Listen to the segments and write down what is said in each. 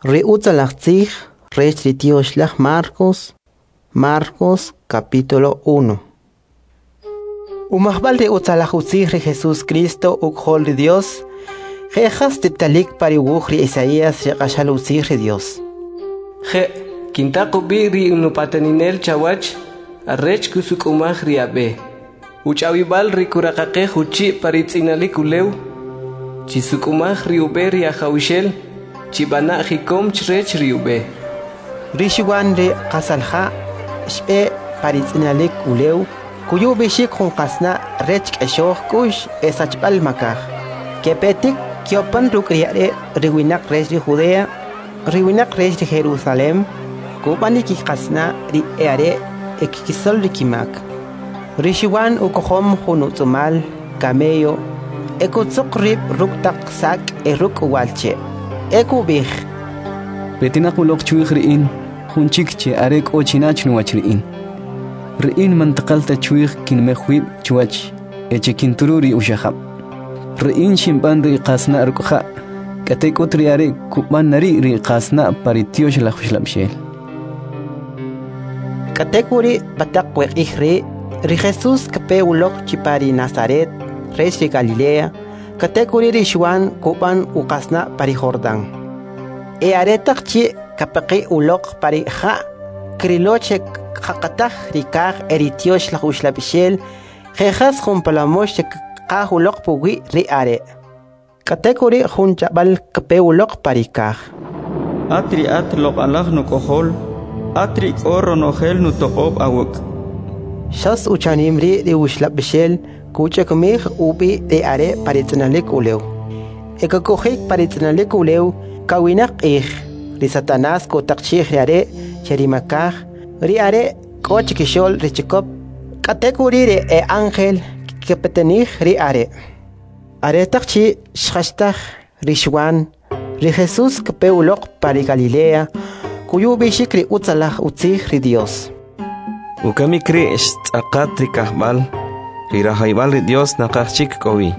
Ri utzalaj tzij rech ri tyoxlaj Marcos, Marcos capítulo 1. Umajb'al ri utzalaj utzij ri Jesús Cristo uk'jol ri Dios, je' jas tz'ib'talik pa ri uwuj ri Isaías ri q'axal utzij ri Dios. Je', kintaq ub'i ri nupataninel chawach, arech kusuk'umaj ri ab'e. Uch'awib'al ri kuraqaqej uchi' pa ri tz'inalik ulew, chisuk'umaj ri ub'e ri Ajawxel, chib'ana' jikom chrech ri ub'e. Ri Xuan ri qasalja' xb'e pa ri tz'inalik ulew, kuyu ub'ixik jun qasna' rech k'exoj k'u'x e sachb'al makaj. Kepetik kyopan ruk' ri are' ri winaq rech ri Judea, ri winaq rech ri Jerusalem, kub'an ri kiqasna' ri e'are' e kkisol ri kimak. Ri Xuan ukojom jun utz'umal camello e kutzuq rib' ruk' taq sak' e ruk' uwa'l che'. E kub'ij: Petinaq uloq chwij ri in, jun chik che are k'o china chnuwach ri in. Ri in man taqal ta chwij kinmej wib' chuwach e che kinturu ri uxajab'. Ri in xinb'an ri qasna' ruk' ja', k'atek'ut ri are' kub'an na ri' ri qasna' pa ri Tyoxlaj Uxlab'xel. K'atek'uri' pa taq we q'ij ri', ri Jesús kape uloq chi pa ri Nazaret rech ri Galilea, k'atek'uri' ri Xuan kub'an uqasna' pa ri Jordán. E aretaq chi' kapaqi' uloq pa ri ja', krilo che kjaqataj ri kaj e ri Tyoxlaj Uxlab'xel je' jas jun palomox che kqaj uloq puwi' ri are'. K'atek'uri' jun ch'ab'al kape uloq pa ri kaj. At ri at loq'alaj nuk'ojol, at ri k'o ronojel nutoq'ob' awuk'. Xas uchanim ri' ri Uxlab'xel kuch'ekmij ub'i ri are' pa ri tz'inalik ulew. E kakojik pa ri tz'inalik ulew kawinaq q'ij. Ri Satanás kutaqchi'j ri are' che ri makaj, ri are' k'o chikixo'l ri chikop, k'atek'uri' ri e ángel kkipatanij ri are'. Aretaq chi' xjachtaj ri Xuan, ri Jesús kape uloq pa ri Galilea, kuyu ub'ixik ri utzalaj utzij ri Dios. Ukamik ri' xtz'aqat ri kajb'al, ri rajayb'al ri Dios naqaj chik k'o wi.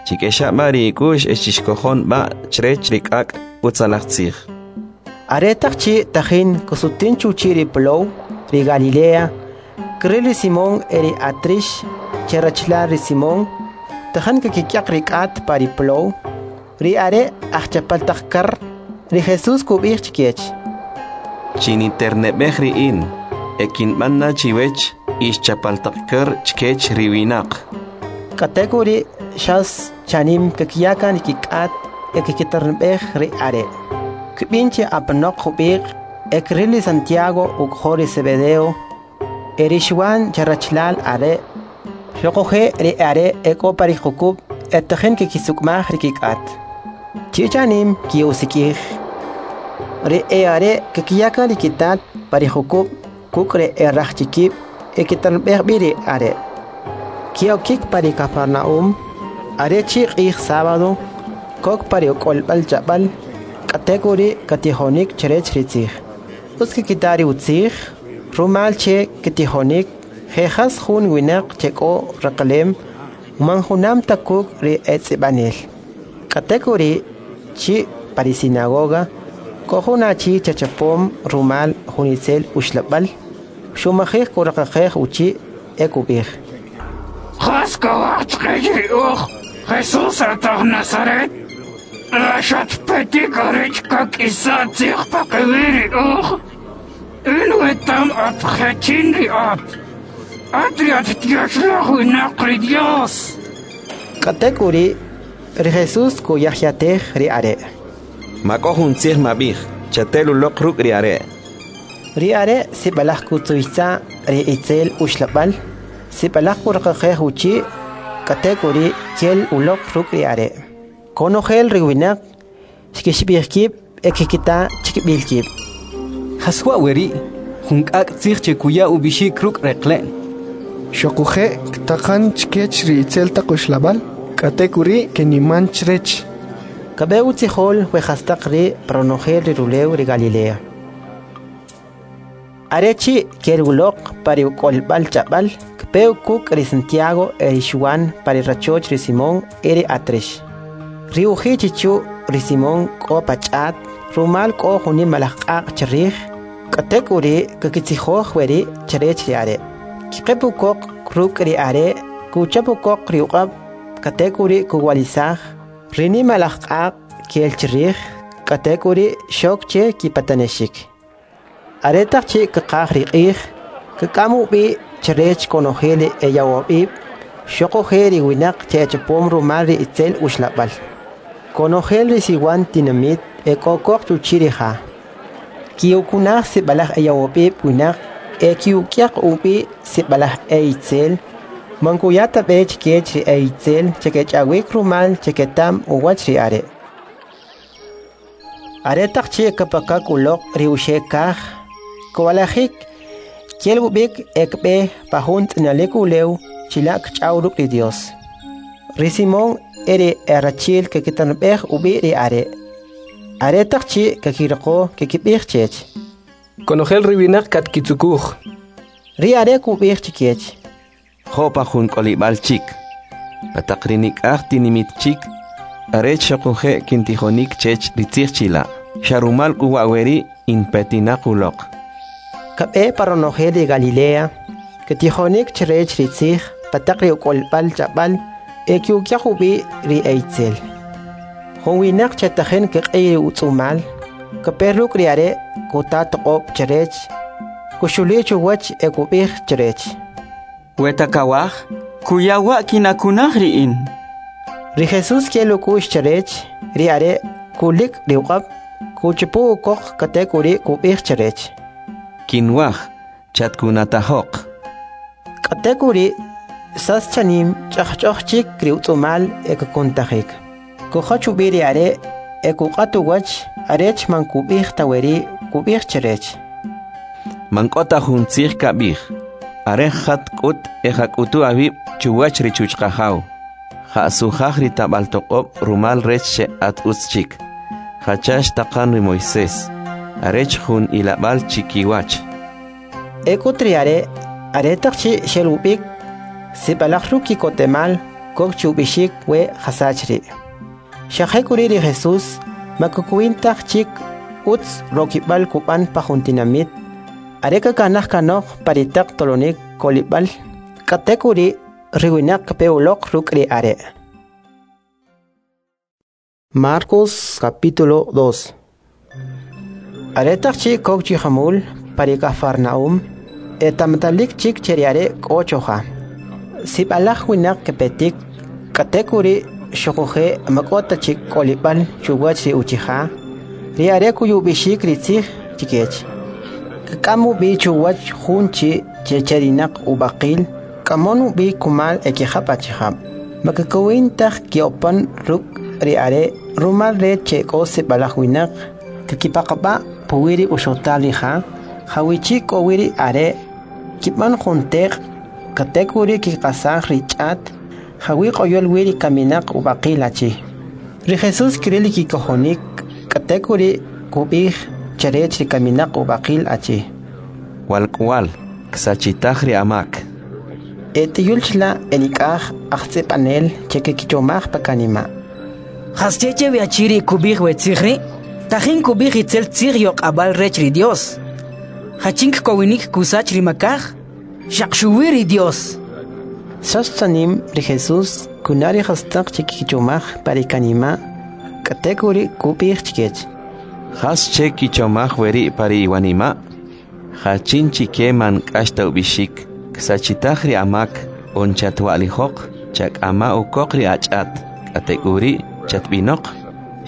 Chik'exa' b'a ri ik'u'x e chixkojon b'a chrech ri k'ak' utzalaj tzij. Aretaq chi' tajin kusutin chuchi' ri plow, ri Galilea, kril ri Simón e ri Atrix che rachalal ri Simón, tajin kakik'yaq ri k'at pa ri plow, ri are' ajchapal taq kar, ri Jesús kub'ij chkech: Chiniterneb'ej ri in, e kinb'an na chiwech ix chapal taq kar chkech ri winaq. K'atek'uri' xas chanim kakiya kan ri kik'at e kkiterneb'ej ri are'. Kb'in che apanoq jub'iq' e kril ri Santiago uk'ojol ri Zebedeo e ri Xuan che rachalal are', xuquje' ri are' e k'o pa ri jukub' e tajin kkisuk'umaj ri kik'at. Chi chanim ki'usik'ij. Ri e'are' kakiya kan ri kitat pa ri jukub' kuk' ri e rajchikib' e kiterneb'ej b'i ri are'. Ke'okik pa ri Cafarnaúm, are chi' q'ij sábado, kok pa ri uk'olb'al ch'ab'al, k'atek'uri' katijonik chrech ri tzij. Utz kkita ri utzij, rumal che ktijonik je' jas jun winaq che k'o reqlem, man junam ta kuk' ri e tz'ib'anel. K'atek'uri' chi' pa ri sinagoga, k'o jun achi che chapom rumal jun itzel uxlab'al, xumajij kuraqaqej uchi' e kub'ij: Jas kawaj chqech ri uj, Jesús at aj Nazaret? La xatpetik arech kak'isa' tzij paqiwi' ri uj? In wetam at jachin ri at, at ri at tyoxlaj winaq ri Dios. K'atek'uri' ri Jesús kuyajyatej ri are'. Ma k'o jun tzij mab'ij, chatel uloq ruk' ri are'. Ri are' sib'alaj kutzuytza' ri itzel uxlab'al, sib'alaj kuraqaqej uchi', k'atek'uri' kel uloq ruk' ri are'. Konojel ri winaq xkixib'ij kib' e kkita chkib'il kib'. Jas wa' we ri'? Jun k'ak' tzij che kuya ub'ixik ruk' reqle'n. Xuquje' ktaqan chkech ri itzel taq uxlab'al, k'atek'uri' keniman chrech. Kab'e utzijol we jastaq ri' pa ronojel ri rulew ri Galilea. Are chi' kel uloq pa ri uk'olb'al ch'ab'al, kpe kuk' ri Santiago e ri Xuan pa ri rachoch ri Simón e ri Atrix. Ri uji' chichu' ri Simón k'o pa ch'at, rumal k'o jun nimalaj q'aq' chrij, k'atek'uri' kakitzijoj weri' chrech ri are'. Kqeb' ukoq ruk' ri are', kuchap ukoq ri uq'ab', k'atek'uri' kuwalisaj. Ri nimalaj q'aq' kel chrij, k'atek'uri' xok che kipatanexik. Aretaq chi' kqaj ri q'ij, kk'am ub'i chrech konojel ri eyawab'ib', xuquje' ri winaq che echapom rumal ri itzel uxlab'al. Konojel ri siwan tinamit e k'o koq chuchi' ri ja. Ki'ukunaj sib'alaj eyawab'ib' winaq e ki'uk'yaq ub'i sib'alaj e'itzel, man kuya ta b'e chkech ri e'itzel che kech'awik rumal che keta'm uwach ri are'. Aretaq chi' kapakak uloq ri uxe' kaj, kwalajik, kel ub'ik e kb'e pa jun tz'inalik ulew chila' kch'aw ruk' ri Dios. Ri Simón e ri erachi'l kekitanb'ej ub'i ri are'. Aretaq chi' kakiriqo kikib'ij chech: Konojel ri winaq katkitzukuj. Ri are' kub'ij chkech: Jo' pa jun k'olib'al chik, pa taq ri nik'aj tinimit chik, arech xuquje' kintijonik chech ri tzij chila'. Xa rumal k'u wa' weri' in petinaq uloq. Kab'e pa ronojel ri Galilea, ktijonik chrech ri tzij pa taq ri uk'olb'al ch'ab'al e ki'uk'yaq ub'i ri eitzel. Jun winaq che tajin kq'iy ri utz'umal, kape ruk' ri are' kuta toq'ob' chrech, kuxuli' chuwach e kub'ij chrech: Weta kawaj, kuya wa' kinakunaj ri in. Ri Jesús kel uk'u'x chrech, ri are' kulik ri uq'ab', kuchupu ukoq k'atek'uri' kub'ij chrech: Kinwaj, chatkunatajoq. K'atek'uri' sas chanim ch'ajch'oj chik ri utz'umal e kakuntajik. Kujach ub'i ri are' e kuq'at uwach arech man kub'ij ta weri' kub'ij chrech: Man k'o ta jun tzij kab'ij, are jat k'ut e jak'utu awib' chuwach ri chuchqajaw. Ja'sujaj ri tab'al toq'ob' rumal rech che at utz chik. Jacha xtaqan ri Moisés, arech jun ilab'al chikiwach. E k'ut ri are' aretaq chi' xel ub'ik, sib'alaj ruk' ki'kotemal kok chi ub'ixik we jasach ri'. Xa jek'uri' ri Jesús ma kukwin taj chik utz rokib'al kub'an pa jun tinamit, are kakanaj kanoq pa ri taq tolonik k'olib'al, k'atek'uri' ri winaq kape uloq ruk' ri are'. Marcos capítulo 2. Aretaq chi' kok chi jamul pa ri Cafarnaum, eta'matalik chik che ri are' k'o choja. Sib'alaj winaq kepetik, k'atek'uri' xuquje' ma k'o ta chik k'olib'al chuwach ri uchija, ri are' kuyub'ixik ri tzij chkech. Kk'am ub'i chuwach jun chi' che cherinaq ub'aqil, k'amon ub'i kumal e kijab' achijab'. Ma kekowin taj ke'opan ruk' ri are' rumal rech che k'o sib'alaj winaq kkipaqab'a' puwi' ri uxotal ri ja, jawichi' k'o wi ri are', kib'an jun teq', k'atek'uri' kiqasaj ri ch'at jawi' q'oyol wi ri kaminaq ub'aqil achi. Ri Jesús kril ri kikojonik, k'atek'uri' kub'ij chrech ri kaminaq ub'aqil achi: Walk'wal, ksachitaj ri amak. E tiyul chila' enik'aj ajtz'ib'anel che kekichomaj pa kanima': Jasche che wi achi ri' kub'ij we tzij ri'? Tajin kub'ij itzel tzij yoq'ab'al rech ri Dios. Jachin kkowinik kusach ri makaj? Xaq xuwi ri Dios. Sas chanim ri Jesús kuna' ri jastaq che kikichomaj pa ri kanima', k'atek'uri' kub'ij chkech: Jas che kichomaj weri' pa ri iwanima'? Jachin chike man k'ax ta ub'ixik, ksachitaj ri amak, on chatwa'lijoq, chak'ama ukoq ri ach'at, k'atek'uri' chatb'inoq.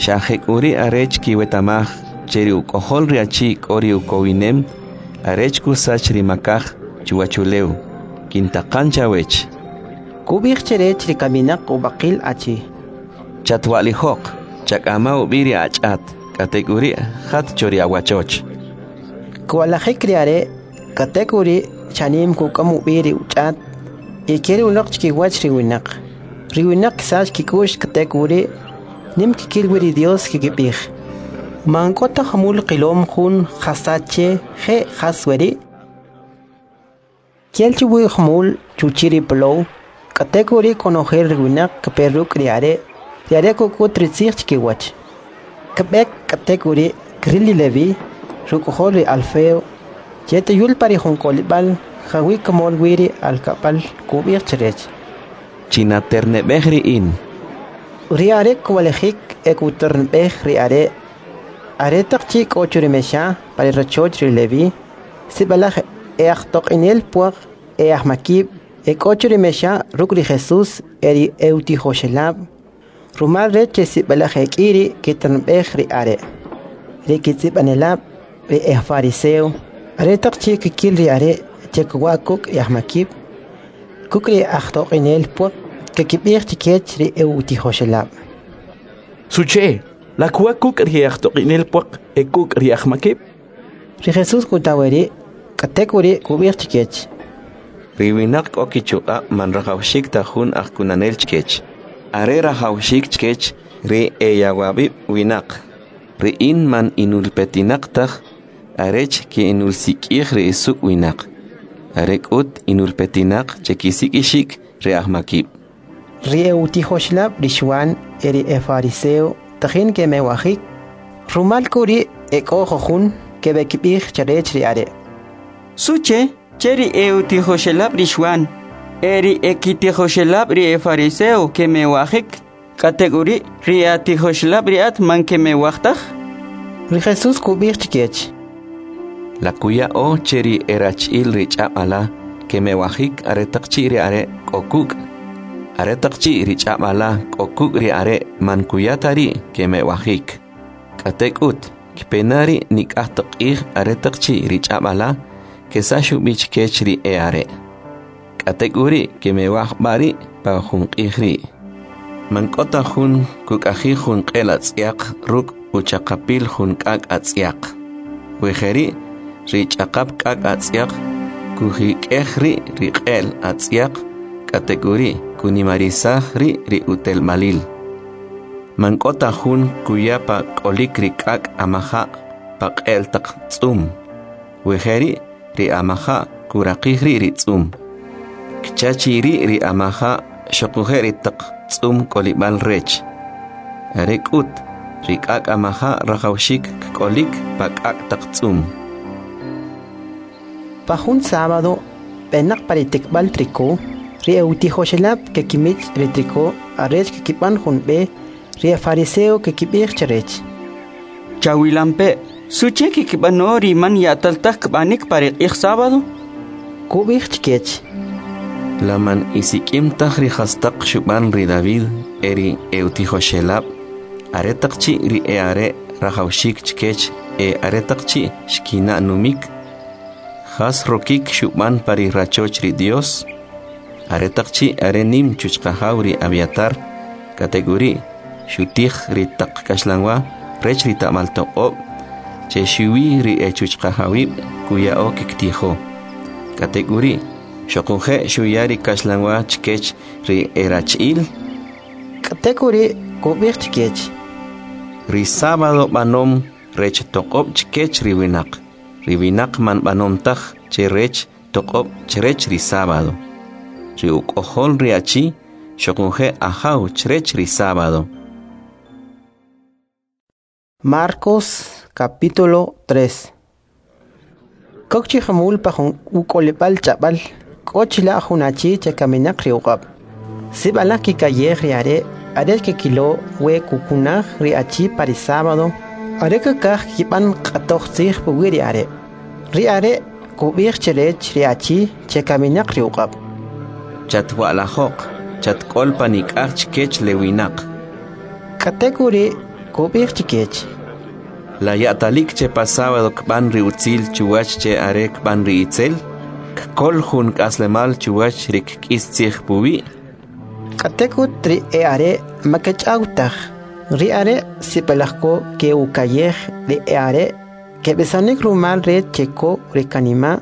Xa jek'uri' arech kiweta'maj che ri uk'ojol ri achi k'o ri ukowinem, arech kusach ri makaj chuwachulew. Kintaqan chawech. Kub'ij chrech ri kaminaq ub'aqil achi: Chatwa'lijoq, chak'ama ub'i ri ach'at, k'atek'uri' jat cho ri awachoch. Kwalajik ri are', k'atek'uri' chanim kuk'am ub'i ri uch'at e kel uloq chkiwach ri winaq. Ri winaq ksach kik'u'x k'atek'uri' nim kkil wi ri Dios kikib'ij: Man k'o ta jamul qilom jun jasach che je' jas weri'. Kel chi wi jumul chuchi' ri plow, k'atek'uri' konojel ri winaq kepe ruk' ri are', ri are' kuk'ut ri tzij chkiwach. Kb'ek k'atek'uri' Kril ri Levi, ri uk'ojol ri Alfeo, che t'uyul pa ri jun k'olib'al jawi' kmol wi ri alkab'al, kub'ij chrech: Chinaterne'b'ej ri in. Ri are' kwa'lijik e kuterne'b'ej ri are'. Aretaq chi' k'o cho ri mexa pa ri rachoch ri Levi, sib'alaj e'ajtoq'inel pwaq e e'ajmakib' ek'o cho ri mexa ruk' ri Jesus e ri e'utijoxelab', rumal rech che sib'alaj ek'i ri kiterne'b'ej ri are'. Ri kitz'ib'anelab' ri e'ajfariseo, aretaq chi' kkil ri are' che kwa' kuk' ri e'ajmakib', kuk' ri e'ajtoq'inel pwaq, kkib'ij chkech ri e'utijoxelab': Suche, la kwa' kuk' ri e'ajtoq'inel pwaq e kuk' ri e'ajmakib'? Ri Jesus kuta weri', k'atek'uri' kub'ij chkech: Ri winaq k'o kichuq'ab' man rajawxik ta jun ajkunanel chkech, are rajawxik chkech ri eyawab'ib' winaq. Ri in man inulpetinaq taj arech ke'inulsik'ij ri esuk' winaq, are k'ut inulpetinaq che kisik'ixik ri ajmakib'. Ri e'utijoxelab' ri Xwan e ri efariseo tajin kemewajik, rumal k'u ri' ek'o jujun keb'ekib'ij chrech ri are': Suche che ri e'utijoxelab' ri Xwan e ri ekitijoxelab' ri efariseo kemewajik, k'atek'uri' ri e'atijoxelab' ri at man kemewaj taj? Ri Jesus kub'ij chkech: La kuya'o che ri erach'il ri ch'ab' ala kemewajik aretaq chi' ri are' k'o kuk'? Aretaq chi' ri ch'ab' ala k'o kuk' ri are' man kuya ta ri' kemewajik. K'atek'ut, kpe na ri' nik'aj taq q'ij aretaq chi' ri ch'ab' ala kesax ub'i chkech ri e'are'. K'atek'uri' kemewaj b'a ri' pa jun q'ij ri'. Man k'o ta jun kuk'ajij jun q'el atz'yaq ruk' uchaqapil jun k'ak' atz'yaq. We jeri', ri ch'aqap k'ak' atz'yaq kujik'ej ri' ri q'el atz'yaq, k'atek'uri' kunimarisaj ri' ri utelmalil. Man k'o ta jun kuya pa k'olik ri k'ak' amaja' pa q'el taq tz'um. We jeri', ri amaja' kuraqij ri' ri tz'um. Kchachi ri' ri amaja' xuquje' ri taq tz'um k'olib'al rech. Are k'ut, ri k'ak' amaja' rajawxik kk'olik pa k'ak' taq tz'um. Pa jun sábado, b'enaq pa ri tikb'al triko, ri e'utijoxelab' kekimich' ri triko arech kkib'an jun b'e, ri efariseo kekib'ij chrech: Chawilampe', suche kikib'ano ri man ya'tal taj kb'anik pa ri q'ij sábado? Kub'ij chkech: La man isik'im taj ri jastaq xub'an ri David e ri e'utijoxelab', aretaq chi' ri e'are' rajawxik chkech e aretaq chi' xkina' numik? Jas rokik xub'an pa ri rachoch ri Dios? Aretaq chi' are nim chuchqajaw ri Abiatar, k'atek'uri' xutij ri taq kaxlanwa rech ri ta'mal toq'ob' che xuwi ri echuchqajawib' kuya'o kiktijo. K'atek'uri' xuquje' xuya ri kaxlanwa chkech ri erach'il. K'atek'uri' kub'ij chkech: Ri sábado b'anom rech toq'ob' chkech ri winaq. Ri winaq man b'anom taj che rech toq'ob' chrech ri sábado. Ri uk'ojol ri achi xuquje' ajaw chrech ri sábado. Marcos capítulo 3. Kok chi jamul pa jun uk'olib'al ch'ab'al, k'o chila' jun achi che kaminaq ri uq'ab'. Sib'alaj kikayej ri are' arech kikilo we kukunaj ri achi pa ri sábado, are kakaj kib'an q'atoj tzij puwi' ri are'. Ri are' kub'ij chrech ri achi che kaminaq ri uq'ab': Chatwa'lajoq, chatk'ol pa nik'aj chkech le winaq. K'atek'uri' kub'ij chkech: La ya'talik che pa sábado kb'an ri utzil chuwach che are kb'an ri itzel? Kkol jun k'aslemal chuwach ri kk'is tzij puwi'? K'atek'ut ri e'are' ma kech'aw taj. Ri are' sib'alaj ko ke'ukayej ri e'are' keb'isonik rumal rech che ko ri kanima'.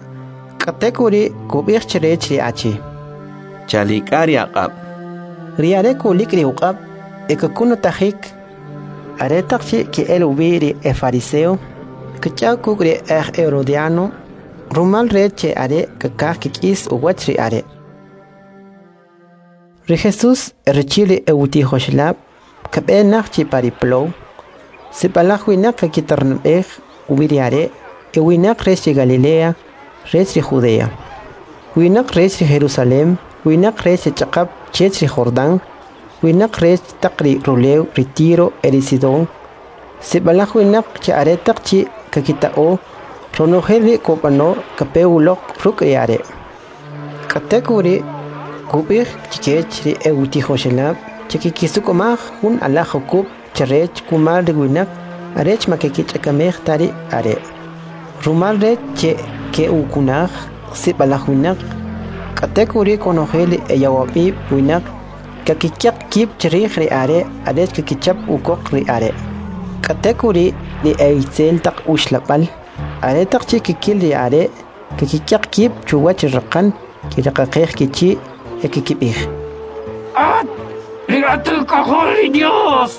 K'atek'uri' kub'ij chrech ri achi: Chalik'a ri aq'ab'. Ri are' kulik' ri uq'ab' e kakunutajik. Aretaq chi' ke'el ub'i ri efariseo, kch'aw kuk' ri aj herodiano, rumal rech che are kakaj kik'is uwach ri are'. Ri Jesus rachi'l ri e'utijoxelab' kab'enaq chi pa ri plow. Sib'alaj winaq kakiternab'ej ub'i ri are', e winaq rech ri Galilea, rech ri Judea. Winaq rech ri Jerusalem, winaq rech ri ch'aqap chech ri Jordán, winaq rech taq ri rulew ri Tiro e ri Sidón. Sib'alaj winaq che aretaq chi' kakita'o ronojel ri kub'ano kape uloq ruk' ri are'. K'atek'uri' kub'ij chkech ri e'utijoxelab' che kikisuk'umaj jun alaj jukub' chrech kumal ri winaq arech ma kekich'akamej ta ri are'. Rumal rech che ke'ukunaj sib'alaj winaq, k'atek'uri' konojel ri eyawab'ib' winaq kakikyaq kib' chrij ri are' arech kakichap ukoq ri are'. K'atek'uri' ri e'itzel taq uxlab'al aretaq chi' kikil ri are' kakikyaq kib' chuwach ri raqan, kiraqaqej kichi' e kikib'ij: At ri at uk'ojol ri Dios!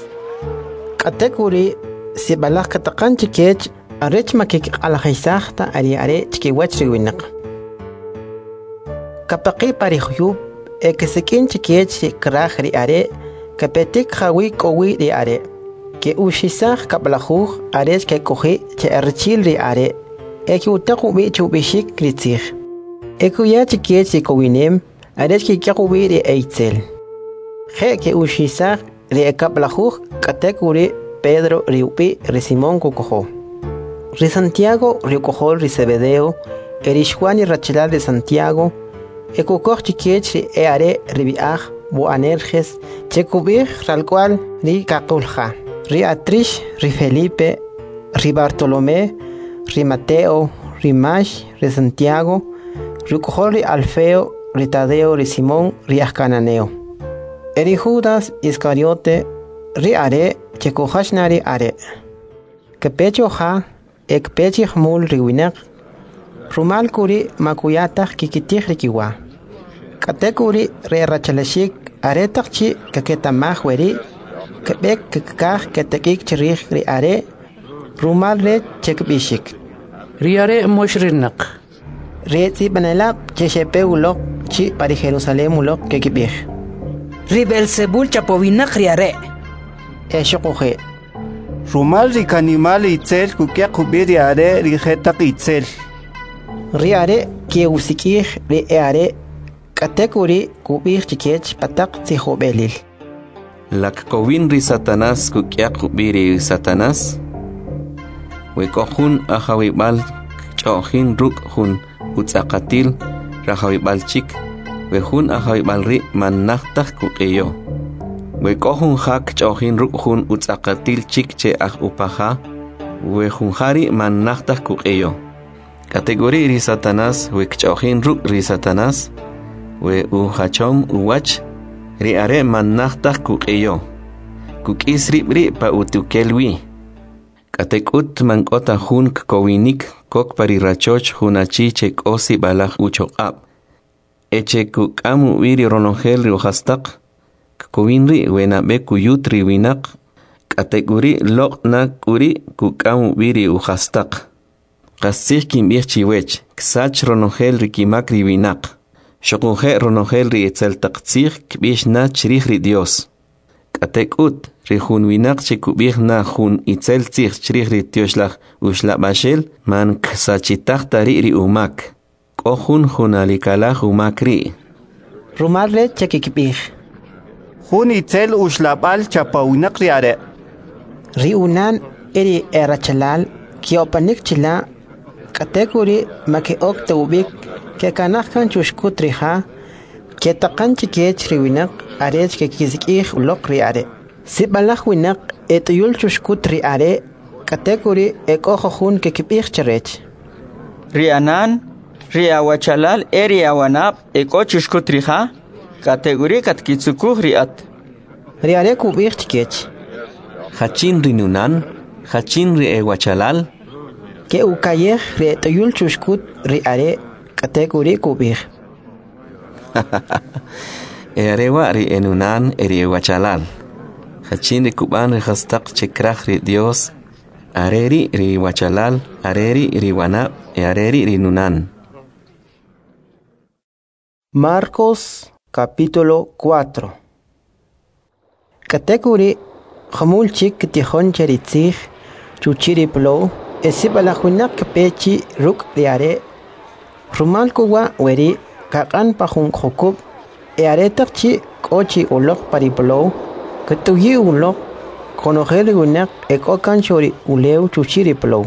K'atek'uri' sib'alaj kataqan chkech arech ma kiq'alajisaj ta ri are' chkiwach ri winaq. Kapaqi' pa ri juyub' e ksik'in chkech ri kraj ri are' kapetik jawi' k'o wi ri are'. Ke'uxisaj kab'lajuj arech kek'oji' che erachi'l ri are' e ke'utaq ub'i chub'ixik ri tzij. E kuya chkech ri kowinem arech kik'yaq ub'i ri e'itzel. Je' ke'uxisaj ri ekab'lajuj, k'atek'uri' Pedro ri ub'i' ri Simón kukojo. Ri Santiago ri uk'ojol ri Zebedeo e ri Xwan ri rachalal ri Santiago e kukoj chkech ri e'are' ri b'i'aj Boanerges che kub'ij ralk'wa'l ri kaqulja. Ri Atrix, ri Felipe, ri Bartolomé, ri Mateo, ri Max, ri Santiago, ri uk'ojol ri Alfeo, ri Tadeo, ri Simón, ri ajkananeo. E ri Judas Iscariote, ri are' che kujach na ri are'. Kepe cho ja e kpe chi jumul ri winaq, rumal k'uri' ma kuya taj kikitij ri kiwa. K'atek'uri' ri erachalaxik aretaq chi' kaketa'maj weri', keb'ek kkaj ketak'ik chrij ri are' rumal rech che kb'ixik: Ri are' moxrinaq. Ri etz'ib'anelab' che xepe uloq chi' pa ri Jerusalem uloq kekib'ij: Ri Beelzebul chapowinaq ri are'. E xuquje': Rumal ri kanimal itzel kuk'yaq ub'i ri are' ri jetaq itzel. Ri are' ke'usik'ij ri e'are', k'atek'uri' kub'ij chkech pa taq tzijob'elil: La kkowin ri Satanás kuk'yaq ub'i ri Satanás? We k'o jun ajawib'al kch'o'jin ruk' jun utz'aqatil rajawib'al chik, we jun ajawib'al ri' man naj taj kuq'iyo. We k'o jun ja kch'o'jin ruk' jun utz'aqatil chik che aj upaja, we jun ja ri' man naj taj kuq'iyo. K'atek'uri' ri Satanás we kch'o'jin ruk' ri Satanás, we ujachom uwach, ri are' man naj taj kuq'iyo. Kuk'is rib' ri' pa utukel wi. K'atek'ut man k'o ta jun kkowinik kok pa ri rachoch jun achi che k'o sib'alaj uchoq'ab', e che kuk'am ub'i ri ronojel ri ujastaq, kkowin ri' we nab'e kuyut ri winaq, k'atek'uri' loq' na k'uri' kuk'am ub'i ri ujastaq. Qastzij kinb'ij chiwech, ksach ronojel ri kimak ri winaq. Xuquje' ronojel ri itzel taq tzij kb'ix na chrij ri Dios. K'atek'ut, ri jun winaq che kub'ij na jun itzel tzij chrij ri Tyoxlaj Uxlab'axel man ksachitaj ta ri' ri umak. K'o jun junalikalaj umak ri'. Rumal rech che kikib'ij: Jun itzel uxlab'al chapawinaq ri are'. Ri unan e ri erachalal ke'opanik chila', k'atek'uri' ma ke'ok ta ub'ik, kekanaj kan chuxkut ri ja, ketaqan chkech ri winaq arech kekisik'ij uloq ri are'. Sib'alaj winaq et'uyul chuxkut ri are', k'atek'uri' e k'o jujun kekib'ij chrech: Ri anan, ri awachalal e ri awanab' e k'o chuxkut ri ja, k'atek'uri' katkitzukuj ri at. Ri are' kub'ij chkech: Jachin ri nunan? Jachin ri ewachalal? Ke'ukayej ri et'uyul chuxkut ri are', k'atek'uri' kub'ij: E are wa' ri enunan e ri ewachalal. Jachin ri kub'an ri jastaq che kraj ri Dios, are ri' ri wachalal, are ri' ri wanab', e are ri' ri nunan. Marcos capítulo 4. K'atek'uri' Jumul chik ktijon che ri tzij chuchi' ri plow e sib'alaj winaq kpe chi ruk' ri are'. Rumal k'u wa' weri' kaq'an pa jun jukub' e aretaq chi' k'o chi uloq pa ri plow, kt'uyi' uloq konojel ri winaq e k'o kan cho ri ulew chuchi' ri plow.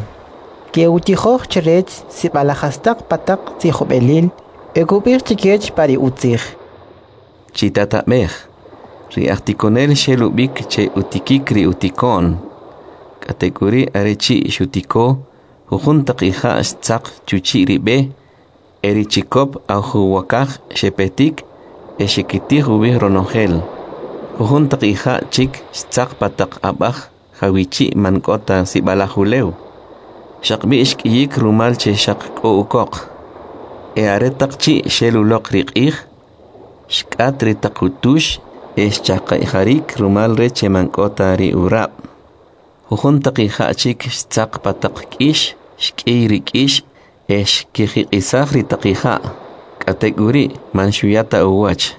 Ke'utijoj chrech sib'alaj jastaq pa taq tzijob'elil e kub'ij chkech pa ri utzij. Chitatab'ej, ri ajtikonel xel ub'ik che utikik ri utiko'n. K'atek'uri' are chi' xutiko, jujun taq ija' xtzaq chuchi' ri b'e, e ri chikop ajuwokaj xepetik e xekitij ub'i ronojel. Jujun taq ija' chik xtzaq pa taq ab'aj jawichi' man k'o ta sib'alaj ulew. Xaqb'i' xk'iyik rumal che xaq k'o ukoq. E aretaq chi' xel uloq ri q'ij, xk'at ri taq utux e xchaqi'jarik rumal rech che man k'o ta ri urab'. Jujun taq ija' chik xtzaq pa taq k'ix, xk'iy ri k'ix e xkijiq'isaj ri taq ija', k'atek'uri' man xuya ta uwach.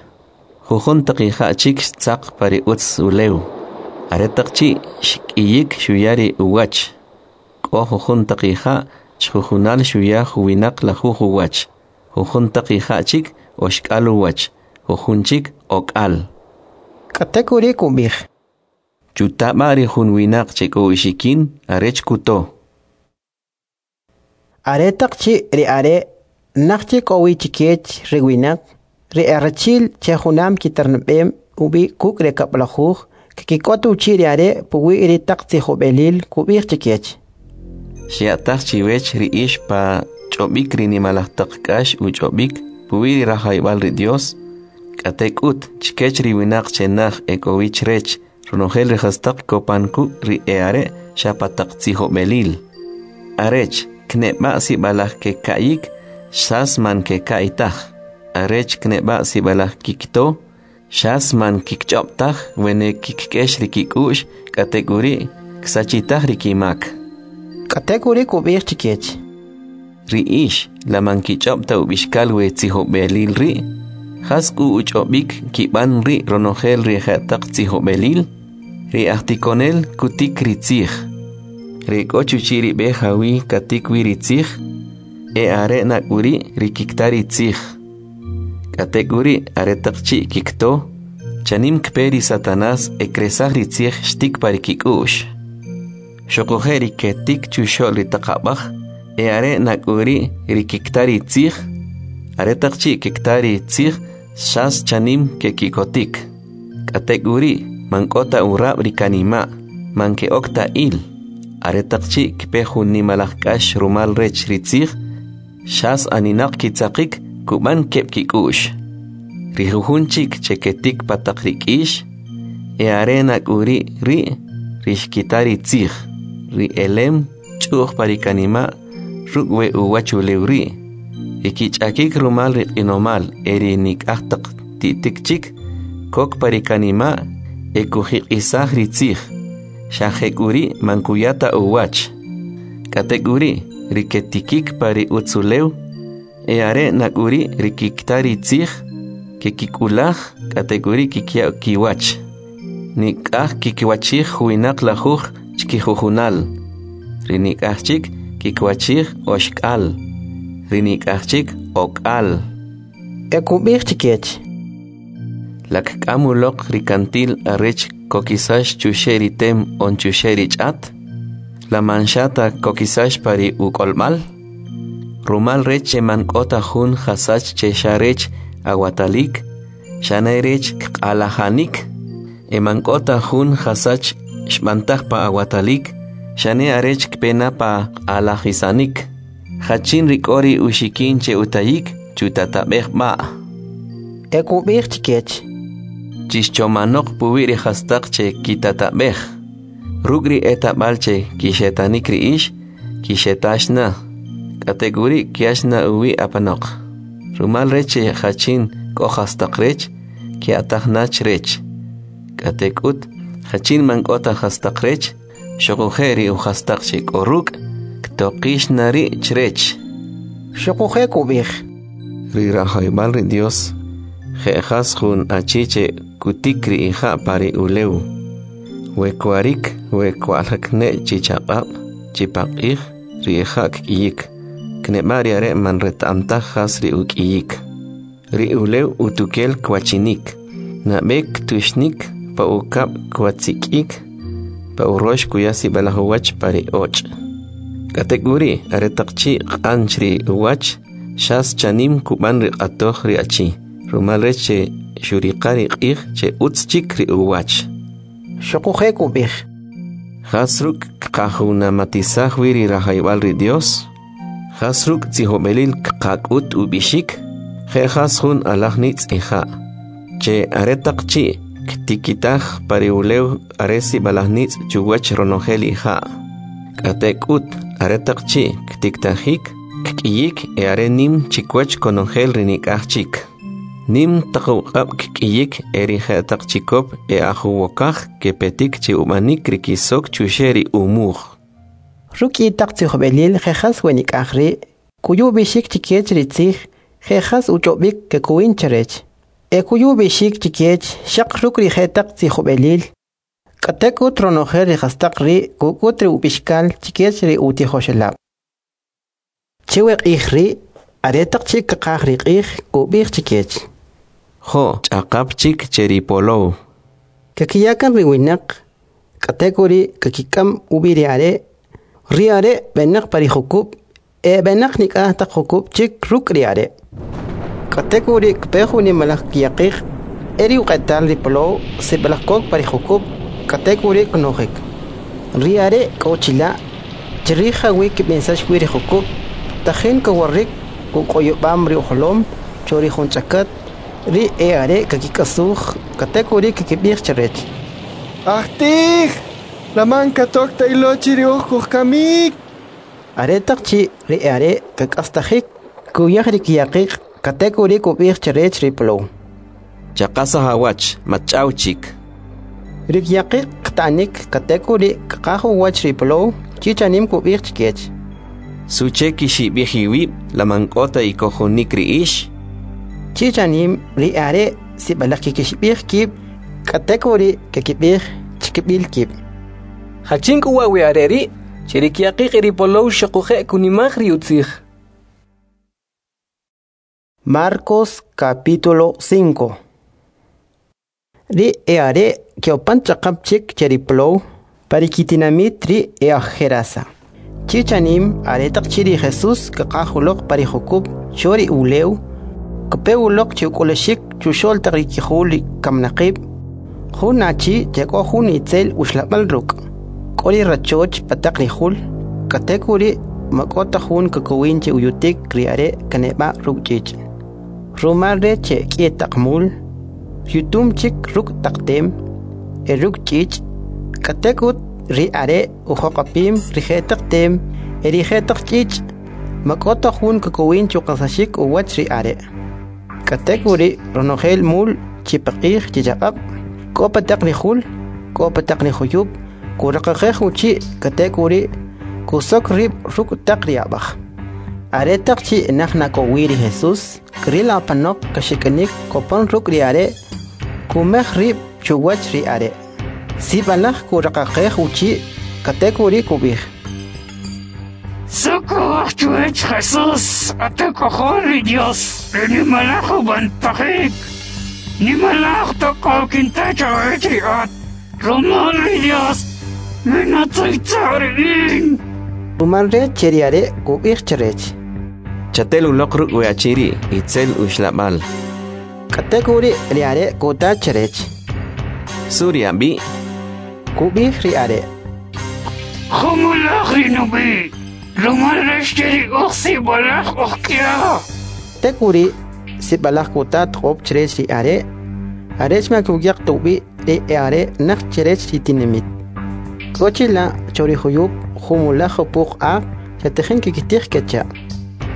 Jujun taq ija' chik xtzaq pa ri utz ulew. Aretaq chi' xk'iyik xuya ri uwach. K'o jujun taq ija' chjujunal xuya juwinaq lajuj uwach, jujun taq ija' chik oxk'al uwach, jujun chik ok'al. K'atek'uri' kub'ij: Chuta b'a ri jun winaq che k'o uxikin arech kuto. Aretaq chi' ri are' naj chik k'o wi chkech ri winaq, ri erachi'l che junam kiterneb'em ub'i kuk' ri kab'lajuj, kkik'ot uchi' ri are' puwi' ri taq tzijob'elil kub'ij chkech. Xya'taj chiwech ri ix pa ch'ob'ik ri nimalaj taq k'ax uch'ob'ik puwi' ri rajawib'al ri Dios, k'atek'ut chkech ri winaq che naj e k'o wi chrech ronojel ri jastaq kopan kuk' ri e'are' xa pa taq tzijob'elil. Arech kneb'a' sib'alaj keka'yik, xas man keka'y taj. Arech kneb'a' sib'alaj kikto, xas man kikch'ob' taj wene kikk'ex ri kik'u'x, k'atek'uri' ksachitaj ri kimak. K'atek'uri' kub'ij chkech: Ri ix, la man kich'ob' ta ub'ixkal we tzijob'elil ri'? Jas k'u uch'ob'ik kib'an ri' ronojel ri je'taq tzijob'elil? Ri ajtikonel kutik ri tzij. Ri k'o chuchi' ri b'e jawi katik wi ri tzij, e are' na k'uri' ri kikta ri tzij. K'atek'uri' aretaq chi' kikto, chanim kpe ri Satanás e kresaj ri tzij xtik pa ri kik'u'x. Xuquje' ri ketik chuxo'l ri taq ab'aj, e are' na k'uri' ri kikta ri tzij. Aretaq chi' kikta ri tzij, xas chanim kekikotik. K'atek'uri' man k'o ta urab' ri kanima', man ke'ok ta il. Aretaq chi' kpe jun nimalaj k'ax rumal rech ri tzij, xas aninaq kitzaqik kub'an keb' kik'u'x. Ri jujun chik che ketik pa taq ri k'ix, e are na k'uri' ri' ri xkita ri tzij, ri elem ch'u'j pa ri kanima' ruk' we uwachulew ri', ri kich'akik rumal ri q'inomal e ri nik'aj taq ti'tik chik kok pa ri kanima' e kujiq'isaj ri tzij, xa jek'uri' man kuya ta uwach. K'atek'uri' ri ketikik pa ri utz ulew, e are' na k'uri' ri kikta ri tzij, kekik'ulaj, k'atek'uri' kikya kiwach. Nik'aj kikwachij juwinaq lajuj chkijujunal, ri nik'aj chik kikwachij oxk'al, ri nik'aj chik ok'al. E kub'ij chkech: La kk'am uloq ri kantil arech kokisax chuxe' ri tem on chuxe' ri ch'at? La man xa ta kokisax pa ri uk'olb'al? Rumal rech che man k'o ta jun jasach che xa rech awatalik, xane rech kq'alajanik, e man k'o ta jun jasach xb'antaj pa awatalik, xane arech kpe na pa q'alajisanik. Jachin ri k'o ri uxikin che utayik, chutatab'ej b'a'. E kub'ij chkech: Chixchomanoq puwi' ri jastaq che kitatab'ej. Ruk' ri etab'al che kixetanik ri ix, kixetax na, k'atek'uri' kyax na uwi' apanoq. Rumal rech che jachin k'o jastaq rech, kya'taj na chrech. K'atek'ut, jachin man k'o ta jastaq rech, xuquje' ri ujastaq che k'o ruk', ktoqix na ri' chrech. Xuquje' kub'ij: Ri rajawib'al ri Dios je' jas jun achi che kutik ri ija' pa ri ulew. We kwarik, we kwa'ljak ne' chi chaq'ab', chi paq'ij, ri ija' kk'iyik. Kneb'a ri are' man reta'am taj jas ri uk'iyik. Ri ulew utukel kwachinik. Nab'e ktuxnik, pa ukab' kwatzik'ik, pa urox kuya sib'alaj uwach pa ri och'. K'atek'uri', aretaq chi' q'anch ri uwach, xas chanim kub'an ri q'atoj ri achi, rumal rech che xuriqa ri q'ij che utz chik ri uwach. Xuquje' kub'ij: Jas ruk' kqajunamatisaj wi ri rajawib'al ri Dios? Jas ruk' tzijob'elil kqak'ut ub'ixik? Je' jas jun alaj nitz' ija', che aretaq chi' ktikitaj pa ri ulew are sib'alaj nitz' chuwach ronojel ija'. K'atek'ut, aretaq chi' ktiktajik, kk'iyik e are nim chikwach konojel ri nik'aj chik. Nim taq uq'ab' kk'iyik e ri je'taq chikop e ajuwokaj kepetik chi ub'anik ri kisok chuxe' ri umuj. Ruk' taq tzijob'elil je' jas we nik'aj ri', kuyu ub'ixik chikech ri tzij je' jas uch'ob'ik kekowin chrech. E kuyu ub'ixik chikech xaq ruk' ri je'taq tzijob'elil. K'atek'ut ronojel ri jastaq ri' kuk'ut ri ub'ixkal chikech ri utijoxelab'. Che we q'ij ri', aretaq chi' kaqaj ri q'ij, kub'ij chikech: Jo' ch'aqap chik che ri polow. Kakiyakan ri winaq, k'atek'uri' kakik'am ub'i ri are'. Ri are' b'enaq pa ri jukub', e b'enaq nik'aj taq jukub' chik ruk' ri are'. K'atek'uri' kpe jun nimalaj kyaqiq, e ri uq'etal ri polow sib'alaj kok pa ri jukub', k'atek'uri' knojik. Ri are' k'o chila', chrij jawi' kb'insax wi ri jukub', tajin kawarik uq'oyob'am ri ujolom cho ri jun ch'akat. Ri e are' kakik'asuj, k'atek'uri' kkib'ij chrech: Ajtij, la man katok ta ilo chi ri uj kujkamik. Aretaq chi' ri e are' kak'astajik, kuyaj ri kyaqiq, k'atek'uri' kub'ij chrech ri polow: Chaqasaj awach, match'aw chik. Ri kyaqiq kta'nik, k'atek'uri' kqaj uwach ri polow, chi chanim kub'ij chikech: Suche kixib'ij iwib', la man k'o ta ikojonik ri ix? Chi chanim ri are' sib'alaj kikixib'ij kib', k'atek'uri' kakib'ij chikib'il kib': Jachin k'u wa' we are' ri', che ri kyaqiq y ri polow xuquje' kunimaj ri utzij. Marcos capítulo 5. Ri e are' keopan ch'aqap chik che ri polow, pa ri kitinamit ri e aj Gerasa. Chi chanim aretaq chi ri Jesús kaqaj uloq pa ri jukub' cho ri ulew, kpe uloq chi uk'ulaxik chuxo'l taq ri kijul ri kamnaqib', jun achi che k'o jun itzel uxlab'al ruk'. K'o ri rachoch pa taq ri jul, k'atek'uri' ma k'o ta jun kakowin che uyutik ri are' kaneb'a ruk' ch'ich'. Rumal rech che k'i taq mul, yutum chik ruk' taq tem e ruk' ch'ich', k'atek'ut ri are' ujoq'apim ri je'taq tem e ri je'taq ch'ich', ma k'o ta jun kakowin chuqasaxik uwach ri are'. K'atek'uri' ronojel mul chi paq'ij chi chaq'ab', k'o pa taq ri jul, k'o pa taq ri juyub', kuraqaqej uchi' k'atek'uri' kusok rib' ruk' taq ri ab'aj. Aretaq chi' naj na k'o wi ri Jesús, kril apanoq kaxik'inik kopon ruk' ri are', kumej rib' chuwach ri are'. Sib'alaj kuraqaqej uchi' k'atek'uri' kub'ij: Suk'uwaj chuwach Jesús, atak'ojol ri Dios, ri nimalaj ub'antajik. Nimalaj toq'ob' kinta chawech ri at, rumal ri Dios, minatzaytza' ri in. Rumal rech che ri are' kub'ij chrech: Chatel uloq ruk' we achi ri', itzel uxlab'al. K'atek'uri' ri are' kuta chrech: Su ri ab'i'? Kub'ij ri are': Jumulaj ri nub'i', rumal rech che ri uj sib'alaj uj k'ya. Tek'uri' sib'alaj kuta toq'ob' chrech ri are', arech ma kukyaq ta ub'i ri e are' naj chrech ri tinamit. K'o chila' cho ri juyub' jumulaj jupuq aq che tajin kkitij kecha'.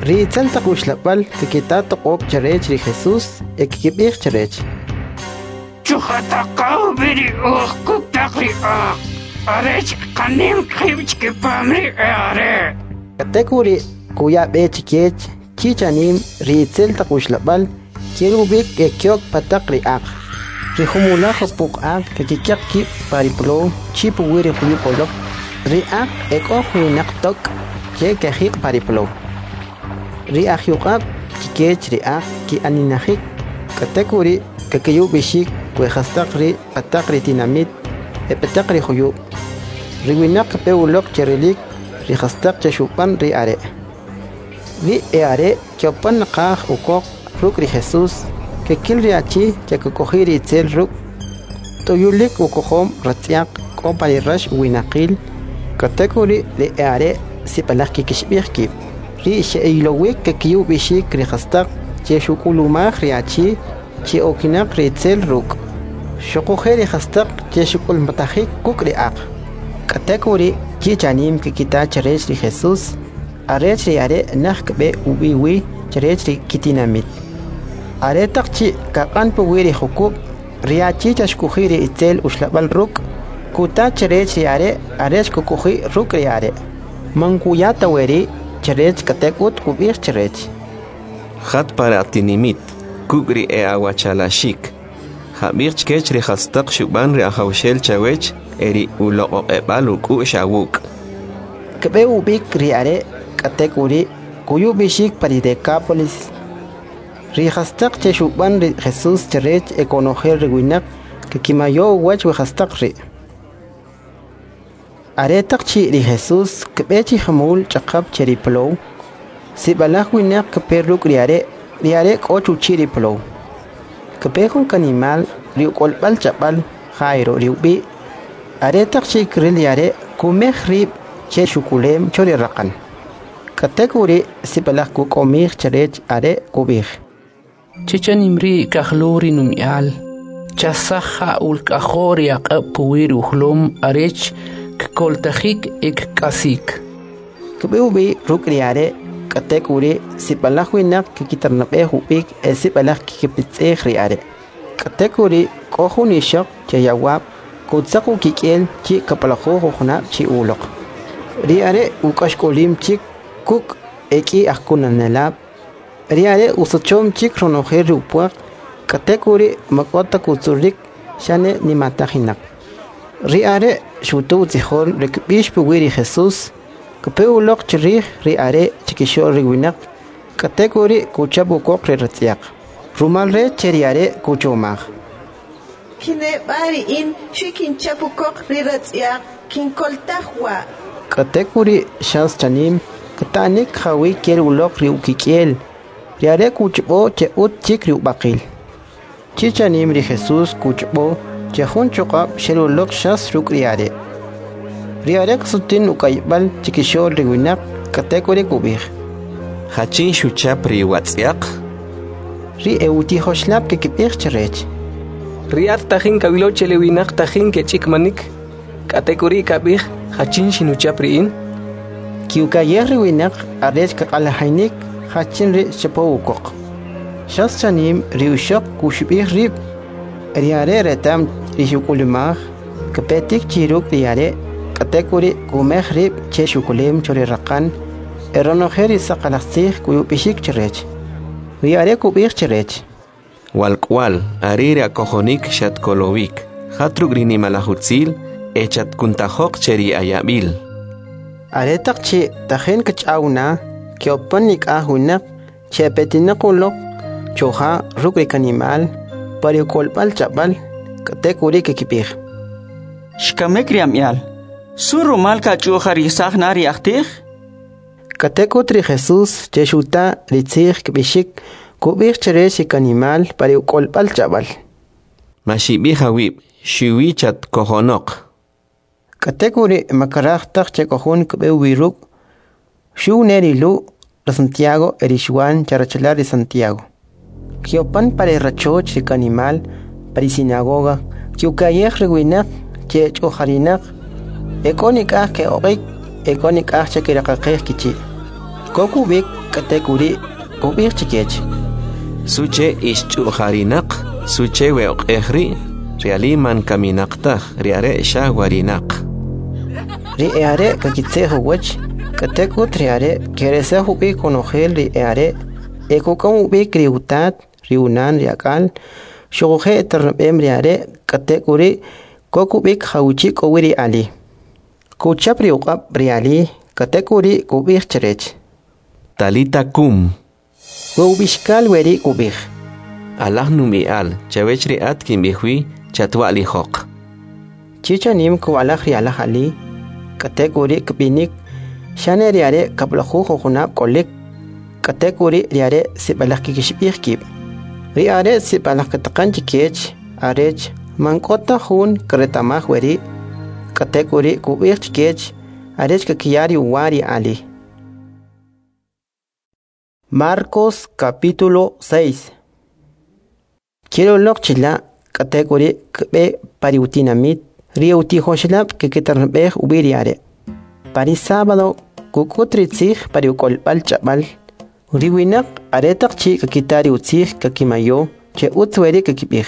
Ri itzel taq uxlab'al kkita toq'ob' chrech ri Jesús e kkib'ij chrech: Chujataqa ub'i ri uj kuk' taq ri aq, arech qanim qib' chkipam ri e are'. K'atek'uri' kuya b'e chikech chi chanim ri itzel taq uxlab'al kel ub'ik e kyok pa taq ri aq. Ri jumulaj jupuq aq kakik'yaq kib' pa ri plow chi puwi' ri juyub' uloq. Ri aq ek'o juwinaq tok' che kejiq' pa ri plow. Ri ajyuq'ab' chkech ri aq ki'aninajik, k'atek'uri' kakiya ub'ixik we jastaq ri' pa taq ri tinamit e pa taq ri juyub'. Ri winaq kepe uloq che rilik ri jastaq che xub'an ri are'. Ri e'are' ke'opan naqaj ukoq ruk' ri Jesus, kekil ri achi che kk'oji' ri itzel ruk', t'uyulik ukojom ratz'yaq k'o pa ri rax uwinaqil, k'atek'uri' ri e'are' sib'alaj kkixib'ij kib'. Ri xe'ilowik kakiya ub'ixik ri jastaq che xuk'ulumaj ri achi che okinaq ri itzel ruk', xuquje' ri jastaq che xuk'ulmatajik kuk' ri aq. K'atek'uri' chi chanim kkita chrech ri Jesus, arech ri are' naj kb'e ub'i wi chrech ri kitinamit. Aretaq chi' kaq'an puwi' ri jukub', ri achi che xk'oji' ri itzel uxlab'al ruk', kuta chrech ri are' arech kk'oji' ruk' ri are'. Man kuya ta weri' chrech, k'atek'ut kub'ij chrech: Jat pa ri atinimit, kuk' ri e'awachalaxik. Ja'b'ij chkech ri jastaq xub'an ri Ajawxel chawech e ri uloq'oq'eb'al uk'u'x awuk'. Kb'e ub'ik ri are', k'atek'uri' kuya ub'ixik pa ri Dekápolis ri jastaq che xub'an ri Jesus chrech e konojel ri winaq kkimayo uwach we jastaq ri'. Aretaq chi' ri Jesus kb'e chi jumul ch'aqap che ri plow, sib'alaj winaq kepe ruk' ri are', ri are' k'o chuchi' ri plow. Kpe jun kanimal ri uk'olb'al ch'ab'al Jairo ri ub'i'. Aretaq chi' kril ri are' kumej rib' che xukulem cho ri raqan. K'atek'uri' sib'alaj kuk'omij chrech are' kub'ij: Che chanim ri' kajluw ri numi'al, chasaja ulk'ajo ri aq'ab' puwi' ri ujolom arech kkoltajik e kk'asik. Kb'e ub'i ruk' ri are', k'atek'uri' sib'alaj winaq kkitarnab'ej ub'ik e sib'alaj kkipitz'ij ri are'. K'atek'uri' k'o jun ixoq che yawab' kutzaq ukik'el chi kab'lajuj ujunab' chi uloq. Ri are' uk'axk'olim chik kuk' ek'i ajkunanelab'. Ri are' usachom chik ronojel ri upwaq, k'atek'uri' man k'o ta kutzurik, xane nimatajinaq. Ri are' xuta utzijol ri kb'ix puwi' ri Jesus, kpe uloq chrij ri are' chkixo'l ri winaq, k'atek'uri' kuchap ukoq ri ratz'yaq. Rumal rech che ri are' kuchomaj: Kineb'a ri in xwi kinchap ukoq ri ratz'yaq, kinkoltaj wa'. K'atek'uri' xas chanim kta'nik jawi' kel uloq ri ukik'el. Ri are' kuch'ob'o che utz chik ri ub'aqil. Chi chanim ri Jesus kuch'ob'o che jun chuq'ab' xel uloq xas ruk' ri are'. Ri are' ksutin uk'ayb'al chkixo'l ri winaq, k'atek'uri' kub'ij: Jachin xuchap ri watz'yaq? Ri e'utijoxelab' kkib'ij chrech: Ri at tajin kawilo che le winaq tajin kech'ikmanik, k'atek'uri' kab'ij: Jachin xinuchap ri in? Ki'uka'yej ri winaq arech kaq'alajinik jachin ri xchapow ukoq. Xas chanim ri ixoq kuxib'ij rib'. Ri are' reta'm ri xuk'ulumaj, kpetik chi ruk' ri are', k'atek'uri' kumej rib' che xukulem cho ri raqan e ronojel ri saqalaj tzij kuya ub'ixik chrech. Ri are' kub'ij chrech: Walk'wal, are ri akojonik xatkolowik. Jat ruk' ri nimalaj utzil e chatkuntajoq che ri ayab'il. Aretaq chi' tajin kch'aw na, ke'opan nik'aj winaq che epetinaq uloq choja ruk' ri kanimal pa ri uk'olb'al ch'ab'al, k'atek'uri' kkib'ij: Xkamik ri ami'al. Su rumal kach'u'jarisaj na ri ajtij? K'atek'ut ri Jesus che xuta ri tzij kb'ixik, kub'ij chrech ri kanimal pa ri uk'olb'al ch'ab'al: Maxib'ij awib', xuwi chatkojonoq. K'atek'uri' man kraj taj che k'o jun kb'e ub'i ruk', xuw ne ri Lu', ri Santiago e ri Xwan che rachalal ri Santiago. Ke'opan pa ri rachoch ri kanimal pa ri sinagoga, ke'uka'yej ri winaq che ech'u'jarinaq, ek'o nik'aj ke'oq'ik, ek'o nik'aj che kiraqaqej kichi'. Kok ub'ik, k'atek'uri' kub'ij chkech: Suche ixch'u'jarinaq? Suche we oq'ej ri'? Ri ali man kaminaq taj, ri are' xa warinaq. Ri e'are' kakitze'j uwach, k'atek'ut ri are' keresaj ub'ik konojel ri e'are' e kuk'am ub'ik ri utat, ri unan ri ak'al, Xuquje' eternab'em ri are' k'atek'uri' kok ub'ik jawchi' k'o wi ri ali. Kuchap ri uq'ab' ri ali, k'atek'uri' kub'ij chrech: Talita kum. We ub'ixkal weri' kub'ij: Alaj numi'al, chawech ri at kinb'ij wi, chatwa'lijoq. Chi chanim kuwa'laj ri alaj ali, k'atek'uri' kb'inik, xane ri are' 10 ujunab' k'olik, k'atek'uri' ri are' sib'alaj kkixib'ij kib'. Ri are' sib'alaj kataqan chkech arech man k'o ta jun kreta'maj weri', k'atek'uri' kub'ij chkech arech kakiya ri uwa ri ali. Marcos capítulo 6. Kel uloq chila', k'atek'uri' kb'e pa ri utinamit, ri utijoxelab' kkiternab'ej ub'i ri are'. Pa ri sábado kuk'ut ri tzij pa ri uk'olb'al ch'ab'al. Ri winaq aretaq chi' kakita ri utzij kakimayo che utz weri' kakib'ij.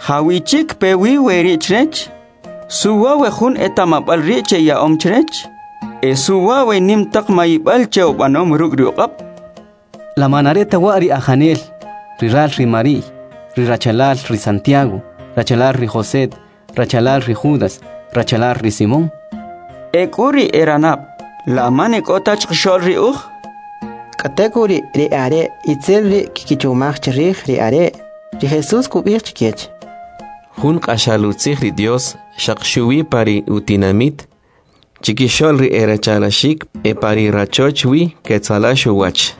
Jawichi' kpe wi weri' chrech? Suwa we jun eta'mab'al ri' che ya'om chrech? E suwa we nim taq mayib'al che ub'anom ruk' ri uq'ab'? La man are ta wa' ri ajanel, ri ral ri Mari'y, ri rachalal ri Santiago, rachalal ri José, rachalal ri Judas, rachalal ri Simón. E k'u ri eranab', la man e k'o ta chqixo'l ri uj? K'atek'uri' ri are' itzel ri' kkichomaj chrij ri are'. Ri Jesús kub'ij chkech: Jun q'axal utzij ri Dios xaq xuwi pa ri utinamit, chikixo'l ri erachalaxik e pa ri rachoch wi ketzalax uwach.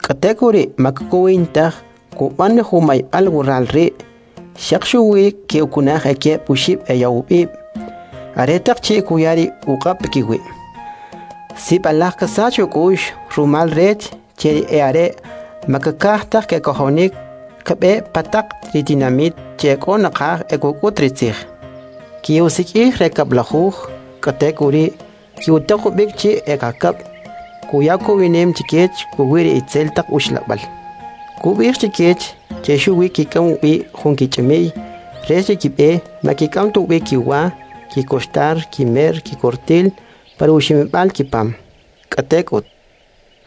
K'atek'uri' ma kkowin taj kub'an jun mayb'al wural ri', xaq xuwi ke'ukunaj ekeb' oxib' eyawb'ib', aretaq chi' kuya ri uq'ab' pakiwi'. Sib'alaj kasach uk'u'x rumal rech che ri e'are' ma kkaj taj kekojonik kb'e pa taq ri tinamit che k'o naqaj e kuk'ut ri tzij. Ki'usik'ij ri 10, k'atek'uri' ki'utaq ub'ik chi ekakab', kuya kowinem chkech puwi' ri itzel taq uxlab'al. Kub'ij chkech che xuwi kik'am ub'i jun kich'imi'y rech ri kib'e ma kik'am ta ub'i kiwa, kikoxtar, kimer, kikortil pa ri uximib'al kipam. K'atek'ut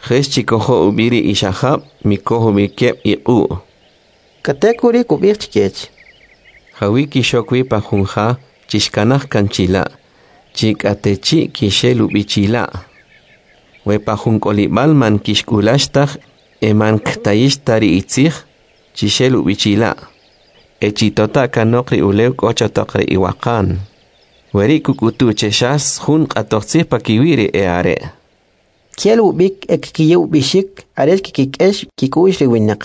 Jex chikojo ub'i ri ixajab', mikoj ub'i keb' iq'u'. K'atek'uri' kub'ij chkech: Jawi kixok wi pa jun ja, chixkanaj kan chila', chi k'atechi' kixel ub'i chila'. We pa jun k'olib'al man kixk'ulax taj e man ktayix ta ri itzij, chixel ub'i chila'. E chitota' kanoq ri ulew k'o cho taq ri iwaqan. Weri' kuk'utu che xas jun q'atojtzij pakiwi' ri e'are'. Kel ub'ik e kkiya ub'ixik arech kkik'ex kik'u'x ri winaq.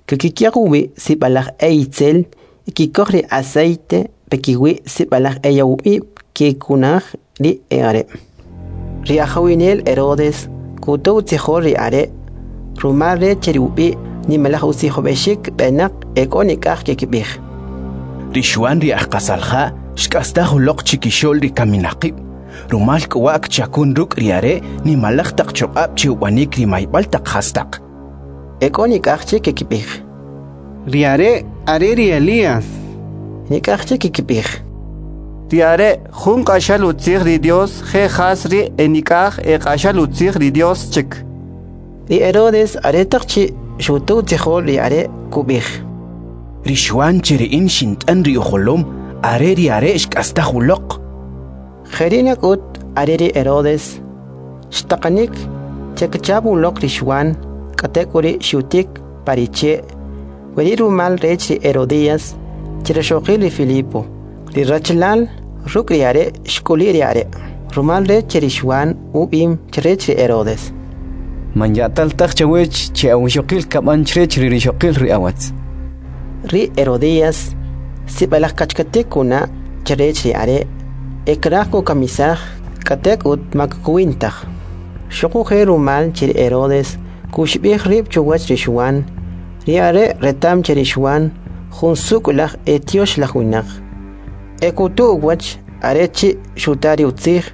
Kkik'yaq uwi' sib'alaj e itzel e kikoj ri aceite pakiwi' sib'alaj eyawb'ib' kekunaj ri e'are'. Ri ajawinel Herodes kuta utzijol ri are' rumal rech che ri ub'i' nimalaj utzijob'exik b'enaq e k'o nik'aj kekib'ij. Ri Xuan ri ajqasalja' xk'astaj uloq chikixo'l ri kaminaqib', rumal k'u wa' kchakun ruk' ri are' nimalaj taq choq'ab' che ub'anik ri mayb'al taq jastaq. E k'o nik'aj chik kekib'ij. Ri are' are ri Elías. Nik'aj chik kekib'ij. Ri are' jun q'axal utzij ri Dios je jas ri e nik'aj e q'axal utzij ri Dios chik. Ri Herodes aretaq chi' xuta utzijol ri are' kub'ij: Ri Xuan che ri in xint'an ri ujolom, are ri are' xk'astaj uloq. Jeri' nak'ut are ri Herodes xtaqanik che kchap uloq ri Xuan, k'atek'uri' xutik pa ri che', weri' rumal rech ri Herodías, che rixoqil ri Filipo, ri rachalal ruk' ri are' xk'uli' ri are', rumal rech che ri Xuan ub'im chrech ri Herodes: Man ya'tal taj chawech che awixoqil kab'an chrech ri rixoqil ri awatz. Ri Herodías sib'alaj kachkatik kuna' chrech ri are' e kraj kukamisaj, k'atek'ut ma kkowin taj. Xuquje' rumal che ri Herodes kuxib'ij rib' chuwach ri Xuan, ri are' reta'm che ri Xuan jun suk'ulaj e tyoxlaj winaq. E kutu uwach are chi' xuta ri utzij,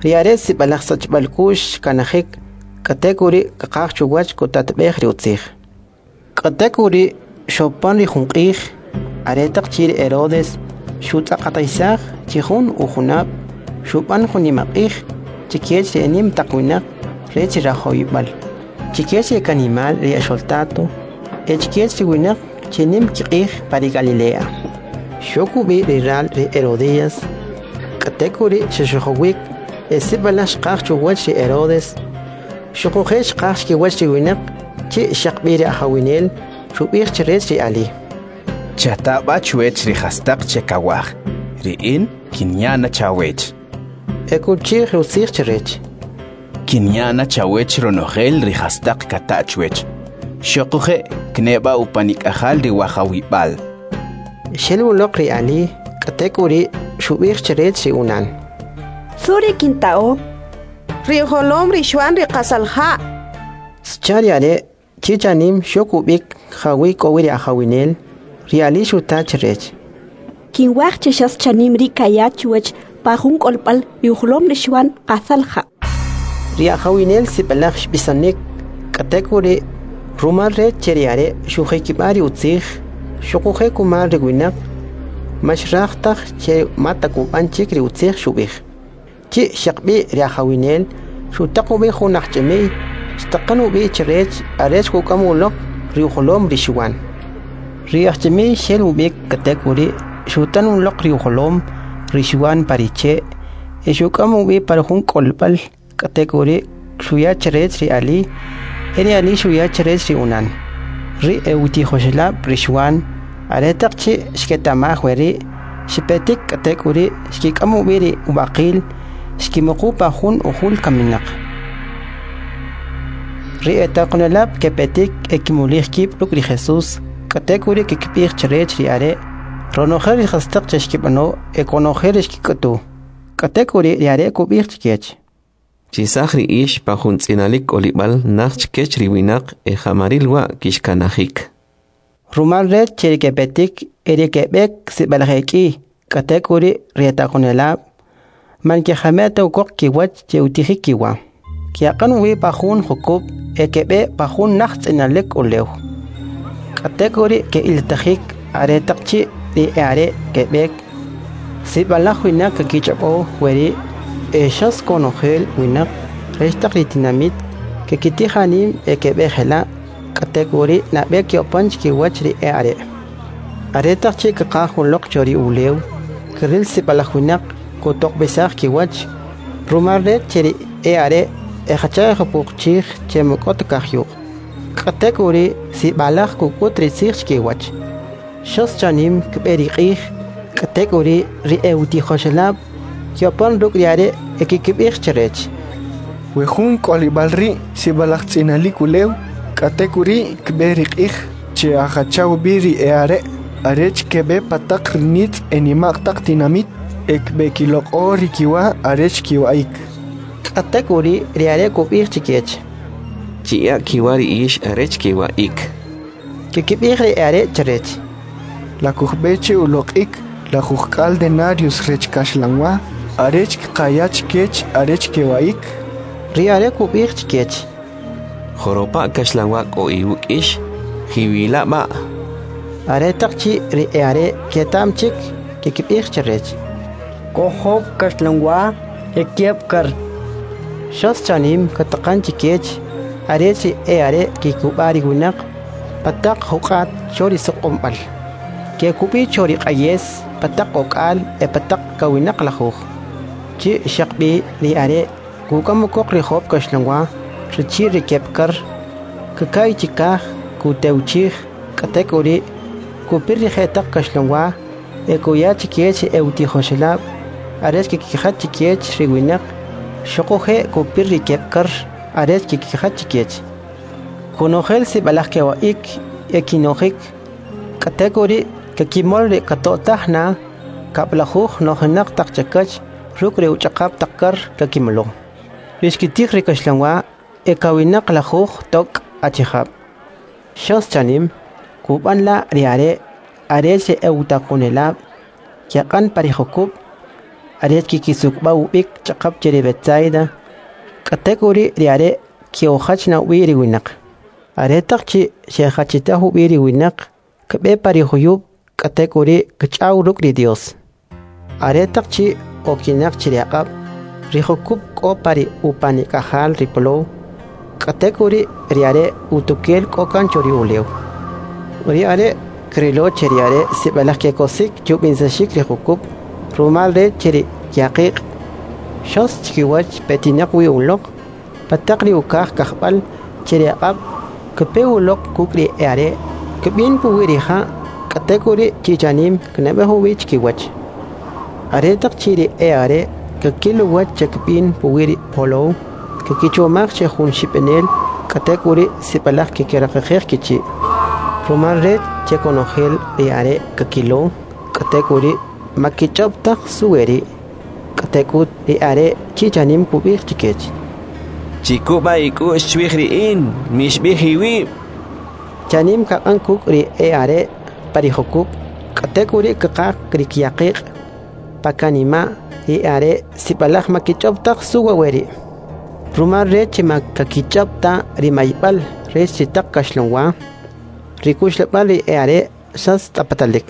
ri are' sib'alaj sachb'al k'u'x xkanajik, k'atek'uri' kqaj chuwach kutatb'ej ri utzij. K'atek'uri' xopan ri jun q'ij, aretaq chi' ri Herodes xutz'aqatisaj chi jun ujunab', xub'an jun nimaq'ij chikech ri enim taq winaq rech ri rajawib'al, chikech ri kanimal ri exoltato, e chikech ri winaq che nim kiq'ij pa ri Galilea. Xok ub'i ri ral ri Herodías, k'atek'uri' xexojowik e sib'alaj xqaj chuwach ri Herodes, xuquje' xqaj chkiwach ri winaq chi' xaqb'i ri ajawinel xub'ij chrech ri ali: Chata b'a chwech ri jastaq che kawaj, ri in kinya na chawech. E kuchi'j ri utzij chrech: Kinya na chawech ronojel ri jastaq kata chwech. Xuquje' kneb'a upanik'ajal ri wajawib'al. Xel uloq ri ali, k'atek'uri' xub'ij chrech ri unan: Su ri kinta'o? Ri ujolom ri Xwan ri qasal ja'. Xcha ri are' chi chanim xok ub'ik jawi' k'o wi ri ajawinel. Ri ali xuta chrech: Kinwaj che xas chanim ri' kaya chwech pa jun k'olb'al ri ujolom ri Xwan qasal ja'. Ri ajawinel sib'alaj xb'isonik, k'atek'uri' rumal rech che ri are' xujikib'a ri utzij, xuquje' kumal ri winaq, man xraj taj che mata kub'an chik ri utzij xub'ij. Chi' xaqb'i ri ajawinel xutaq ub'i jun ajch'imi'y, xtaqan ub'i chrech arech kuk'am uloq ri ujolom ri Xwan. Ri ajch'imi'y xel ub'ik, k'atek'uri' xutan uloq ri ujolom ri Xwan pa ri che' e xuk'am ub'i pa jun k'olb'al, k'atek'uri' xuya chrech ri ali, e ri ali xuya chrech ri unan. Ri e'utijoxelab' ri Xwan aretaq chi' xketa'maj weri', xepetik k'atek'uri' xkik'am ub'i ri ub'aqil, xkimuqu pa jun ujul kaminaq. Ri etaqonelab' kepetik e kimulij kib' ruk' ri Jesús, k'atek'uri' kkib'ij chrech ri are' ronojel ri jastaq che xkib'ano e konojel ri xkik'utu. K'atek'uri' ri are' kub'ij chkech: Chisaj ri ix pa jun tz'inalik k'olib'al naj chkech ri winaq e ja'maril wa' kixkanajik. Rumal rech che ri kepetik e ri keb'ek sib'alaj ek'i, k'atek'uri' ri etaqonelab' man kejame' ta ukoq kiwach che utijik kiwa. Ke'aqan ub'i pa jun jukub' e keb'e pa jun naj tz'inalik ulew. K'atek'uri' ke'iltajik aretaq chi' ri e'are' keb'ek, sib'alaj winaq kakich'ob'o weri' e xas konojel winaq rech taq ri tinamit kekitij anim e keb'e jela', k'atek'uri' nab'e ke'opan chkiwach ri e'are'. Aretaq chi' kaqaj uloq cho ri ulew, kril sib'alaj winaq kutoq'b'isaj kiwach, rumal rech che ri e'are' ejacha ejupuq chij che man k'o ta kajyuq'. K'atek'uri' sib'alaj kuk'ut ri tzij chkiwach. Xas chanim kb'e ri q'ij, k'atek'uri' ri e'utijoxelab' ke'opan ruk' ri are' e kkib'ij chrech: We jun k'olib'al ri' sib'alaj tz'inalik ulew, k'atek'uri' kb'e ri q'ij che'ajacha ub'i ri e'are' arech keb'e pa taq ri nitz' e nima'q taq tinamit e kb'ekiloq'o ri kiwa arech kiwa'ik. K'atek'uri' ri are' kub'ij chkech: Chiya' kiwa ri ix arech kiwa'ik. Kkib'ij ri e'are' chrech: La kujb'e che uloq'ik 60 denarios rech kaxlanwa arech kqaya chkech arech kewa'ik? Ri are' kub'ij chkech: Joropa' kaxlanwa k'o iwuk' ix? Jiwila' b'a'. Aretaq chi' ri e'are' keta'm chik, kkib'ij chrech: K'o job' kaxlanwa e kieb' kar. Xas chanim kataqan chkech arech ri e'are' kikub'a' ri winaq pa taq juq'at cho ri suq'unb'al. Kekub'i cho ri q'ayes pa taq ok'al e pa taq kawinaq lajuj. Chi' xaqb'i ri are' kuk'am ukoq ri job' kaxlanwa rachi'l ri keb' kar, kaka'y chikaj, kutewchij, k'atek'uri' kupir ri jetaq kaxlanwa e kuya chkech ri e'utijoxelab' arech kkijach chkech ri winaq, xuquje' kupir ri keb' kar arech kkijach chkech. Konojel sib'alaj kewa'ik e kinojik, k'atek'uri' kakimol ri kato'taj na 70 nojinaq taq chakach ruk' ri uch'aqap taq kar kakimolo. Ri xkitij ri kaxlanwa e kawinaq lajuj tok' achijab'. Xas chanim kub'an la' ri are' arech ri e'utaqonelab' keq'an pa ri jukub' arech kikisukb'a' ub'ik ch'aqap che ri Betsaida, k'atek'uri' ri are' ke'ujach na ub'i ri winaq. Aretaq chi' xe'jachitaj ub'i ri winaq, kb'e pa ri juyub', k'atek'uri' kch'aw ruk' ri Dios. Aretaq chi' okinaq chi ri aq'ab', ri jukub' k'o pa ri upanik'ajal ri polow, k'atek'uri' ri are' utukel k'o kan cho ri ulew. Ri are' krilo che ri are' sib'alaj kekosik chub'insaxik ri jukub' rumal rech che ri kyaqiq' xos chikiwach petinaq wi uloq pa taq ri ukaj kajb'al che ri aq'ab', kpe uloq kuk' ri e'are', kb'in puwi' ri ja', k'atek'uri' chi chanim knab'ej ub'i chkiwach. Aretaq chi' ri e'are' kakil uwach che kb'in puwi' ri polow, kakichomaj che jun xib'inel, k'atek'uri' sib'alaj kkiraqaqej kichi'. Rumal rech che konojel ri are' kakilo, k'atek'uri' ma kich'ob' taj su weri'. K'atek'ut ri are' chi chanim kub'ij chkech: Chikub'a ik'u'x chwij ri in, mixib'ij iwib'. Chanim kaq'an kuk' ri e'are' pa ri jukub', k'atek'uri' kqaj ri kyaqiq' pa kanima' ri e'are' sib'alaj ma kich'ob' taj su wa' weri'. Rumal rech che ma kakich'ob' ta ri mayb'al rech ri taq kaxlanwa, ri kuxlab'al ri e'are' xas tz'apatalik.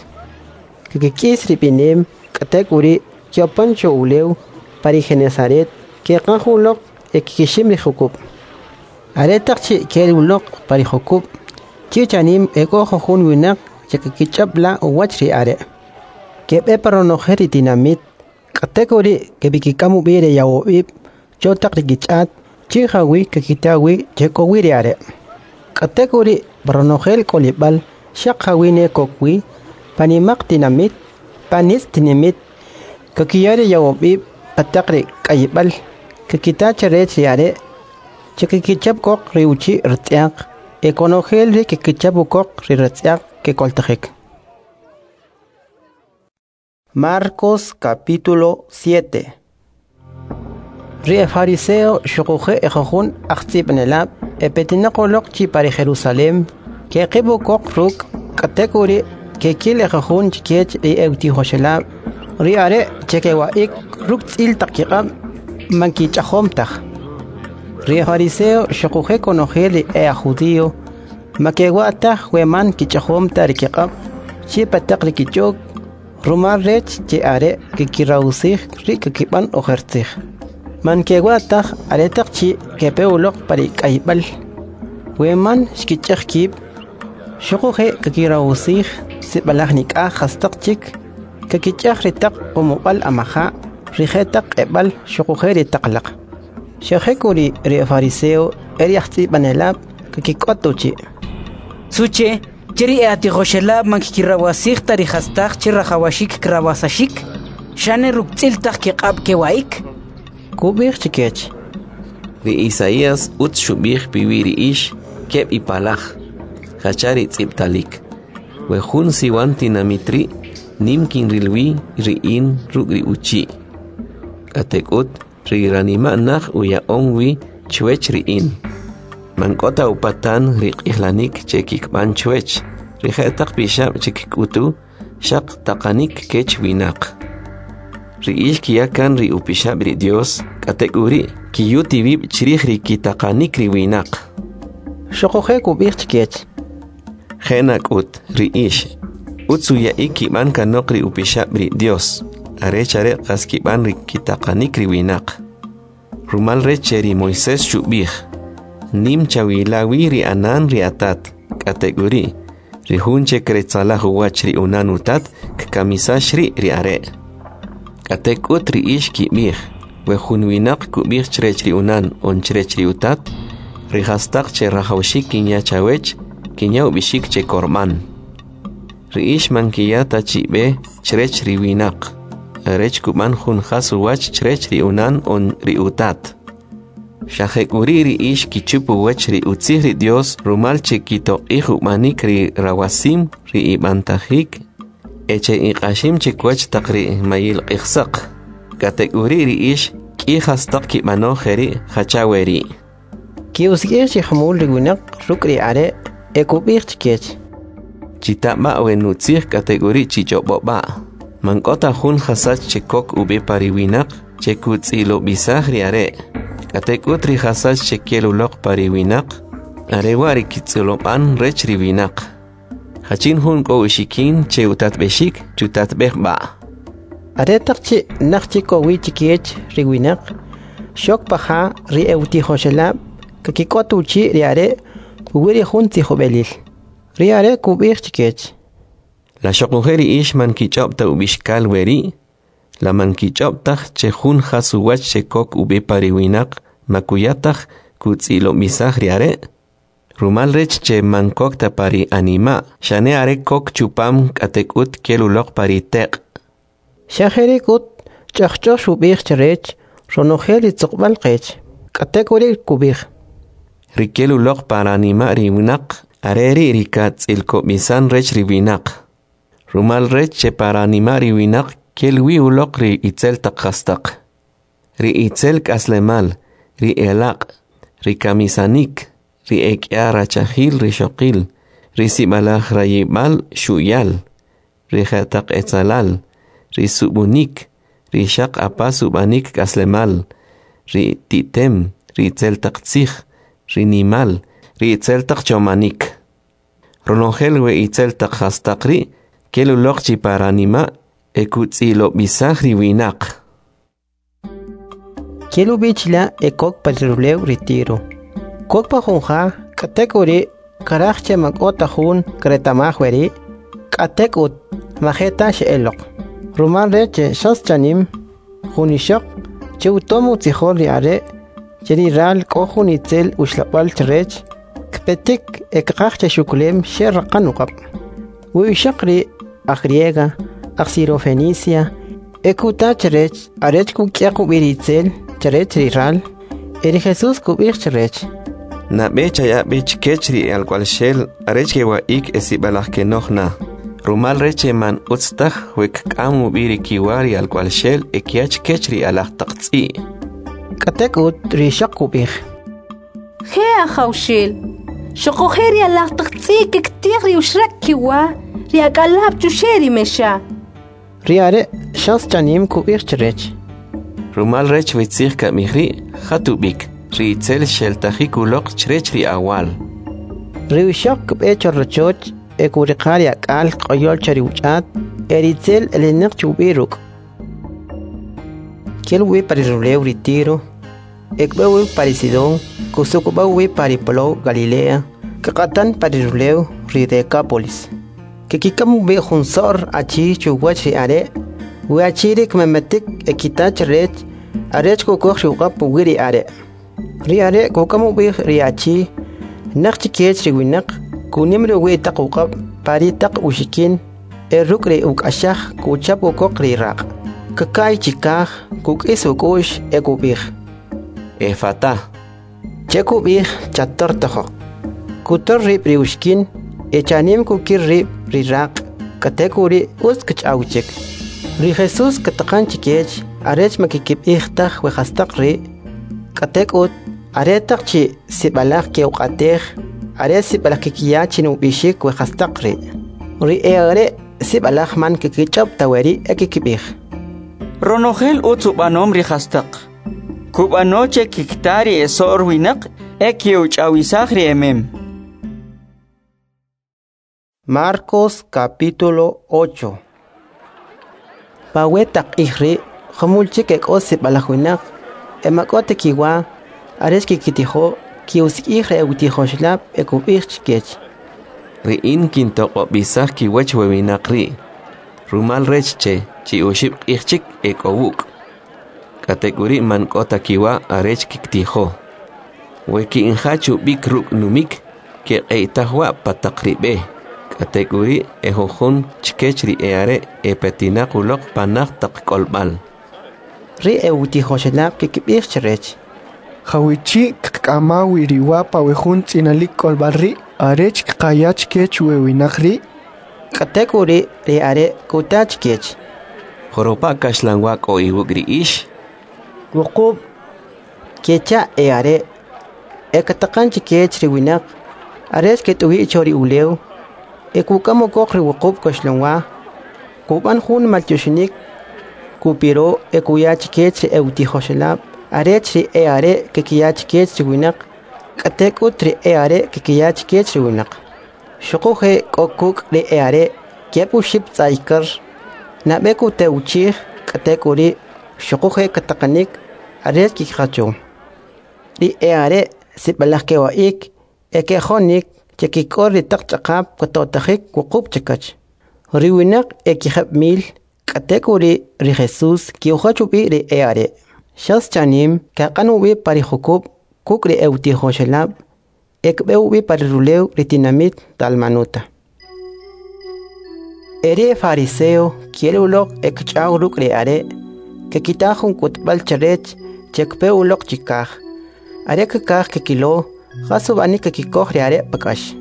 Kkik'is ri b'inem, k'atek'uri' ke'opan cho ulew pa ri Genesaret, keqaj uloq e kkixim ri jukub'. Aretaq chi' ke'el uloq pa ri jukub', chi chanim ek'o jujun winaq che kakich'ob' la' uwach ri are'. Keb'e pa ronojel ri tinamit, k'atek'uri' keb'ikik'am ub'i ri yawab'ib' cho taq ri kich'at, chi jawi' kakita wi che k'o wi ri are'. K'atek'uri' pa ronojel k'olib'al xaq jawi' ne kok wi, pa nimaq tinamit, pa nitz' tinamit, kakiya ri yawab'ib' pa taq ri k'ayib'al, kakita chrech ri are' che kakichap koq ri uchi' ratz'yaq, e konojel ri kakichap ukoq ri ratz'yaq kekoltajik. Marcos capítulo 7. Ri e fariseo xuquje' e jujun ajtz'ib'anelab' e petinaq uloq chi pa ri Jerusalem, keqib' ukoq ruk', k'atek'uri' kekil e jujun chkech ri e'utijoxelab', ri are' che kewa'ik ruk' tz'il taq kiq'ab' man kich'ajom taj. Ri e fariseo xuquje' konojel ri e aj judío ma kewa' taj we man kich'ajom ta ri kiq'ab' chi pa taq ri kich'ok, rumal rech che are' kikirawsij ri kakib'an ojer tzij. Man kewa' taj aretaq chi' kepe uloq pa ri k'ayb'al, we man xkich'aj kib', xuquje' kakirawsij sib'alaj nik'aj jastaq chik, kakich'aj ri taq qumub'al amaja', ri jetaq q'eb'al xuquje' ri taq laq. Xa jek'uri' ri fariseo e ri ajtz'ib'anelab' kakik'ot uchi'. Suche che ri e'atijoxelab' man kikirawasij ta ri jastaq che rajawaxik krawasaxik, xane ruk' tz'il taq kiq'ab' kewa'ik? Kub'ij chkech: Ri Isaías utz xub'ij piwi' ri ix keb' ipalaj, jacha ri tz'ib'talik. We jun siwan tinamit ri' nim kinril wi ri in ruk' ri uchi'. K'atek'ut ri ranima' naj uya'om wi chwech ri in. Man k'o ta upatan ri q'ijlanik che kikb'an chwech, ri je'taq pixab' che kk'utu xaq taqanik kech winaq. Ri ix kiya kan ri upixab' ri Dios, k'atek'uri' kiyut iwib' chrij ri kitaqanik ri winaq. Xuquje' kub'ij chkech: Je' nak'ut, ri ix utz uya'ik kib'an kanoq ri upixab' ri Dios, arech are qas kib'an ri kitaqanik ri winaq. Rumal rech che ri Moisés xub'ij: Nim chawila wi ri anan ri atat, k'atek'uri' ri jun che kretzalaj uwach ri unan utat kkamisax ri' ri are'. K'atek'ut ri ix kib'ij: we jun winaq kub'ij chrech ri unan on chrech ri utat, ri jastaq che rajawaxik kinya chawech, kinya ub'ixik che korb'an. Ri ix man kiya ta chi b'e chrech ri winaq, arech kub'an jun jas uwach chrech ri unan on ri utat. Xa jek'uri' ri ix kichup uwach ri utzij ri Dios rumal che kitoq'ij ub'anik ri rawasim ri ib'antajik e che iq'axim chikwach taq ri mayil q'ijsaq. K'atek'uri' ri ix k'i jastaq kib'ano jeri' jacha weri'. Ki'usik'ij chi jumul ri winaq ruk' ri are' e kub'ij chkech: Chita b'a we nutzij k'atek'uri' chich'ob'o b'a'. Man k'o ta jun jasach che kok ub'i pa ri winaq che kutz'ilob'isaj ri are'. K'atek'ut ri jasach che kel uloq pa ri winaq, are wa' ri kitz'ilob'an rech ri winaq. Jachin jun k'o uxikin che utatb'exik, chutatb'ej b'a'. Aretaq chi' naj chik k'o wi chkech ri winaq, xok pa ja ri e'utijoxelab' kakik'ot uchi' ri are' puwi' ri jun tzijob'elil. Ri are' kub'ij chkech: La xoquje' ri ix man kich'ob' ta ub'ixkal weri'? La man kich'ob' taj che jun jas uwach che kok ub'i pa ri winaq ma kuya taj kutz'ilob'isaj ri are'? Rumal rech che man kok ta pa ri anima', xane are kok chupam k'atek'ut kel uloq pa ri teq'. Xa jeri' k'ut ch'ajch'oj xub'ij chrech ronojel ri tzuqb'al qech. K'atek'uri' kub'ij: Ri kel uloq pa ranima' ri winaq, are ri' ri katz'ilkob'isan rech ri winaq. Rumal rech che pa ranima' ri winaq kel wi uloq ri itzel taq jastaq, ri itzel k'aslemal, ri elaq', ri kamisanik, ri ek'ya rachajil rixoqil, ri sib'alaj rayib'al xu'yal, ri jetaq etzalal, ri sub'unik, ri xaq apas ub'anik k'aslemal, ri ti'tem, ri itzel taq tzij, ri nimal, ri itzel taq chomanik. Ronojel we itzel taq jastaq ri' kel uloq chi pa ranima' e kutz'ilob'isaj ri winaq. Kel ub'i chila' e kok pa ri rulew ri Tiro. Kok pa jun ja, k'atek'uri' karaj che man k'o ta jun kreta'maj weri', k'atek'ut ma je ta xe'eloq. Rumal rech che xas chanim jun ixoq che utom utzijol ri are' che ri ral k'o jun itzel uxlab'al chrech, kpetik e kqaj che xukulem xe raqan uq'ab'. We ixoq ri' aj griega, aj Sirofenicia, e kuta chrech arech kuk'yaq ub'i ri itzel chrech ri ral, e ri Jesús kub'ij chrech: Nab'e chaya b'i chkech ri alk'wa'lxel arech kewa'ik e sib'alaj kenoj na. Rumal rech che man utz taj we kk'am ub'i ri kiwa ri alk'wa'lxel e kya chkech ri alaj taq tz'i'. K'atek'ut ri ixoq kub'ij: Je' Ajawxel, xuquje' ri alaj taq tz'i' kiktij ri uxraq kiwa ri ak'alab' chuxe' ri mexa. Ri are' xas chanim kub'ij chrech: Rumal rech we tzij kab'ij ri', jat ub'ik, ri itzel xeltajik uloq chrech ri awal. Ri ixoq kb'e cho rachoch e kuriqa ri ak'al q'oyol cho ri uch'at, e ri itzel elinaq chi ub'i ruk'. Kel ub'i pa ri rulew ri Tiro, e kb'e ub'i pa ri Sidón, kusuk'ub'a ub'i pa ri polow Galilea, kq'atan pa ri rulew ri Decápolis. Kikik'am ub'i jun so'r achi chuwach ri are', we achi ri' kmemetik e kita chrech arech kukoj ri uq'ab' puwi' ri are'. Ri are' kuk'am ub'i ri achi naj chikech ri winaq, kunim ri uwi' taq uq'ab' pa ri taq uxikin e ruk' ri uk'axaj kuchap ukoq ri raq'. Kaka'y chikaj, kuk'is uk'u'x e kub'ij: Efata, che kub'ij chattortojoq. Kutor rib' ri uxikin e chanim kukir rib' ri raq', k'atek'uri' utz kch'aw chik. Ri Jesús kataqan chikech arech ma kikib'ij taj we jastaq ri', k'atek'ut aretaq chi' sib'alaj ke'uq'atej, are sib'alaj kikiya chin ub'ixik we jastaq ri'. Ri e'are' sib'alaj man kikich'ob' ta weri' e kikib'ij: Ronojel utz ub'anom ri jastaq. Kub'ano che kikta ri eso'r winaq e ke'uch'awisaj ri emem. Marcos capítulo 8. Pa we taq q'ij ri' jumul chik e k'o sib'alaj winaq e ma k'o ta kiwa arech kikitijo, ki'usik'ij ri e'utijoxelab' e kub'ij chkech: Ri in kintoq'ob'isaj kiwach we winaq ri', rumal rech che chi oxib' q'ij chik e k'o wuk'. K'atek'uri' man k'o ta kiwa arech kiktijo. We ki'injach ub'ik ruk' numik, keq'eytaj wa' pa taq ri b'e. K'atek'uri' e jujun chkech ri e'are' epetinaq uloq pa naj taq k'olb'al. Ri e'utijoxelab' kikib'ij chrech: Jawichi' kqak'ama wi ri wa pa we jun tz'inalik k'olb'al ri' arech kqaya chkech we winaq ri'? K'atek'uri' ri are' kuta chkech: Joropa' kaxlanwa k'o iwuk' ri ix? Wuqub', kecha' e'are'. E kataqan chkech ri winaq arech ket'uyi' cho ri ulew, e kuk'am ukoq ri wuqub' kaxlanwa, kub'an jun maltyoxinik, kupiro e kuya chkech ri e'utijoxelab' arech ri e'are' kekiya chkech ri winaq, k'atek'ut ri e'are' kekiya chkech ri winaq. Xuquje' k'o kuk' ri e'are' keb' oxib' tz'ay kar, nab'e kutewchij, k'atek'uri' xuquje' kataqanik arech kikijacho. Ri e'are' sib'alaj kewa'ik e kejonik che kik'ol ri taq ch'aqap kato'tajik wuqub' chakach. Ri winaq e 1000, k'atek'uri' ri Jesus ke'ujach ub'i ri e'are'. Xas chanim kaq'an ub'i pa ri jukub' kuk' ri e'utijoxelab' e kb'e ub'i pa ri rulew ri tinamit Dalmanuta. E ri fariseo ke'el uloq e kch'aw ruk' ri are', kekita jun k'utb'al chrech che kpe uloq chikaj. Are kkaj kekilo jas ub'anik kekikoj ri are' pa k'ax.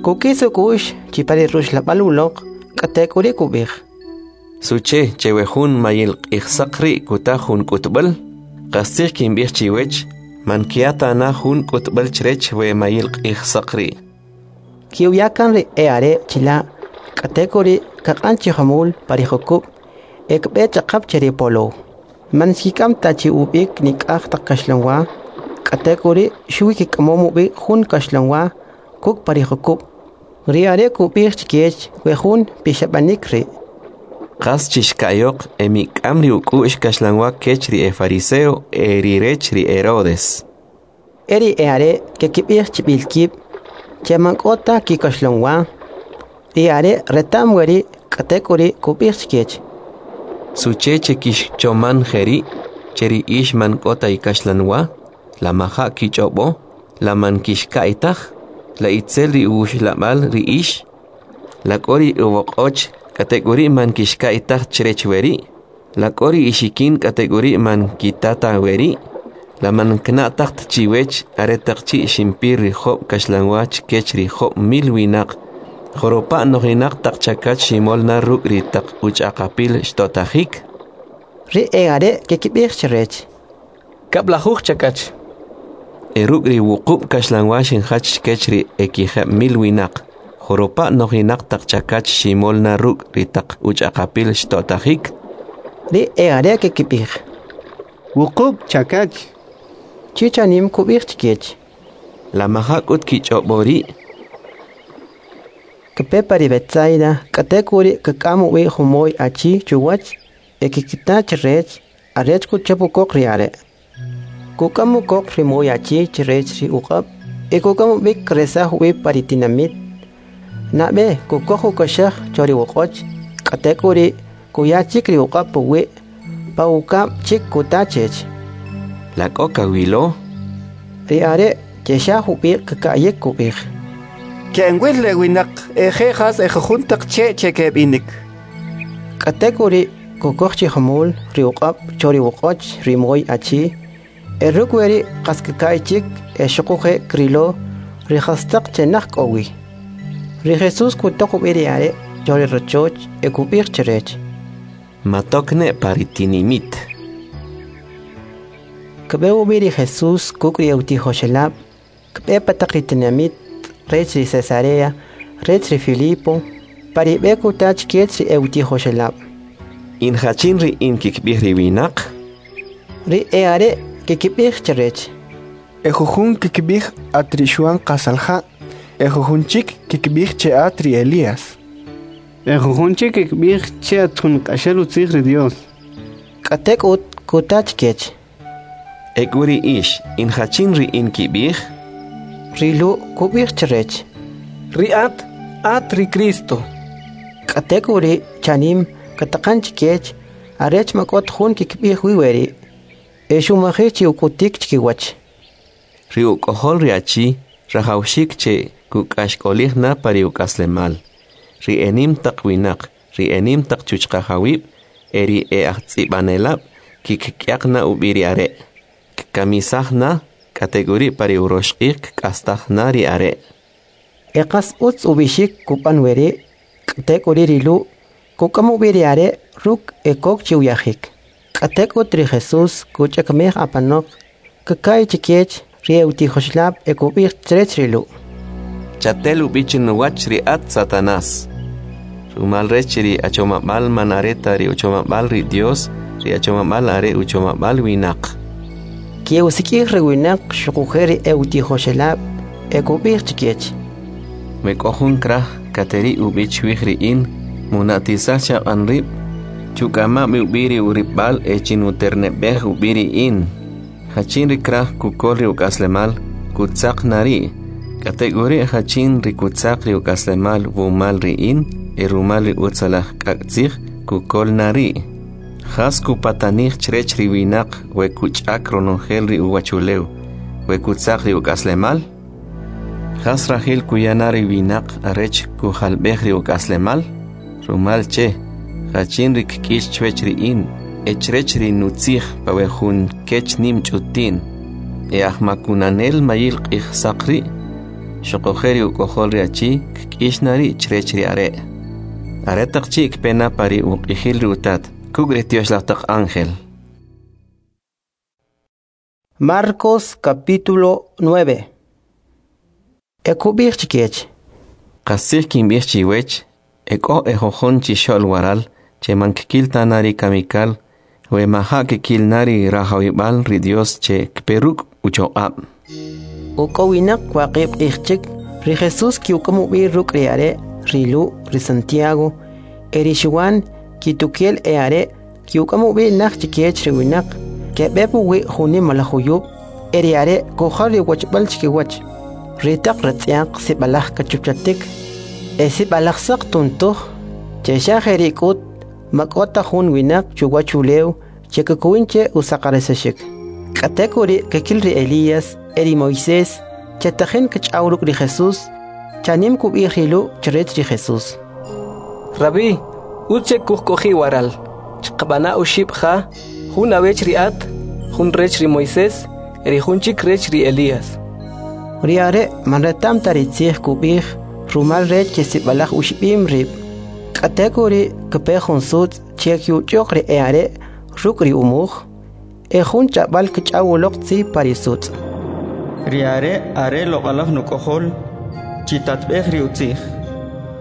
Kuk'is uk'u'x chi pa ri ruxlab'al uloq, k'atek'uri' kub'ij: Suche che we jun mayil q'ijsaq ri' kuta jun k'utb'al? Qastzij kinb'ij chiwech, man kya ta na jun k'utb'al chrech we mayil q'ijsaq ri'. Ki'uya kan ri e'are' chila', k'atek'uri' kaq'an chi jumul pa ri jukub' e kb'e ch'aqap che ri polow. Man xkik'am ta chi ub'ik nik'aj taq kaxlanwa, k'atek'uri' xuwi kik'amom ub'i jun kaxlanwa kuk' pa ri jukub'. Ri are' kub'ij chkech we jun pixab'anik ri': Qas chixka'yoq e mik'am ri uk'u'x kaxlanwa kech ri e fariseo e ri rech ri Herodes. E ri e'are' kekib'ij chib'il kib' che man k'o ta kikaxlanwa. Ri are' reta'm weri', k'atek'uri' kub'ij chkech: Suche che kixchoman jeri', che ri ix man k'o ta ikaxlanwa? La maja' kich'ob'o? La man kixka'y taj? La itzel ri uxlab'al ri ix? La k'o ri uwoq'och k'atek'uri' man kixka'y taj chrech weri'? La k'o ri ixikin k'atek'uri' man kitata weri'? La man kna'taj ta chiwech aretaq chi' ximpir ri job' kaxlanwa chkech ri 5000 winaq, joropa' nojinaq taq chakach ximol na ruk' ri taq uch'aqapil xto'tajik? Ri e'are' kekib'ij chrech: 10 chakach. E ruk' ri 8 kaxlanwa xinjach chkech ri e 5000 winaq, joropa' nojinaq taq chakach ximol na ruk' ri taq uch'aqapil xto'tajik? Ri e'are' kekib'ij: 8 chakach. Chi chanim kub'ij chkech: La maja' k'ut kich'ob'o ri'? Kpe pa ri Betsaida, k'atek'uri' kk'am ub'i jumoy achi chuwach e kkita chrech arech kuchap ukoq ri are'. Kuk'am ukoq ri moy achi chrech ri uq'ab' e kuk'am ub'ik kresaj ub'i pa ri tinamit. Nab'e kukoj ukaxaj cho ri uq'och, k'atek'uri' kuya chik ri uq'ab' puwi', pa ukab' chik kuta chech: La k'o kawilo? Ri are' che xa jub'iq kka'yik kub'ij: Ke'enwil le winaq e je' jas e jujun taq che' che keb'inik. K'atek'uri' kukoj chi jumul ri uq'ab' cho ri uq'och ri moy achi, e ruk' weri' qas kka'y chik e xuquje' krilo ri jastaq che naj k'o wi. Ri Jesus kutaq ub'i ri are' cho ri rachoch e kub'ij chrech: Matok ne pa ri tinimit. Kb'e ub'i ri Jesus kuk' ri e'utijoxelab', kb'e pa taq ri tinamit rech ri Cesarea, rech ri Filipo, pa ri b'e kuta chkech ri e'utijoxelab': In jachin ri in kikb'ij ri winaq? Ri e'are' kekib'ij chrech: E jujun kikb'ij at ri Xuan Qasalja', e jujun chik kikb'ij che at ri Elías. E jujun chik kikb'ij che at jun q'axel utzij ri Dios. K'atek'ut kuta chkech: Ek'u ri ix, in jachin ri in kib'ij? Ri Lu' kub'ij chrech: Ri at, at ri Cristo. K'atek'uri' chanim kataqan chkech arech ma k'ot jun kikb'ij wi weri', e xumajij chi uk'utik chkiwach. Ri uk'ojol ri achi rajawxik che kuk'axk'olij na pa ri uk'aslemal. Ri enim taq winaq, ri enim taq chuchqajawib', e ri e'ajtz'ib'anelab' kikk'yaq na ub'i ri are'. Kkamisaj na, k'atek'uri' pa ri urox q'ij kk'astaj na ri are'. E qas utz ub'ixik kub'an weri', k'atek'uri' ri Lu' kuk'am ub'i ri are' ruk' e kok chi uyajik. K'atek'ut ri Jesus kuch'akmej apanoq, kka'y chkech ri e'utijoxelab' e kub'ij chrech ri Lu': Chatel ub'i chinuwach ri at, Satanás. Rumal rech ri achomab'al man are ta ri uchomab'al ri Dios, ri achomab'al are uchomab'al winaq. Ke'usik'ij ri winaq xuquje' ri e'utijoxelab' e kub'ij chkech: We k'o jun kraj kateri ub'i chwij ri in, muna'tisaj chaq'an rib', chuk'ama' ub'i ri uripb'al e chinuterneb'ej ub'i ri in. Jachin ri kraj kukol ri uk'aslemal, kutzaq na ri'. K'atek'uri' jachin ri kutzaq ri uk'aslemal wumal ri in, e rumal ri utzalaj k'ak' tzij kukol na ri'. Jas kupatanij chrech ri winaq we kuch'ak ronojel ri uwachulew, we kutzaq ri uk'aslemal? Jas rajil kuya na ri winaq arech kujalb'ej ri uk'aslemal? Rumal che, jachin ri kk'ix chwech ri in e chrech ri nutzij pa we jun kech nim ch'utin, e ajmakunanel mayil q'ij saq ri', xuquje' ri uk'ojol ri achi kk'ix na ri' chrech ri are'. Aretaq chi' kpe na pa ri uq'ijil ri utat, kuk' ri tyoxlaj taq ángel. Marcos capítulo 9. E kub'ij chkech. Qastzij kinb'ij chiwech, e k'o ejojon chixo'l waral che man kkil ta na ri kamikal, we maja' kkil na ri rajawib'al ri Dios che kpe ruk' uchoq'ab'. Uk'owinaq waqib' q'ij chik, ri Jesús kiuk'am ub'i ruk' ri are', ri Lu', ri Santiago, e ri Xuan, kitukel e are' kiuk'am ub'i naj chikech ri winaq, keb'e puwi' jun nimalaj juyub', e ri are' kujal ri wachb'al chikiwach. Ri taq ratz'yaq sib'alaj kachupchatik, e sib'alaj saq tuntuj, che xa jeri' k'ut ma k'o ta jun winaq chuwach ulew che kkuwin che usaqarisaxik. K'atek'uri' kkil ri Elías e ri Moisés che tajin kch'aw ruk' ri Jesús, chanim kub'ij ri Lu' chrech ri Jesús. Rabí, utz che kujk'oji' waral. Chqab'ana oxib' ja, jun awech ri at, jun rech ri Moisés, e ri jun chik rech ri Elías. Ri are' man reta'm ta ri tzij kub'ij, rumal rech che sib'alaj uxib'im rib'. K'atek'uri' kpe jun sutz' che kyuch'uq ri e'are' ruk' ri umuj, e jun ch'ab'al kch'aw uloq tzi pa ri sutz'. Ri are' are loq'alaj nuk'ojol, chitatb'ej ri utzij.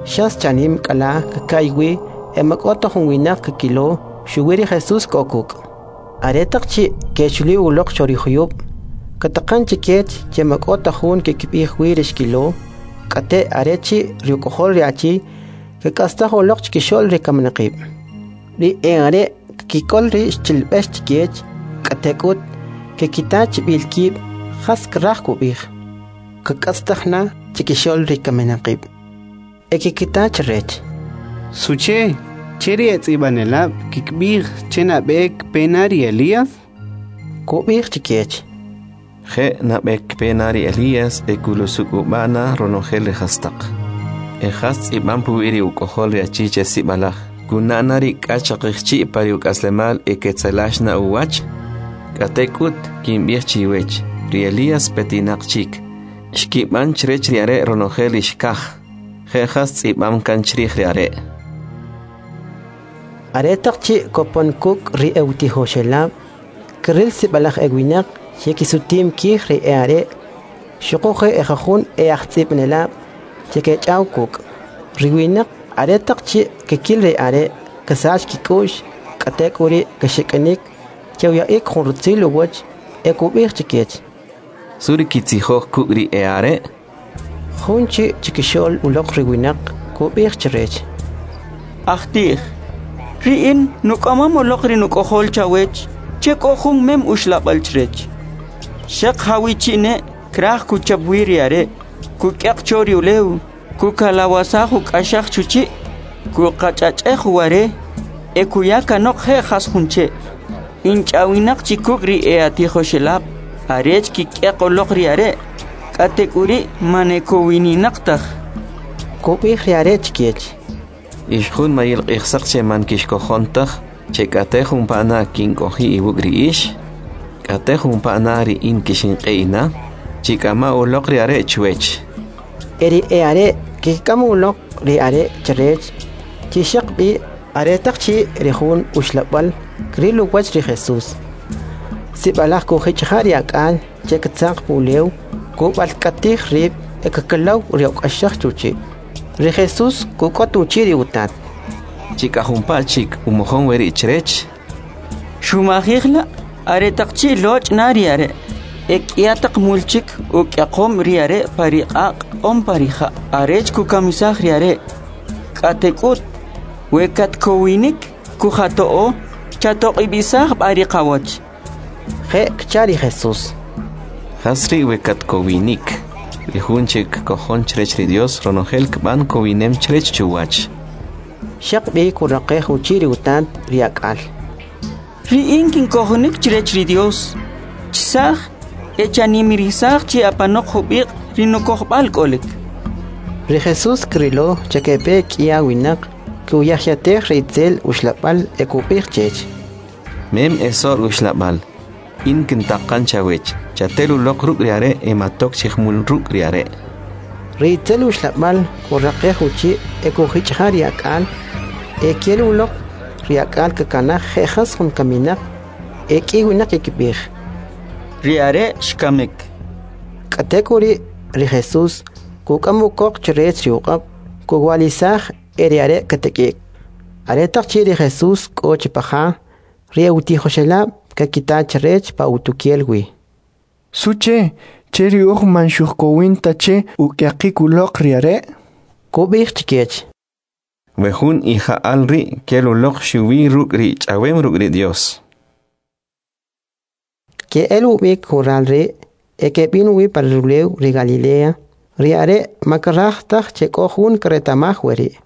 Xas chanim k'ala kka'y wi e ma k'o ta jun winaq kkilo, xuwi ri Jesús k'o kuk'. Aretaq chi' kechuli uloq cho ri juyub', kataqan chikech che ma k'o ta jun kkib'ij wi ri xkilo, k'ate' are chi' ri uk'ojol ri achi kk'astaj uloq chkixo'l ri kaminaqib'. Ri e'are' kkik'ol ri xchilb'ex chikech, k'atek'ut kkita chib'il kib' jas kraj kub'ij. Kk'astaj na chkixo'l ri kaminaqib'. E kkita chrech. Suche, che ri etz'ib'anelab' kikb'ij che nab'e kpe na ri Elías? Kub'ij chikech. Je' nab'e kpe na ri Elías e kulusuk'ub'a na ronojel ri jastaq. E jas tz'ib'am puwi' ri uk'ojol ri achi che sib'alaj, kuna' na ri k'ax chaqijchi' pa ri uk'aslemal e ketzelax na uwach? K'atek'ut kinb'ij chiwech, ri Elías petinaq chik, xkib'an chrech ri are' ronojel ri xkaj, je' jas tz'ib'am kan chrij ri are'. Aretaq chi' kopon kuk' ri e'utijoxelab', kril sib'alaj ewinaq che kisutim kij ri e'are', xuquje' ejujun e'ajtz'ib'anelab' che kech'aw kuk'. Ri winaq aretaq chi' kkil ri are' ksach kik'u'x, k'atek'uri' kexik'inik che uya'ik jun rutzil uwach e kub'ij chikech. Su ri kitzijoj kuk' ri e'are'? Jun chi chikixo'l uloq ri winaq kub'ij chrech. Ajtij, ri in nuk'amam uloq ri nuk'ojol chawech che k'o jun mem uxlab'al chrech. Xaq jawi chi' ne' kraj kuchap wi ri are', kuk'yaq cho ri ulew, kukalawasaj uk'axaj chuchi', kuqach'ach'ej uware, e kuya kanoq je' jas jun che'. Inch'awinaq chi kuk' ri e'atijoxelab', arech kik'yaq uloq ri are', k'atek'uri' man ekowininaq taj. Kub'ij ri are' chikech. Ix jun mayil q'ijsaq che man kixkojon taj, che k'ate jumpa na kink'oji' iwuk' ri ix, k'ate jumpa na ri in kixinq'e'ina, chik'ama uloq ri are' chwech. E ri e'are' kik'am uloq ri are' chrech, chi xaq b'i aretaq chi' ri jun uxlab'al kril uwach ri Jesús. Sib'alaj kujich'ja' ri ak'al che ktzaq pulew, kub'alk'atij rib' e kkalaw ri uk'axaj chuchi'. Ri Jesús kuk'ot uchi' ri utat. Chik'ajumpa chik umojon weri' chrech. Xumajij la' aretaq chi' loch' na ri are'. E k'ya taq mul chik uk'yaqom ri are' pa ri q'aq' on pa ri ja' arech kukamisaj ri are'. K'atek'ut, we katkowinik kujato'o, chatoq'ib'isaj b'a ri qawach. Je' kcha ri Jesús. Jas ri' we katkowinik? Ri jun che kkojon chrech ri Dios ronojel kb'an kowinem chrech chuwach. Xaq b'i kuraqej uchi' ri utat ri ak'al. Ri in kinkojonik chrech ri Dios. Chisaj e chanimirisaj chi apanoq jub'iq' ri nukojb'al k'olik. Ri Jesús krilo che kepe k'ia winaq kuyajyatej ri itzel uxlab'al e kub'ij chech. Mem esor uxlab'al, in kintaqan chawech, chatel uloq ruk' ri are' e matok chi jmul ruk' ri are'. Ri itzel uxlab'al kuraqej uchi' e kujich'ja ri ak'al, e kel uloq ri ak'al kakanaj je' jas jun kaminaq, e k'i winaq kikib'ij. Ri are' xkamik. K'atek'uri' ri Jesús kuk'am ukoq chrech ri uq'ab', kuwa'lisaj e ri are' katak'i'k. Aretaq chi' ri Jesús k'o chi pa ja, ri e'utijoxelab' kakita chrech pa utukel wi. Suche, che ri uj man xujkowin ta che uk'yaqik uloq ri are'? Kub'ij chkech. We jun ija'al ri' kel uloq xuwi ruk' ri ch'awem ruk' ri Dios. Ke'el ub'ik jural ri' e keb'in uwi pa rulew ri Galilea, ri are' ma kraj taj che k'o jun kreta'maj weri'.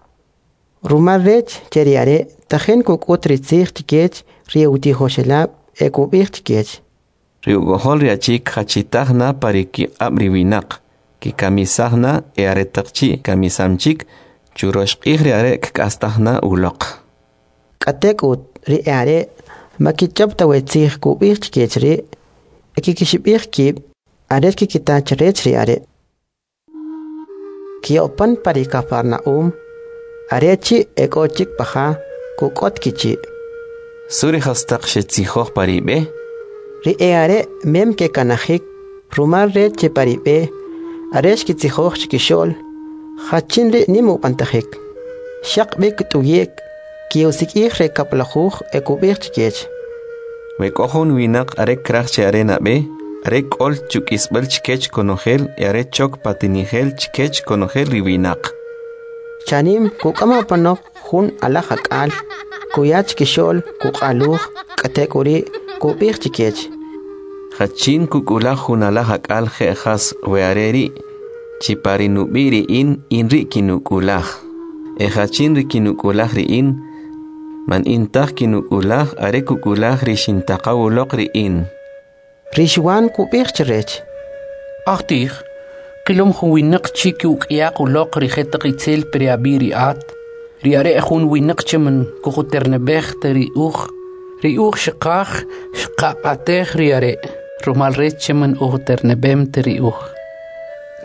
Rumal rech che ri are' tajin kuk'ut ri tzij chkech ri e'utijoxelab' e kub'ij chkech. Ri uk'ojol ri achi kjachitaj na pa ri kiq'ab' ri winaq, kikamisaj na e aretaq chi' kamisam chik, churox q'ij ri are' kk'astaj na uloq. K'atek'ut ri e'are' ma kich'ob' ta we tzij kub'ij chkech ri' e kikixib'ij kib' arech kikita chrech ri are'. Ki'opan pa ri Cafarnaúm, are chi' e k'o chik pa ja, kuk'ot kichi'. Su ri jastaq xetzijoj pa ri b'e? Ri e'are' mem kekanajik, rumal rech che pa ri b'e, are xkitzijoj chkixo'l, jachin ri' nim ub'antajik. Xaq b'i kt'uyi'k, ki'usik'ij ri kab'lajuj e kub'ij chkech. We k'o jun winaq are kraj che are nab'e, are k'ol chuk'isb'al chkech konojel e are chok patinijel chkech konojel ri winaq. Chanim kuk'am apanoq jun alaj ak'al, kuya chkixo'l kuq'aluj, k'atek'uri' kub'ij chkech. Jachin kuk'ulaj jun alaj ak'al je' jas we are ri', chi pa ri nub'i' ri in, in ri' kinuk'ulaj. E jachin ri kinuk'ulaj ri in, man in taj kinuk'ulaj, are kuk'ulaj ri xintaqaw uloq ri in. Ri Xwan kub'ij chrech. Ajtij, qilom jun winaq chi ki'uk'yaq uloq ri jetaq itzel pa ri ab'i' ri at. Ri are' jun winaq che man kujuterneb'ej ta ri uj. Ri uj xqaj xqaq'atej ri are', rumal rech che man ujterneb'em ta ri uj.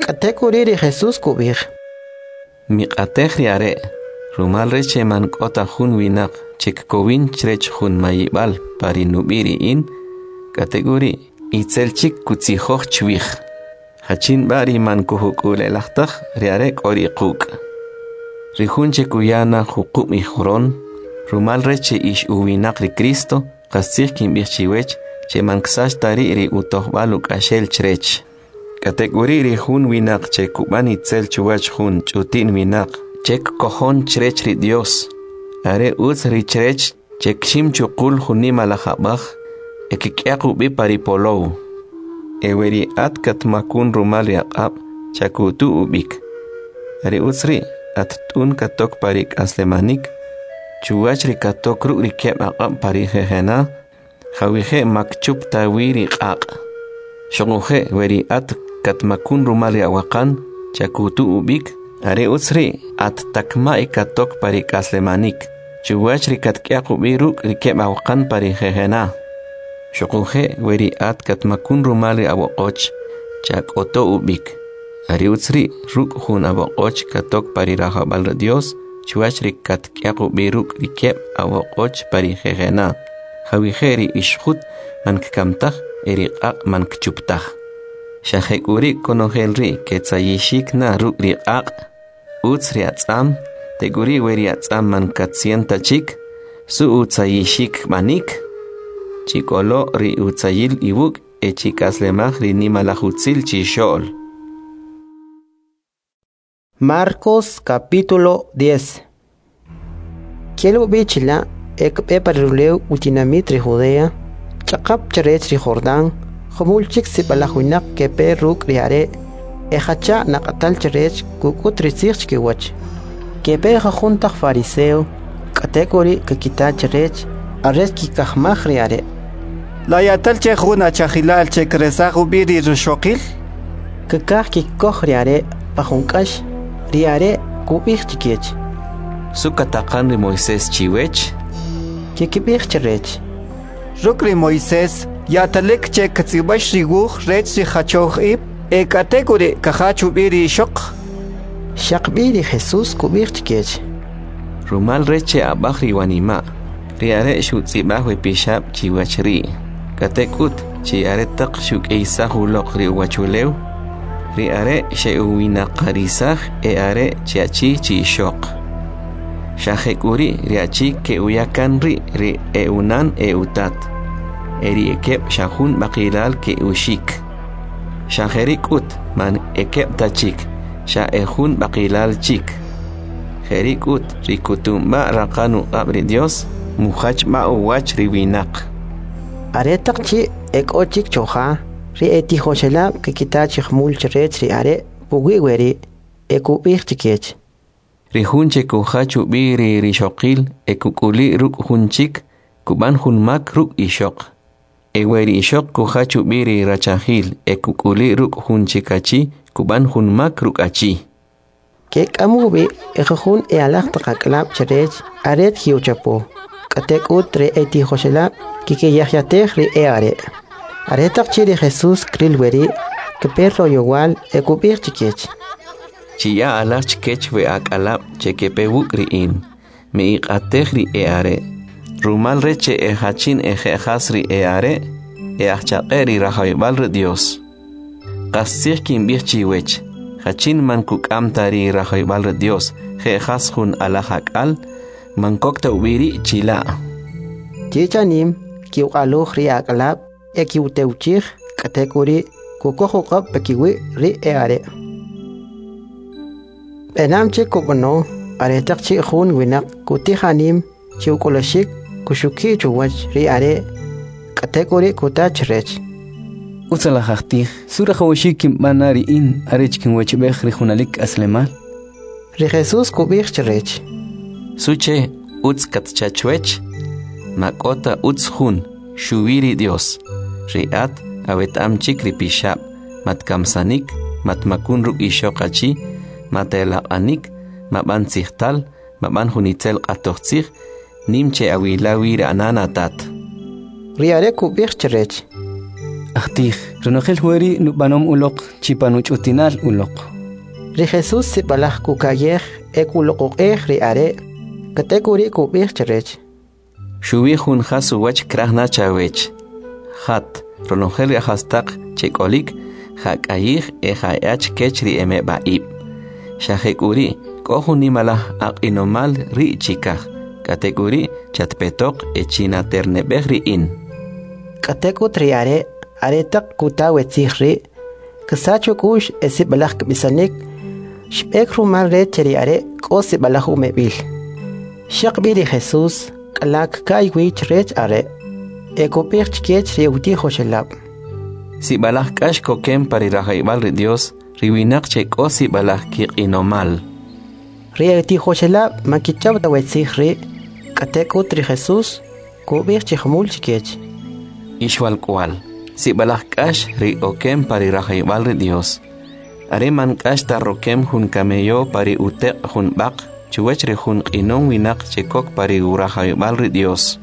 K'atek'uri' ri Jesús kub'ij. Miq'atej ri are', rumal rech che man k'o ta jun winaq che kkowin chrech jun mayib'al pa ri nub'i' ri in, k'atek'uri' itzel chik kutzijoj chwij. Jachin b'a ri man kujuk'ule'laj taj, ri are' k'o ri quk'. Ri jun che kuya na juqub' ijoron, rumal rech che ix uwinaq ri Cristo, qastzij kinb'ij chiwech che man ksach ta ri' ri utojb'al uk'axel chrech. K'atek'uri' ri jun winaq che kub'an itzel chuwach jun ch'uti'n winaq che kkojon chrech ri Dios, are utz ri chrech che kxim chuqul jun nimalaj ab'aj e kk'yaq ub'i pa ri polow. E we ri at katmakun rumal ri aq'ab', chakutu ub'ik. Are utz ri' at t'un katok pa ri k'aslemanik, chuwach ri katok ruk' ri keb' aq'ab' pa ri jejena, jawije' makchup ta wi ri q'aq'. Xuquje' we ri at katmakun rumal ri awaqan, chakutu ub'ik, are utz ri' at takma' e katok pa ri k'aslemanik, chuwach ri katk'yaq ub'i ruk' ri keb' awaqan pa ri jejena. Xuquje' we ri at katmakun rumal ri awoq'och, chak'oto ub'ik. Are utz ri' ruk' jun awoq'och katok pa ri rajawb'al ri Dios, chuwach ri katk'yaq ub'i ruk' ri keb' awoq'och pa ri jejena, jawije' ri ixjut man kkamtaj e ri q'aq' man kchuptaj. Xa jek'uri' konojel ri' ketzayixik na ruk' ri q'aq', utz ri atz'am, tek'uri' we ri atz'am man katzien ta chik, su utzayixik b'anik? Chik'olo' ri utzayil iwuk' e chik'aslemaj ri nimalaj utzil chixo'l. Marcos capítulo 10. Kel ub'i chila' e kb'e pa ri rulew utinamit ri Judea, ch'aqap chrech ri Jordán, jumul chik sib'alaj winaq kepe ruk' ri are' e jacha' naq'atal chrech kuk'ut ri tzij chkiwach. Kepe jujun taq fariseo K'atek'uri' kakita chrech arech kikajmaj ri are'. La ya'tal che jun achajilal che kresaj ub'i ri rixoqil? Kkaj kikoj ri are' pa jun k'ax, ri are' kub'ij chkech: Su kataqan ri Moisés chiwech? Kikib'ij chrech: Ruk' ri Moisés ya'talik che ktz'ib'ax ri wuj rech ri jachoj ib' e k'atek'uri' kajach ub'i ri ixoq. Xaqb'i ri Jesús kub'ij chkech: Rumal rech che ab'aj ri wanima', ri are' xutz'ib'aj we pixab' chiwach ri'. K'atek'ut, chi aretaq xuk'iysaj uloq ri uwachulew, ri are' xe'uwinaqarisaj e are' chi achi chi ixoq. Xa jek'uri' ri achi ke'uya kan ri' ri e'unan e'utat, e ri ekeb' xa jun b'aqilal ke'uxik. Xa jeri' k'ut man ekeb' ta chik, xa ejun b'aqilal chik. Jeri' k'ut ri kutunb'a raqan uq'ab' ri Dios, mujach b'a uwach ri winaq. Aretaq chi' ek'o chik choja, ri etijoxelab' kkita chi jumul chrech ri are' puwi' weri' e kub'ij chkech: Ri jun che kujach ub'i ri rixoqil e kuk'uli' ruk' jun chik, kub'an jun mak ruk' ixoq. E we ri ixoq kujach ub'i ri rachajil e kuk'uli' ruk' jun chik achi, kub'an jun mak ruk' achi. Kek'am ub'i ejujun e'alaj taq ak'alab' chrech arech ke'uchapo. K'atek'ut ri etijoxelab' kikiyajyatej ri e'are'. Aretaq chi' ri Jesús kril weri', kpe royowal e kub'ij chkech: Chiya' alaj chkech we ak'alab' che kepe wuk' ri in, me'iq'atej ri e'are', rumal rech che ejachin eje'jas ri e'are', e'ajchaq'e ri rajawib'al ri Dios. Qastzij kinb'ij chiwech, jachin man kuk'am ta ri rajawib'al ri Dios, je'jas jun alaj ak'al, man kok ta ub'i ri' chila'. Chi chanim ki'uq'aluj ri ak'alab' e ki'utewchij, k'atek'uri' kukoj uq'ab' pakiwi' ri e'are'. B'enam che kub'ano aretaq chi' jun winaq kutij anim chi uk'ulaxik kuxuki' chuwach ri are', k'atek'uri' kuta chrech: Utzalaj ajtij, su rajawaxik kinb'an na ri in arech kinwechb'ej ri junalik k'aslemal? Ri Jesús kub'ij chrech: Suche utz katcha chwech? Ma k'o ta utz jun, xuwi ri Dios. Ri at aweta'm chik ri pixab', matkamsanik, matmakun ruk' ixoq achi, matelaq'anik, mab'an tzijtal, mab'an jun itzel q'atoj tzij, nim che awila wi ri anan atat. Ri are' kub'ij chrech: Ajtij, ronojel weri' nub'anom uloq chi panuch'utinal uloq. Ri Jesús sib'alaj kuka'yej e kuloq'oq'ej ri are', k'atek'uri' kub'ij chrech: Xuwi jun jas uwach kraj na chawech. Jat, ronojel ri jastaq che k'olik, ja'k'ayij e ja'ya chkech ri emeb'a'ib'. Xa jek'uri' k'o jun nimalaj aq'inomal ri' chikaj, k'atek'uri' chatpetoq e chinaterneb'ej ri in. K'atek'ut ri are' aretaq kuta we tzij ri', ksach uk'u'x e sib'alaj kb'isanik, xb'ek rumal rech che ri are' k'o sib'alaj umeb'il. Xaqb'i ri Jesús k'ala kka'y wi chrech are' e kub'ij chkech ri utijoxelab': Sib'alaj k'ax kokem pa ri rajawib'al ri Dios ri winaq che k'o sib'alaj kiq'inomal. Ri etijoxelab' man kich'ab' ta we tzij ri', k'atek'ut ri Jesús kub'ij chi jumul chkech: Ix walk'wa'l, sib'alaj k'ax ri okem pa ri rajawib'al ri Dios. Are man k'ax ta rokem jun camello pa ri uteq' jun b'aq chuwach ri jun q'inom winaq che kok pa ri urajawib'al ri Dios.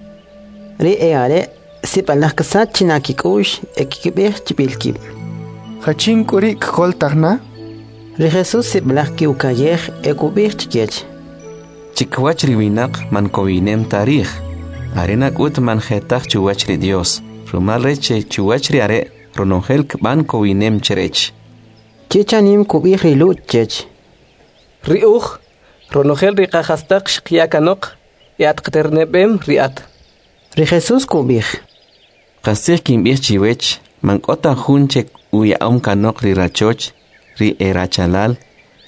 Ri e'are' sib'alaj ksach china kik'u'x e kikib'ij chib'il kib': Jachin k'u ri' kk'oltaj na? Ri Jesús sib'alaj ki'uka'yej e kub'ij chkech: Chikwach ri winaq man kowinem ta rij, are nak'ut man jetaj chuwach ri Dios, rumal rech che chuwach ri are' ronojel kb'an kowinem chrech. Chi chanim kub'ij ri Lu' chech: Ri uj, ronojel ri qajastaq xqya kanoq, e at qaterneb'em ri at. Ri Jesús kub'ij: Qastzij kinb'ij chiwech, man k'o ta jun che uya'om kanoq ri rachoch, ri e rachalal,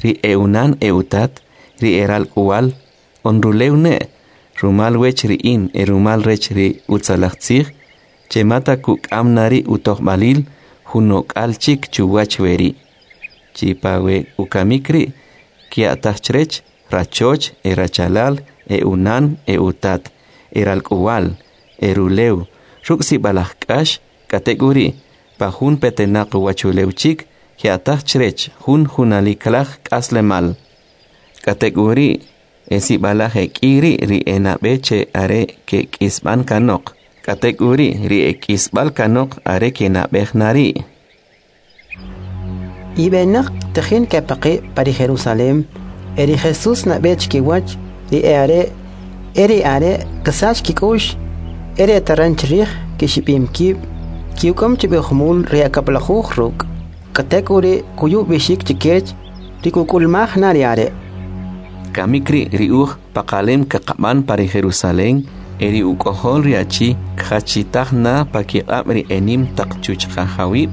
ri e'unan e'utat, ri e ralk'uwal, on rulew ne', rumal wech ri in e rumal rech ri utzalaj tzij, che mata kuk'am na ri utojb'alil jun ok'al chik chuwach weri'. Chi pa we ukamik ri' kya'taj chrech rachoch e rachalal, e unan e utat, e ralk'uwal, e rulew, ruk' sib'alaj k'ax, k'atek'uri', pa jun petenaq uwachulew chik, kya'taj chrech jun junalikalaj k'aslemal. K'atek'uri', e sib'alaj ek'i ri' ri enab'e che are kek'isb'an kanoq, k'atek'uri' ri ek'isb'al kanoq are kenab'ej na ri'. Ib'enaq tajin kepaqi' pa ri Jerusalem, e ri Jesus nab'e chkiwach ri e'are', e ri are' kasach kik'u'x, e ri etaran chrij kixib'im kib', ki'uk'am chi b'i jumul ri akab'lajuj ruk', k'atek'uri' kuya ub'ixik chikech ri kuk'ulmaj na ri are'. Kamik ri' ri uj paqalem kaqab'an pa ri Jerusalem, e ri uk'ojol ri achi kjachitaj na pa kiq'ab' ri enim taq chuchqajawib',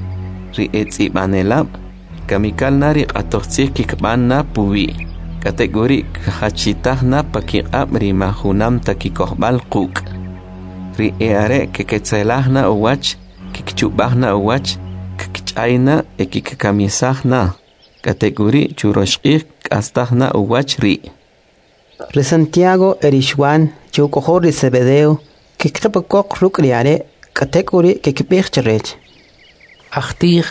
ri etz'ib'anelab', kamikal na ri q'atoj tzij kikb'an na puwi', k'atek'uri' kjachitaj na pa kiq'ab' ri ma junam ta kikojb'al quk'. Ri e'are' keketzelaj na uwach, kikchub'aj na uwach, kkich'ay na e kikkamisaj na. K'atek'uri' churox q'ij k'astaj na uwach ri'. Ri Santiago e ri Xwan, che uk'ojol ri Zebedeo, kkiqib' ukoq ruk' ri are', k'atek'uri' kkib'ij chrech: Ajtij,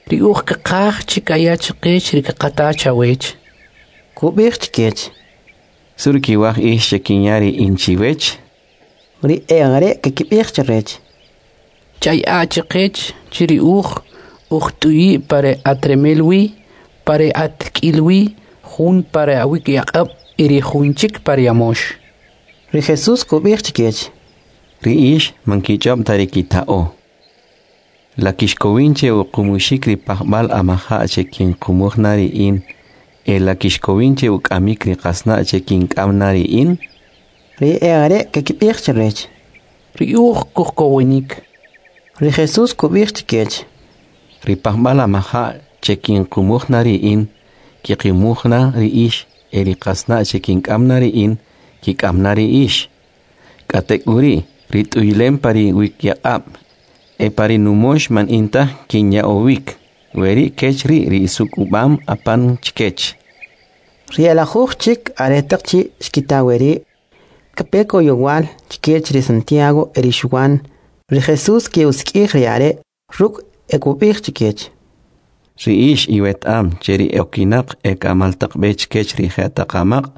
ri uj kqaj che kaya chqech ri kqata chawech. Kub'ij chkech: Su ri kiwaj ix che kinya ri in chiwech? Ri e'are' kkib'ij chrech: Chay'a chqech che ri uj ujt'uyi' pa ri atremel wi, pa ri atk'il wi, jun pa ri awikyaq'ab' y ri jun chik pa ri amox. Ri Jesus kub'ij chkech: Ri ix man kich'ob' ta ri kita'o. La kixkowin che uqumuxik ri pajb'al amaja' che kinqumuj na ri in, e la kixkowin che uk'amik ri qasna' che kink'am na ri in? Ri e'are' kkib'ij chrech: Ri uj kujkowinik. Ri Jesus kub'ij chkech: Ri pajb'al amaja' che kinqumuj na ri in, kiqimuj na ri ix, e ri qasna' che kink'am na ri in, kik'am na ri ix. K'atek'uri', ri t'uylem pa ri wikyaq'ab', e pa ri numox man in taj kinya'owik, weri' kech ri' ri isuk'ub'am apan chkech. Ri elajuj chik aretaq chi' xkita weri', kape koyowal chkech ri Santiago e ri Xwan. Ri Jesus ke'usik'ij ri are' ruk' e kub'ij chkech: Ri ix iweta'am che ri e'okinaq e k'amal taq b'e chkech ri je'taq amaq',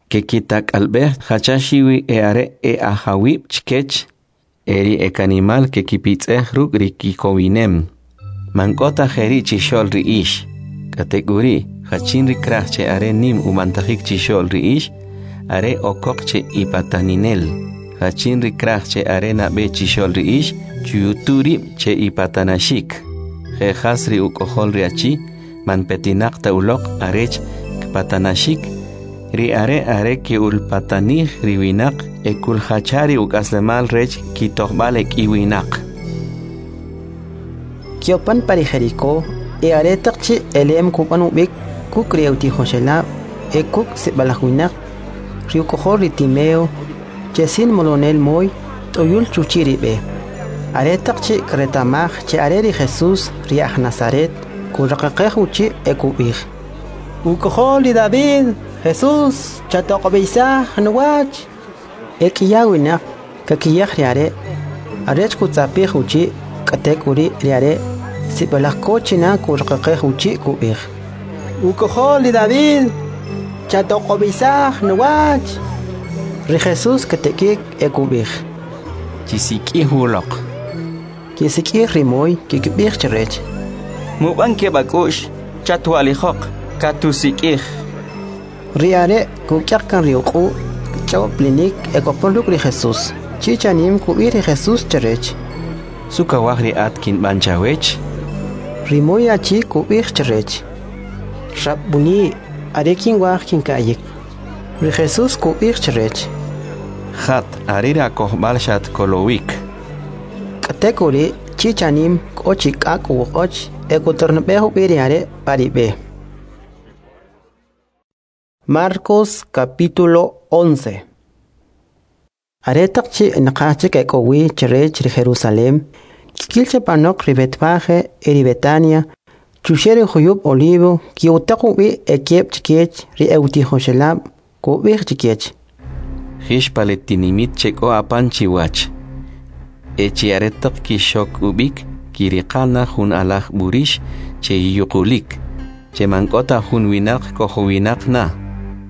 kekitak'alb'ej jacha xiwi e'are e'ajawib' chkech, e ri ekanimal kekipitz'ej ruk' ri kikowinem. Man k'o ta jeri' chixo'l ri ix. K'atek'uri', jachin ri kraj che are nim ub'antajik chixo'l ri ix, are okoq che ipataninel. Jachin ri kraj che are nab'e chixo'l ri ix, chuyutu rib' che ipatanaxik. Je jas ri uk'ojol ri achi, man petinaq ta uloq arech kpatanaxik, ri are are ke'ulpatanij ri winaq e kuljacha ri uk'aslemal rech kitojb'al ek'i winaq. Kiopan pa ri Jericó, e aretaq chi' elem kub'an ub'ik kuk' ri utijoxelab' e kuk' sib'alaj winaq, ri uk'ojol ri Timeo, che sin molonel moy, t'uyul chuchi' ri b'e. Aretaq chi' kreta'maj che are ri Jesus ri aj Nazaret, kuraqaqej uchi' e kub'ij: Uk'ojol ri David, Jesus, chatoq'ob'isaj nuwach. E k'iya winaq kakiyaj ri are' arech kutz'apij uchi', k'atek'uri' ri are' sib'alaj ko china kuraqaqej uchi' kub'ij: Uk'ojol ri David, chatoq'ob'isaj nuwach. Ri Jesus katek'ik e kub'ij: Chisik'ij uloq. Kisik'ij ri moy, kikib'ij chrech: Mub'an keb' ak'u'x, chatwa'lijoq, katusik'ij. Ri are' kuk'yaq kan ri uq'u', kch'aw plinik e kopon ruk' ri Jesus. Chi chanim kub'ij ri Jesus chrech: Su kawaj ri at kinb'an chawech? Ri moy achi kub'ij chrech: Rabbuni, are kinwaj kinka'yik. Ri Jesus kub'ij chrech: Jat, are ri akojb'al xatkolowik. K'atek'uri' chi chanim k'o chi k'ak' uwoq'och e kuterneb'ej ub'i ri are' pa ri b'e. Marcos capítulo 11. Aretaq chi' naqaj chik ek'o wi chrech ri Jerusalem, kkil che panoq ri Betfage e ri Betania, chuxe' ri juyub' Olivo, ki'utaq ub'i ekeb' chkech ri e'utijoxelab', kub'ij chkech: Jix pa le tinimit che k'o apan chiwach. E chi aretaq kixok ub'ik, kiriqa na jun alaj b'urix che yuqulik, che man k'o ta jun winaq kojowinaq na.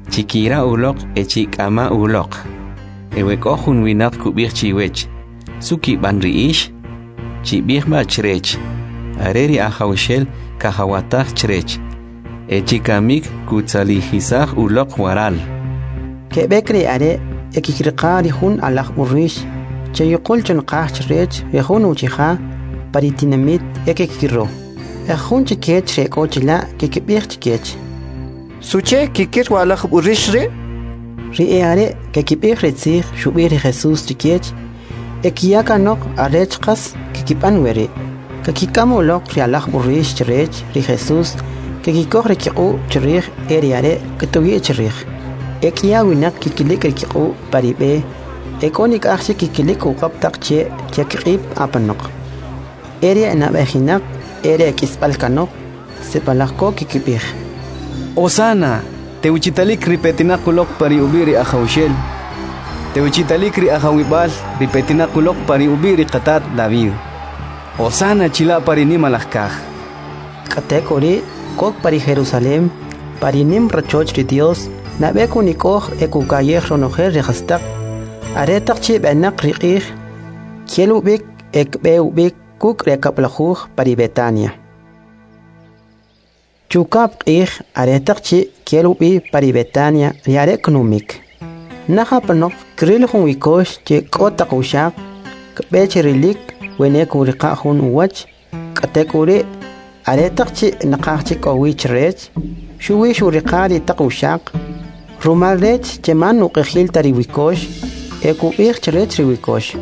Chikira uloq e chik'ama uloq. E we k'o jun winaq kub'ij chiwech, su kib'an ri ix? Chib'ij ma chrech, are ri Ajawxel kajawataj chrech. E chikamik kutzalijisaj uloq waral. Keb'ek ri are' e kikiriqa ri jun alaj b'urix che yuqul chunqaj chrech ri jun uchija pa ri tinamit e kekikiro. E jun chikech ri k'o chila' kikib'ij chikech. Suche kikir wa alaj b'urix ri'? Ri e are' kekib'ij ri tzij xub'ij ri Jesús chikech e kiyakanoq arech qas kikib'an weri'. Kekik'am uloq ri alaj b'urix chrech ri Jesús, kekikoj ri kiq'u' chrij e ri are' ktuyi' chrij. E k'ya winaq kikilik ri kiq'u' pa ri b'e, e k'o nik'aj chik kikilik uq'ab' taq che' che kiq'ib' apanoq. E ri enab'ejinaq e ri ek'isb'al kanoq, sib'alaj ko kikib'ij. Osana, tewchitalik ri petinaq uloq pa ri ub'i' ri Ajawxel. Tewchitalik ri Ajawib'al ri petinaq uloq pa ri ub'i' ri qatat David. Osana chila' pa ri nimalaj kaj. K'atek'uri' kok pa ri Jerusalem, pa ri nim rachoch ri Dios, nab'e kunik'oj e kukayej ronojel ri jastaq. Aretaq chi' b'enaq ri q'ij, kel ub'ik e kb'e ub'ik kuk' ri kab'lajuj pa ri Betania. Chukab' q'ij aretaq chi' kel ub'i pa ri Betania ri are' knumik. Naj apanoq kril jun wikox che k'o taq uxaq, kb'e che rilik wene kuriqa' jun uwach, k'atek'uri' aretaq chi' naqaj chik k'o wi chrech, xuwi xuriqa ri taq uxaq, rumal rech che man uq'ijil ta ri wikox, e kub'ij chrech ri wikox.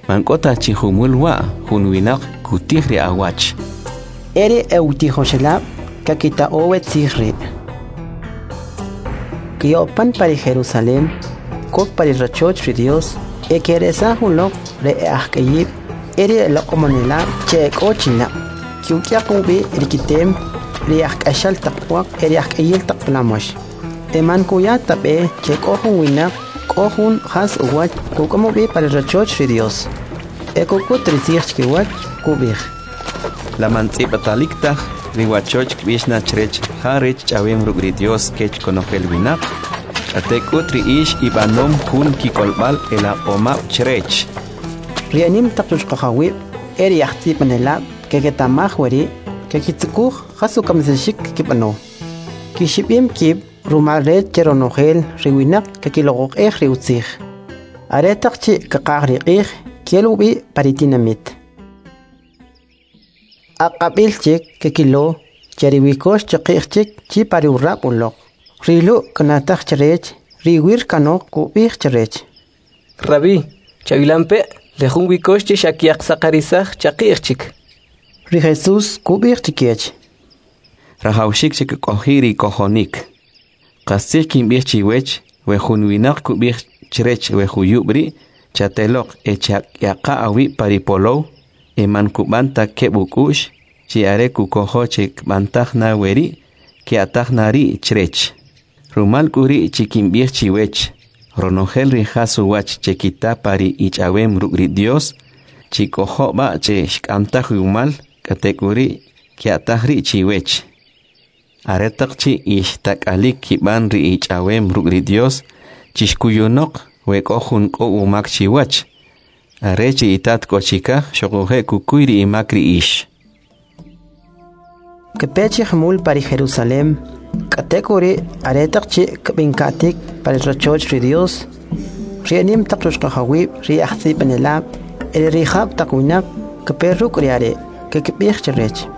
Man k'o ta chi jumul wa' jun winaq kutij ri awach. Eri e utijoxelab' kakita'o we tzij ri'. Kiyopan pa ri Jerusalem, kok pa ri rachoch ri Dios, e keresaj uloq ri e ajk'ayib', eri e loq'omonelab' che e k'o chila'. Kiuk'yaq ub'i ri kitem, ri ajk'axal taq pwaq e ri ajk'ayil taq plamox. E man kuya ta b'e che k'o jun winaq k'o jun jas uwach kuk'am ub'i pa ri rachoch ri Dios. E kuk'ut ri tzij chikiwach kub'ij. La man tz'ib'atalik taj ri wachoch kb'ix na chrech ja rech ch'awem ruk' ri Dios kech konojel winaq, k'atek'ut ri ix ib'anom jun kik'olb'al elaq'omab' chrech. Ri enim taq chuchqajawib' e ri ajtz'ib'anelab' keketamaj weri' kekitzukuj jas ukamisaxik kikib'ano. Kixib'im kib' rumal rech che ronojel ri winaq kekiloq'oq'ej ri utzij. Aretaq chi' kaqaj ri q'ij kel ub'i pa ri tinamit. Aq'ab'il chik kekilo che ri wikox chaqi'j chik chi pa ri urab' uloq. Ri Lu' knataj chrech, ri wir kanoq kub'ij chrech. Rabí, chawilampe' le jun wikox che xakyaqsaqarisaj chaqi'j chik. Ri Jesús kub'ij chikech. Rajawxik che kk'oji ri kojonik. Qastzij kinb'ij chiwech, we jun winaq kub'ij chrech we juyub' ri' chateloq e chak'yaqa awib' pa ri polow, e man kub'an ta keb' uk'u'x, chi are kukojo che kb'antaj na weri', ke'ataj na ri' chrech. Rumal k'u ri' chi kinb'ij chiwech, ronojel ri jas uwach che kita pa ri ich'awem ruk' ri Dios, chikojo b'a che xk'amtaj umal, k'atek'uri' ke'ataj ri' chiwech. Aretaq chi' ixtak'alik kib'an ri ich'awem ruk' ri Dios, chixkuyunoq we k'o jun k'o umak chiwach. Are chi itat k'o chikaj xuquje' kukuy ri imak ri ix. Kpe chi jumul pa ri Jerusalem, k'atek'uri' aretaq chi' kb'inka'tik pa ri rachoch ri Dios, ri enim taq chuchqajawib', ri ajtz'ib'anelab', e ri rijab' taq winaq kpe ruk' ri are' kekib'ij chrech.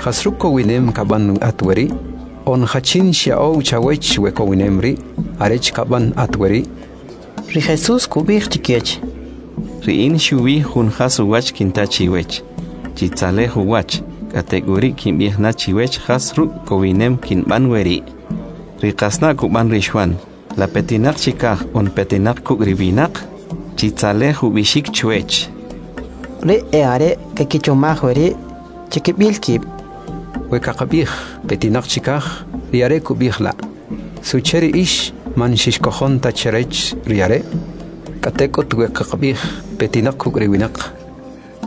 Jas ruk' kowinem kab'an at weri'? On jachin xya'ow chawech we kowinem ri' arech kab'an at weri'? Ri Jesús kub'ij chikech. Ri in xuwi jun jas uwach kinta chiwech, chitzalej uwach, k'atek'uri' kinb'ij na chiwech jas ruk' kowinem kinb'an weri'. Ri qasna' kub'an ri Xwan, la petinaq chikaj on petinaq kuk' ri winaq, chitzalej ub'ixik chwech. Ri e are' kekichomaj weri' chikib'il kib'. We kaqab'ij petinaq chikaj, ri are' kub'ij la'. Suche ri ix man xixkojon ta chrech ri are'? K'atek'ut we kaqab'ij petinaq kuk' ri winaq.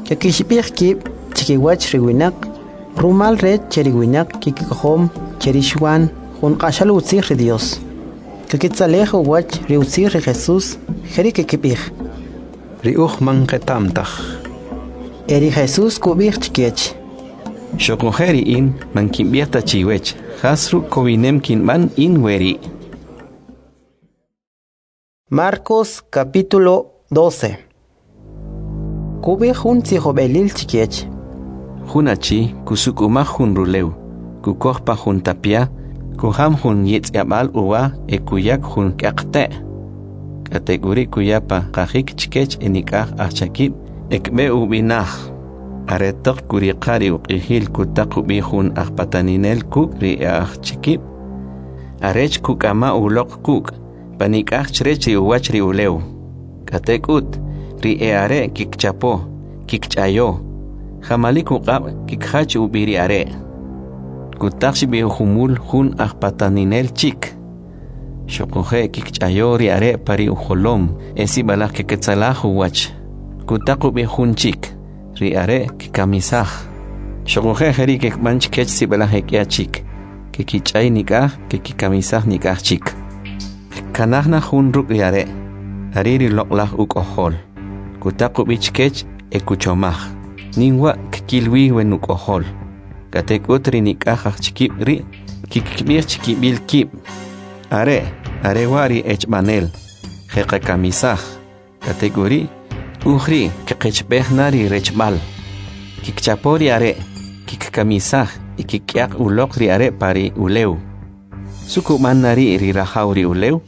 Kakixib'ij kib' chkiwach ri winaq, rumal rech che ri winaq kikikojom che ri Xwan jun q'axal utzij ri Dios. Kakitzalej uwach ri utzij ri Jesús, jeri' kikib'ij: Ri uj man qeta'm taj. E ri Jesús kub'ij chkech: Xuquje' ri in man kinb'ij ta chiwech jas ruk' kowinem kinb'an in weri'. Marcos capítulo 12. Kub'ij jun tzijob'elil chkech. Jun achi kusuk'umaj jun rulew, kukoj pa jun tapya, kujam jun yitz'yab'al uwa e kuyak jun k'aqte'. K'atek'uri' kuya pa qajik chkech enik'aj ajchakib' e kb'e ub'inaj. Aretaq kuriqa ri uq'ijil kutaq ub'i jun ajpataninel kuk' ri ajchakib', arech kuk'ama uloq kuk' panik'aj chrech ri uwach ri ulew. K'atek'ut, ri e'are' kikchapo, kikch'ayo, jamalik uq'ab' kikjach ub'i ri are'. Kutaq xib'i jumul jun ajpataninel chik. Xuquje' kikch'ayo ri are' pa ri ujolom e sib'alaj keketzalaj uwach. Kutaq ub'i jun chik, ri are' kikamisaj. Xuquje' jeri' kekb'an chkech sib'alaj ek'ya chik, kekich'ay nik'aj, kekikamisaj nik'aj chik. Kkanaj na jun ruk' ri are', are ri loq'laj uk'ojol. Kutaq ub'i chkech e kuchomaj: Nim wa' kkil wi we nuk'ojol. K'atek'ut ri nik'aj ajchikib' ri' kikb'ij chkib'il kib': Are', are wa' ri echb'anel, je'qakamisaj. K'atek'uri', uj ri' kqechb'ej na ri rechb'al. Kikchapo ri are', kikkamisaj y kik'yaq uloq ri are' pa ri ulew. Suk'ub'an na ri' ri rajaw ri ulew?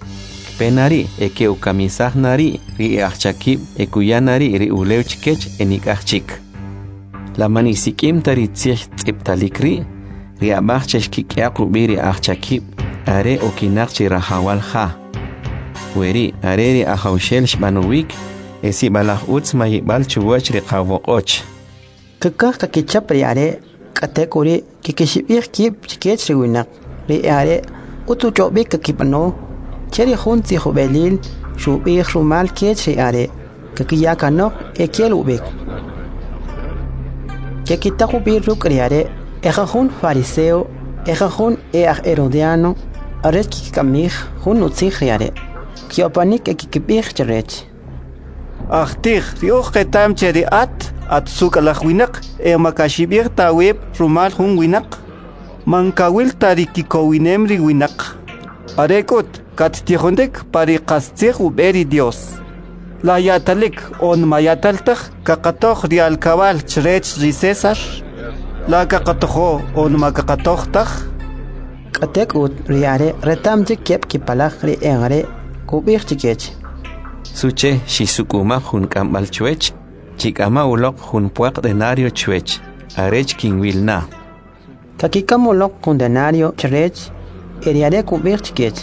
Kpe na ri' e ke'ukamisaj na ri' ri ajchakib' e kuya na ri' ri ulew chkech e nik'aj chik. La man isik'im ta ri tzij tz'ib'talik ri'? Ri ab'aj che xkik'yaq ub'i ri ajchakib' are okinaq chi rajawal ja. Weri' are ri ajawxel xb'anowik e sib'alaj utz mayib'al chuwach ri qawoq'och. Kkaj kakichap ri are', k'atek'uri' kikixib'ij kib' chkech ri winaq. Ri are' utz uch'ob'ik kakib'ano che ri jun tzijob'elil xub'ij rumal kech ri are', kakiya kanoq e kel ub'ik. Kekitaq ub'i ruk' ri are' e jajun fariseo e jajun e aj herodiano arech kikik'amij jun utzij ri are'. Kiopanik e kikib'ij chrech: Ajtij, ri uj qetam che ri at, at suk'alaj winaq e makaxib'ij ta awib' rumal jun winaq. Man kawil ta ri kikowinem ri winaq. Are k'ut kattijonik pa ri qastzij ub'e ri Dios. La ya'talik on mayatal taj kaqatoj ri alkab'al chrech ri César? La kaqatojo on ma kaqatoj taj? K'atek'ut ri are' reta'm chik keb' kipalaj ri e'are' kub'ij chkech: Suche xisuk'umaj jun k'amb'al chwech? Chik'ama uloq jun pwaq denario chwech, arech kinwil na. Kakik'am uloq jun denario chrech e ri are' kub'ij chkech: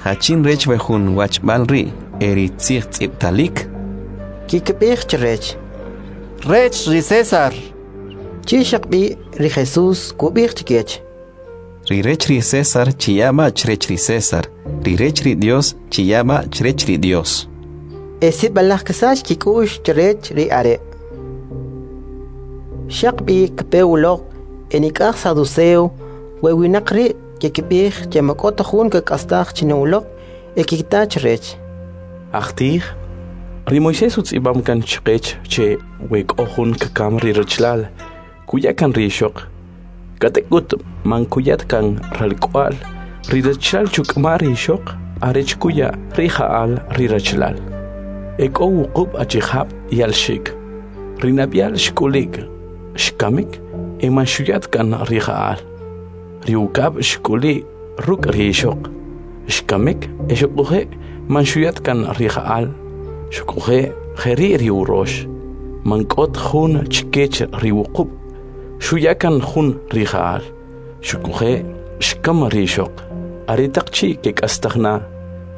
Jachin rech we jun wachb'al ri' e ri tzij tz'ib'talik? Kikb'ij chrech: Rech ri César. Chi xaq b'i ri Jesús kub'ij chkech: Ri rech ri César chiya b'a chrech ri César, ri rech ri Dios chiya b'a chrech ri Dios. E sib'alaj ksach kik'u'x chrech ri are'. Xaq b'i kpe uloq e nik'aj saduceo we winaq ri' kikb'ij che ma k'o ta jun kak'astaj china uloq e kikta chrech: Ajtij, ri Moisés utz'ib'am kan chqech che we k'o jun kkam ri rachalal, kuya kan ri ixoq. K'atek'ut man kuyat kan ralk'wa'l, ri rachalal chuk'ama ri ixoq arech kuya ri ja'al ri rachalal. E k'o wuqub' achijab' yalxik. Ri nab'yal xk'ulik, xkamik e man xuyat kan ri ja'al. Ri ukab' xk'uli ruk' ri ixoq, xkamik e xuquje' man xuyat kan ri ja'al. Xuquje' jeri' ri urox, man k'ot jun chkech ri wuqub' xuya kan jun ri ja'al. Xuquje' xkam ri ixoq. Aretaq chi' kek'astaj na,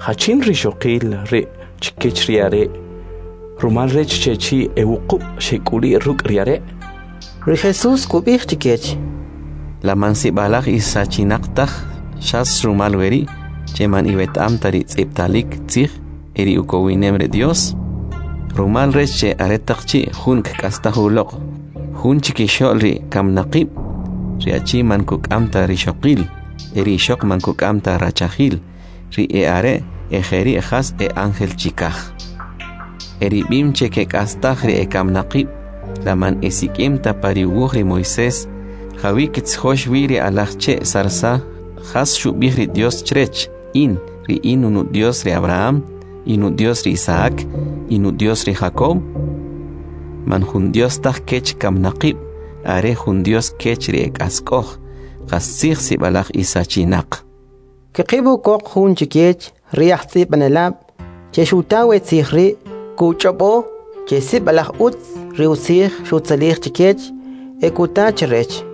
jachin ri xoqil ri' chkech ri are', rumal rech che chi e wuqub' xek'uli ruk' ri are'? Ri Jesús kub'ij chkech: La man sib'alaj isachinaq taj xas rumal weri' che man iweta'am ta ri tz'ib'talik tzij e ri ukowinem ri Dios? Rumal rech che aretaq chi' jun kk'astaj uloq, jun chikixo'l ri kamnaqib', ri achi man kuk'am ta rixoqil, e ri ixoq man kuk'am ta rachajil, ri e'are' e jeri' jas e ángel chikaj. E ri b'im che kek'astaj ri ekamnaqib', la man esik'im ta pa ri uwuj ri Moisés, jawi kitzjox wi ri alaj che' zarza, jas xub'ij ri Dios chrech, in, ri in unu Dios ri Abraham, inu Dios ri Isaac, inu Dios ri Jacob? Man jun Dios taj kech kamnaqib', are jun Dios kech ri ek'ask'oj, qastzij sib'alaj isachinaq. Kqib' ukoq jun chikech ri ajtz'ib'anelab' che xuta we tzij ri' kuch'ob'o che sib'alaj utz ri utzij xutzalij chikech e kuta chrech.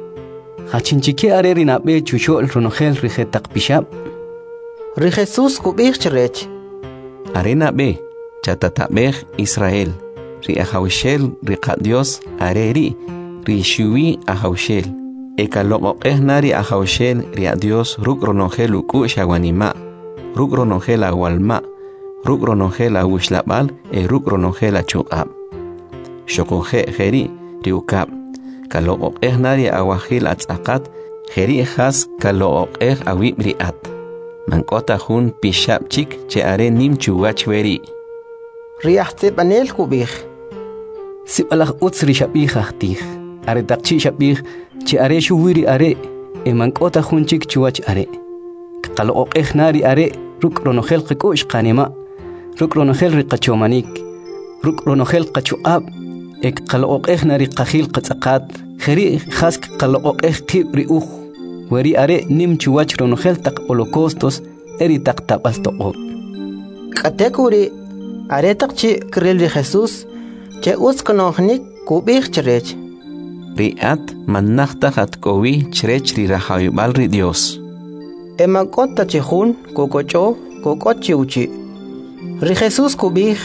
Jachin chike are ri nab'e chuxo'l ronojel ri jetaq pixab'? Ri Jesús kub'ij chrech: Are nab'e, chatatab'ej Israel, ri Ajawxel ri qaDios are ri' ri xuwi Ajawxel. E kaloq'oq'ej na ri Ajawxel ri aDios ruk' ronojel uk'u'x awanima', ruk' ronojel awalma', ruk' ronojel awuxlab'al e ruk' ronojel achuq'ab'. Xuquje' jeri' ri ukab', kaloq'oq'ej na ri awajil atz'aqat, jeri' jas kaloq'oq'ej awib' ri at. Man k'o ta jun pixab' chik che are nim chuwach weri'. Ri ajtz'ib'anel kub'ij: Sib'alaj utz ri xab'ij ajtij, aretaq chi' xab'ij che are xuwi ri are' e man k'o ta jun chik chuwach are'. Kqaloq'oq'ej na ri are' ruk' ronojel qak'u'x qanima', ruk' ronojel ri qachomanik, ruk' ronojel qachuq'ab', e kqaloq'oq'ej na ri qajil qatz'aqat, jeri' jas kqaloq'oq'ej qib' ri uj. Weri are' nim chuwach ronojel taq holocaustos e ri taq tab'al toq'ob'. K'atek'uri', aretaq chi' kril ri Jesús che utz kno'jinik kub'ij chrech: Ri at man naj taj at k'o wi chrech ri rajawib'al ri Dios. E man k'o ta chi jun kukoch'o kuk'ot chi uchi'. Ri Jesús kub'ij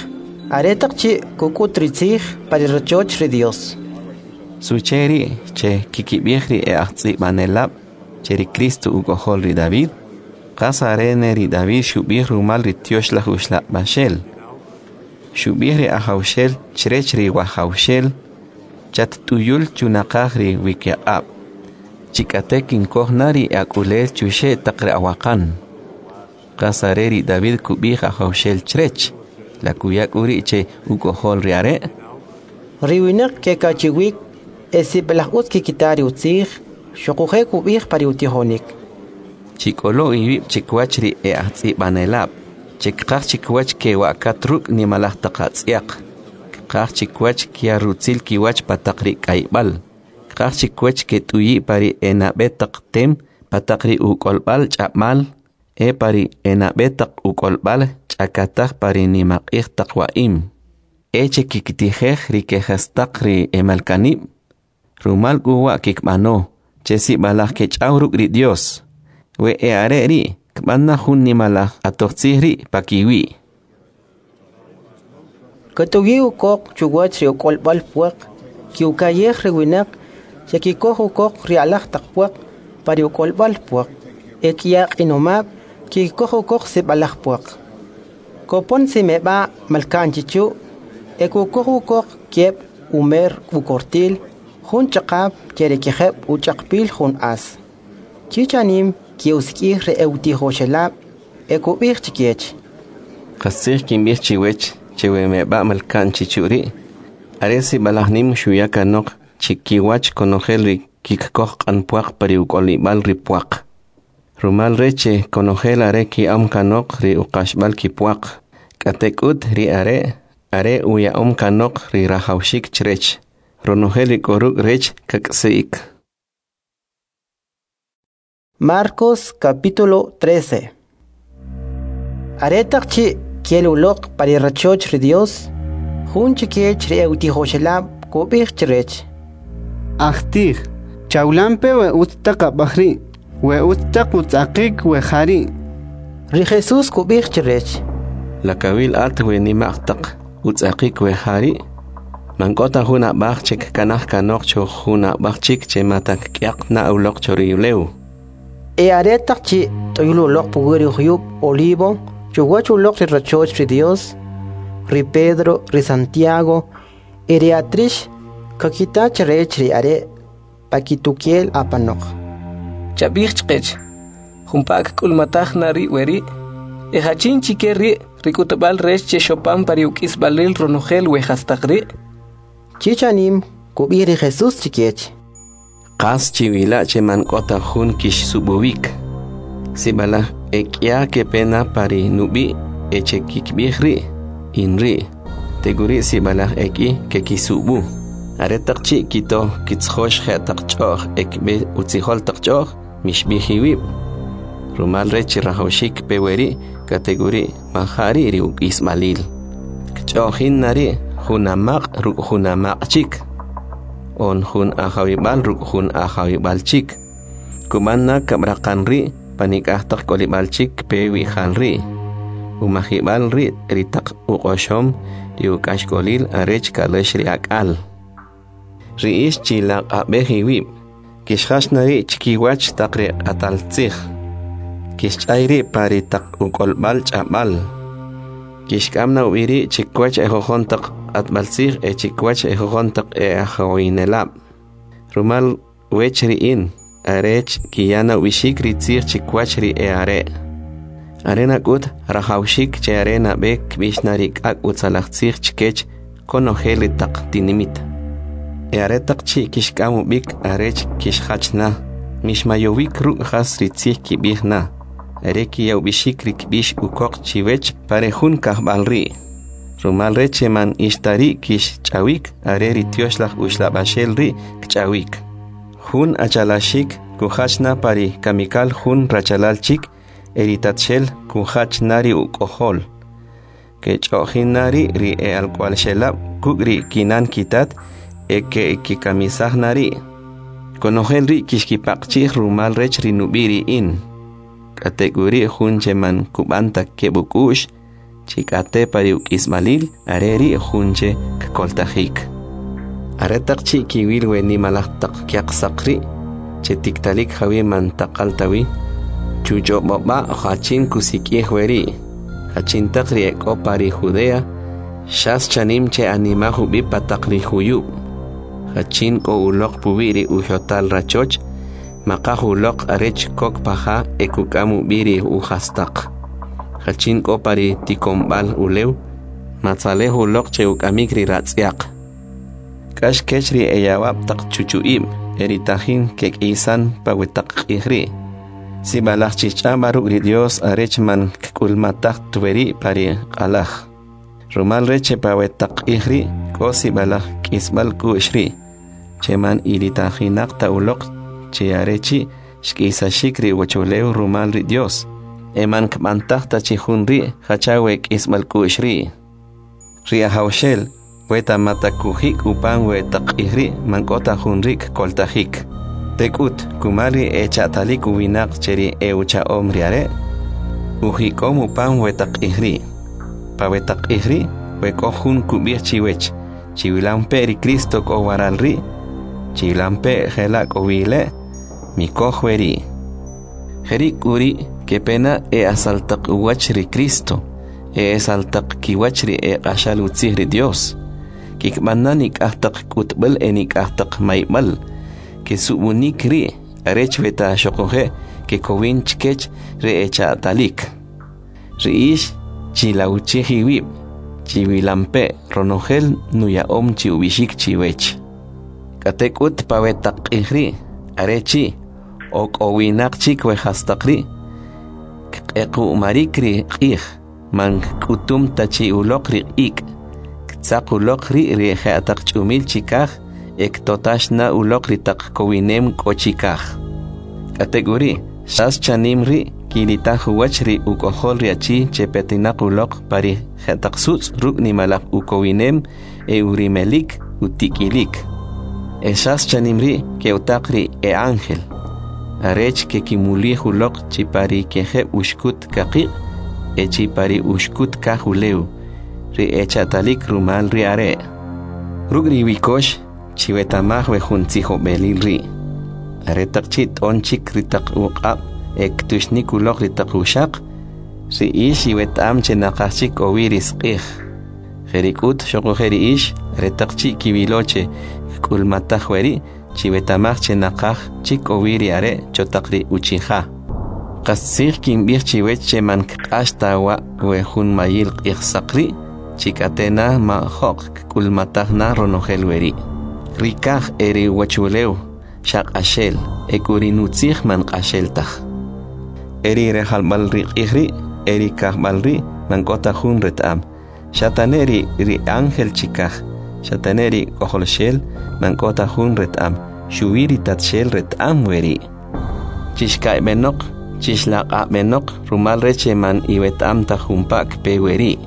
aretaq chi' kuk'ut ri tzij pa ri rachoch ri Dios. Suche ri' che kikib'ij ri e'ajtz'ib'anelab' che ri Cristo uk'ojol ri David? Qas are ne ri David xub'ij rumal ri Tyoxlaj Uxlab'axel. Xub'ij ri Ajawxel chrech ri Wajawxel, chatt'uyul chunaqaj ri wikiq'ab', chik'ate kinkoj na ri ak'ulel chuxe' taq ri awaqan. Qas are ri David kub'ij Ajawxel chrech, la kuya k'u ri' che uk'ojol ri are'? Ri winaq kekachiwik e sib'alaj utz kikita ri utzij, xuquje' kub'ij pa ri utijonik. Chik'olo iwib' chikiwach ri e'ajtz'ib'anelab', che kqaj chikiwach kewa'kat ruk' nimalaj taq atz'yaq, kqaj chikiwach kya rutzil kiwach pa taq ri k'ayb'al, kqaj chikiwach ket'uyi' pa ri enab'e taq tem pa taq ri uk'olb'al ch'ab'al, e pa ri enab'e taq uk'olb'al ch'akataj pa ri nimaq'ij taq wa'im. E che kikitijej ri kejastaq ri emalkanib', rumal k'u wa' kikb'ano, che sib'alaj kech'aw ruk' ri Dios. We e'are ri' kb'an na jun nimalaj q'atojtzij ri' pakiwi'. Katuyi ukoq chuwach ri uk'olb'al pwaq, kiukayej ri winaq che kikoj ukoq ri alaj taq pwaq pa ri uk'olb'al pwaq, e k'ya q'inomab' kikoj ukoq sib'alaj pwaq. Kopon simeb'a malka'n chichu', e kukoj ukoq kieb' umer ukortil, jun chaqab' che ri kijeb' uch'aqpil jun as. Chichanim kiusik'ij ri eutijoxelab' e kub'ij chikech. Qastzij kinb'ij chiwech che we meb'a' malka'n chichu' ri', are sib'alaj nim xuya kanoq chikiwach konojel ri kikkoj q'an pwaq pa ri uk'olib'al ri pwaq. Rumal rech che konojel are ki'am kanoq ri uqaxb'al kipwaq, k'atek'ut ri are' are uya'om kanoq ri rajawxik chrech, ronojel ri k'o ruk' rech kak'asi'ik. Marcos capítulo 13. Aretaq chi' kel uloq pa ri rachoch ri Dios, jun chikech ri eutijoxelab' kub'ij chrech: Ajtij, chawlampe we utz taq ab'aj ri', we utz taq utz'aqik we ja ri'. Ri Jesús kub'ij chrech: La kawil at we nima'q taq utz'aqik we ja ri'? Man k'o ta jun ab'aj che kkanaj kanoq cho jun ab'aj chik che mata kk'yaq na uloq cho ri ulew. E aretaq chi' t'uyul uloq puwi' ri juyub' Olivo, chuwach uloq ri rachoch ri Dios, ri Pedro, ri Santiago e ri Atrix kakita chrech ri are' pakitukel apanoq. Chab'ij chqech, jumpa kk'ulmataj na ri' weri'? E jachin chike ri' ri k'utb'al rech che xopan pa ri uk'isb'alil ronojel we jastaq ri'? Chi chanim kub'ij ri Jesús chikech. Qas chiwila' che man k'o ta jun kixsub'uwik. Sib'alaj e k'ya kepe na pa ri nub'i' e che kikb'ij ri' in ri'. Tek'uri' sib'alaj e k'i kekisub'u. Aretaq chi' kito kitzjox je'taq ch'o'j e kb'e utzijol taq ch'o'j, mixb'ij iwib'. Rumal rech chi rajawxik kpe weri' k'atek'uri' maja' ri' ri uk'isb'alil. Kch'o'jin na ri' jun amaq' ruk' jun amaq' chik, on jun ajawib'al ruk' jun ajawib'al chik. Kub'an na kab'raqan ri' panik'aj taq k'olib'al chik kpe wi'jal ri'. Umajib'al ri' ri taq uq'oxom ri uk'axk'olil arech ka'lax ri ak'al. Ri ix chilaq'ab'ej iwib', kixjax na ri' chkiwach taq ri q'atal tzij. Kixch'ay ri' pa ri taq uk'olb'al ch'ab'al. Kixk'am na ub'i ri' chikwach ejojon taq q'atb'al tzij e chikwach ejojon taq e'ajawinelab'. Rumal wech ri in, arech kiya na ub'ixik ri tzij chikwach ri e'are'. Are nak'ut rajawxik che are nab'e kb'ix na ri k'ak' utzalaj tzij chkech konojel ri taq tinimit. E aretaq chi' kixk'am ub'ik arech kixjach na, mixmayowik ruk' jas ri tzij kib'ij na, are kiya ub'ixik ri kb'ix ukoq chiwech pa ri jun kajb'al ri'. Rumal rech che man ix ta ri' kixch'awik, are ri Tyoxlaj Uxlab'axel ri' kch'awik. Jun achalaxik kujach na pa ri kamikal jun rachalal chik, e ri tatxel kujach na ri uk'ojol. Kech'o'jin na ri' ri e'alk'wa'lxelab' kuk' ri kinan kitat e ke'kikamisaj na ri'. Konojel ri' kixkipaqchi'j rumal rech ri nub'i' ri in. K'atek'uri' jun che man kub'an ta keb' uk'u'x, chi k'ate pa ri uk'isb'alil, are ri' jun che kkoltajik. Aretaq chi' kiwil we nimalaj taq kyaqsaq ri' che tiktalik jawi man taqal ta wi, chuch'ob'ob'a' jachin kusik'ij weri', jachin taq ri e k'o pa ri Judea, xas chanim che animaj ub'i pa taq ri juyub'. Jachin k'o uloq puwi' ri ujotal rachoch, maqaj uloq arech kok pa ja e kuk'am ub'i ri ujastaq. Jachin k'o pa ri tikonb'al ulew, matzalej uloq che uk'amik ri ratz'yaq. K'ax kech ri eyawab' taq chuchu'ib' e ri tajin kek'isan pa we taq q'ij ri'. Sib'alaj chich'ab'a ruk' ri Dios arech man kk'ulmataj weri' pa ri q'alaj. Rumal rech che pa we taq q'ij ri' k'o sib'alaj k'isb'al k'u'x ri', che man ilitajinaq ta uloq che are chi' xk'isaxik ri uwachulew rumal ri Dios, e man kb'antaj ta chi jun ri' jacha we k'isb'al k'u'x ri'. Ri Ajawxel, we ta mata kujik upan we taq q'ij ri' man k'o ta jun ri' kkoltajik. Tek'ut, kumal ri echa'talik uwinaq che ri eucha'om ri are', ujik'om upan we taq q'ij ri'. Pa we taq q'ij ri', we k'o jun kub'ij chiwech, chiwilampe ri Cristo k'o waral ri', chiwilampe jela' k'o wile', mikoj weri'. Jeri' k'uri' kepena e asaltaq uwach ri Cristo, e esaltaq kiwach ri e q'axal utzij ri Dios. Kikb'an na nik'aj taq k'utb'al e nik'aj taq mayb'al, kesub'unik ri' arech weta xoquje' kekowin chkech ri echa'talik. Ri ix chilawchij iwib', chiwilampe ronojel nuya'om chi ub'ixik chiwech. K'atek'ut pa we taq q'ij ri' are chi' ok'owinaq chik we jastaq ri', kq'equ'marik ri q'ij, man k'utum ta chi uloq ri ik', ktzaq uloq ri' ri je'taq ch'umil chikaj e ktotax na uloq ri taq kowinem k'o chikaj. K'atek'uri', xas chanim ri' kilitaj uwach ri uk'ojol ri achi che petinaq uloq pa ri je'taq sutz' ruk' nimalaj ukowinem e urimelik utik'ilik. E xas chanim ri' ke'utaq ri e ángel, arech kekimulij uloq chi pa ri kejeb' uxkut kaqiq' e chi pa ri uxkut kaj ulew, ri echa'talik rumal ri are'. Ruk' ri wikox chiwetamaj we jun tzijob'elil ri'. Aretaq chi' t'on chik ri taq uq'ab' e ktuxnik uloq ri taq uxaq, ri ix iweta'am che naqaj chik k'o wi ri saq'ij. Jeri' k'ut xoquje' ri ix, aretaq chi' kiwilo che kk'ulmataj weri', chiweta'maj che naqaj chik k'o wi ri are' cho taq ri uchi'ja. Qastzij kinb'ij chiwech che man kq'ax ta wa' we jun mayil q'ijsaq ri', chi k'ate' na majo'q kk'ulmataj na ronojel weri'. Ri kaj e ri uwachulew xa q'axel, e k'u ri nutzij man q'axel taj. E ri rejalb'al ri q'ij ri' e ri kajb'al ri' man k'o ta jun reta'am, xa ta ne ri ángel chikaj, xa ta ne ri K'ojolxel, man k'o ta jun reta'am, xuwi ri Tatxel reta'am weri'. Chixka'yb'enoq, chixlaq'ab'enoq, rumal rech che man iweta'am taj jumpa' kpe weri'.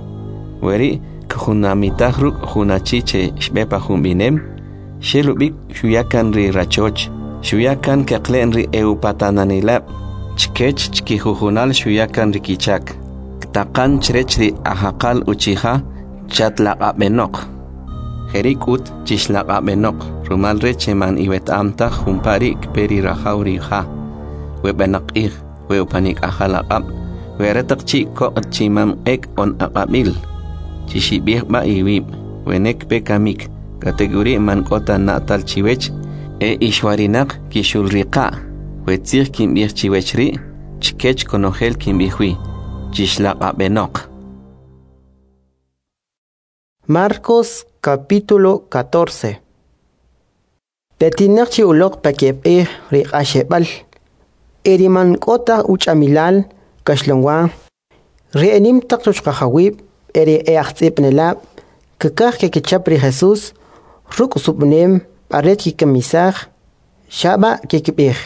Weri' kjunamitaj ruk' jun achi che xb'e pa jun b'inem, xel ub'ik xuya kan ri rachoch, xuya kan keqle'n ri e'upatananelab', chkech chkijujunal xuya kan ri kichak. Ktaqan chrech ri ajaqal uchi'ja, chatlaq'ab'enoq. Jeri' k'ut chixlaq'ab'enoq, rumal rech che man iweta'am taj jumpa' ri' kpe ri rajaw ri ja, we b'enaq q'ij, we upanik'ajal aq'ab', we aretaq chi' koq' chimam ek' on aq'ab'il. Chixib'ij b'a iwib', wene kpe kamik, k'atek'uri' man k'o ta na'tal chiwech, e ixwarinaq kixulriqa'. We tzij kinb'ij chiwech ri', chkech konojel kinb'ij wi, chixlaq'ab'enoq. Marcos capítulo 14. Petinaq chi uloq pa keb' q'ij ri q'axeb'al, e ri man k'o ta uch'amilal kaxlanwa, ri enim taq chuchqajawib' e ri e'ajtz'ib'anelab' kkaj kekichap ri Jesús ruk' sub'nem arech kikamisaj, xab'a kikib'ij.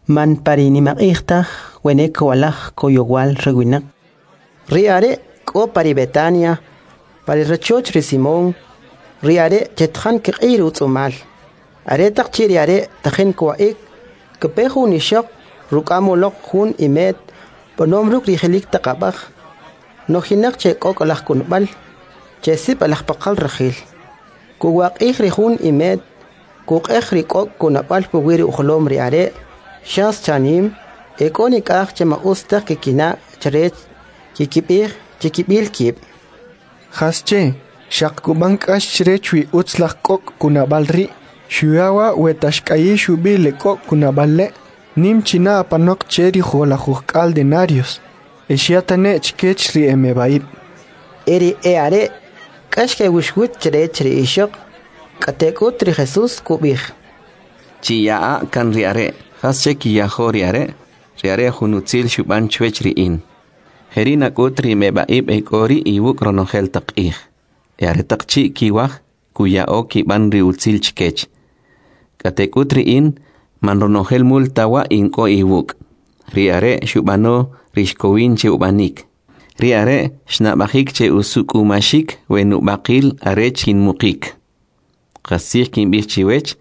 Man pa ri nimaq'ij taj wene kowalaj koyowal ri winaq. Ri are' k'o pa ri Betania, pa ri rachoch ri Simón, ri are' chetjan kiq'ir utz'umal. Aretaq chi' ri are' tajin kwa'ik, kpe jun ixoq ruk'am uloq jun imet b'anom ruk' ri jelik taq ab'aj, nojinaq che k'ok' laj kunb'al, che sib'alaj paqal rajil. Kuwaq'ij ri jun imet, kuq'ej ri k'ok' kunab'al puwi' ri ujolom ri are', xas chanim, e k'o nik'aj che ma utz taj kikina' chrech kikib'ij chikib'il kib'. Jasche, xaq kub'an k'ax chrech wi utz laj k'ok' kunab'al ri', xuya wa' we ta xk'ayix ub'i le k'ok' kunab'al le', nim china apanoq che ri 170 denarios, e xya tane' chkech ri emeb'a'ib'. E ri e'are' k'ax kewuxwit chrech ri ixoq, k'atek'ut ri Jesús kub'ij. Chiya'a kan ri are', jasche kiyajo ri are'? Ri are' jun utzil xub'an chwech ri in. Jeri' nak'ut ri meb'a'ib' e k'o ri' iwuk' ronojel taq q'ij. E aretaq chi' kiwaj, kuya'o kib'an ri utzil chkech. K'atek'ut ri in, man ronojel mul ta wa' in k'o iwuk'. Ri are' xub'ano ri xkowin che ub'anik. Ri are' xnab'ajik che usuk'umaxik we nub'aqil arech kinmuqik. Qastzij kinb'ij chiwech,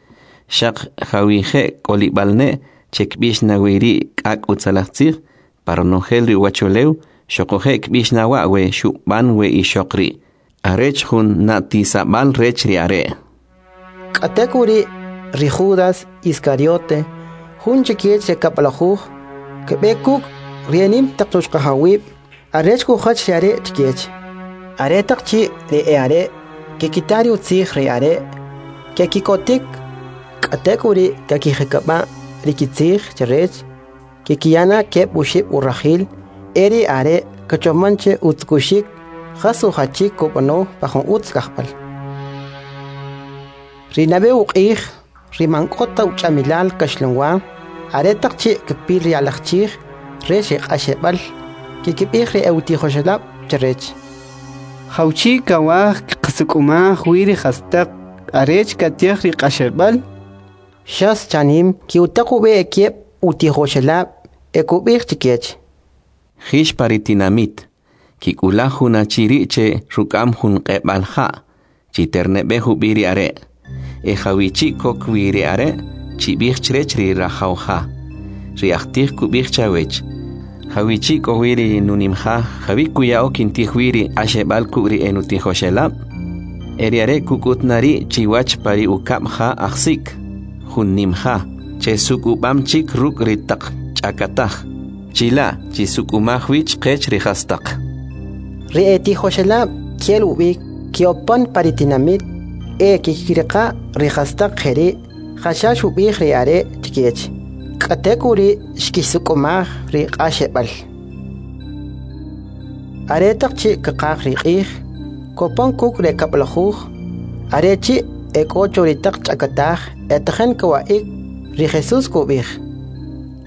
xaq jawije' k'olib'al ne' che kb'ix na wi ri k'ak' utzalaj tzij, pa ronojel ri uwachulew, xoquje' kb'ix na wa' we xub'an we ixoq ri', arech jun na'tisab'al rech ri are'. K'atek'uri' ri Judas Iscariote, jun chikech ri kab'lajuj, kb'e kuk' ri enim taq chuchqajawib' arech kujach ri are' chkech. Aretaq chi' ri e'are' kikita ri utzij ri are', kekikotik, k'atek'uri' kakijikab'a' ri kitzij chrech, kikiyana keb' oxib' urajil, e ri are' kachoman che utzukuxik jas ujachik kub'ano pa jun utz kajb'al. Ri nab'e uq'ij, ri man k'o ta uch'amilal kaxlanwa, aretaq chi' kpil ri alaj chij rech ri q'axeb'al, kikib'ij ri e'utijoxelab' chrech. Jawchi' kawaj kqasuk'umaj wi ri jastaq arech katij ri q'axeb'al? Xas chanim ki'utaq ub'e ekieb' utijoxelab' e kub'ij chkech. Jix pa ri tinamit, kik'ulaj jun achi ri' che ruk'am jun q'eb'al ja', chiterneb'ej ub'i ri are'. E jawichi' kok wi ri are', chib'ij chrech ri rajaw ja. Ri ajtij kub'ij chawech, jawichi' k'o wi ri nunimja, jawi kuya'o kintij wi ri q'axeb'al kuk' ri enutijoxelab'? E ri are' kuk'ut na ri' chiwach pa ri ukab' ja ajsik, jun nim ja, che suk'ub'am chik ruk' ri taq ch'akataj. Chila' chisuk'umaj wi chqech ri jastaq. Ri e tijoxelab' kel ub'ik ke'opan pa ri tinamit e kikiriqa ri jastaq jeri' jacha xub'ij ri are' chkech. K'atek'uri' xkisuk'umaj ri q'axeb'al. Aretaq chi' kqaj ri q'ij, kopon kuk' ri kab'lajuj, are chi' e k'o cho ri taq ch'akataj e tajin kawa'ik, ri Jesús kub'ij: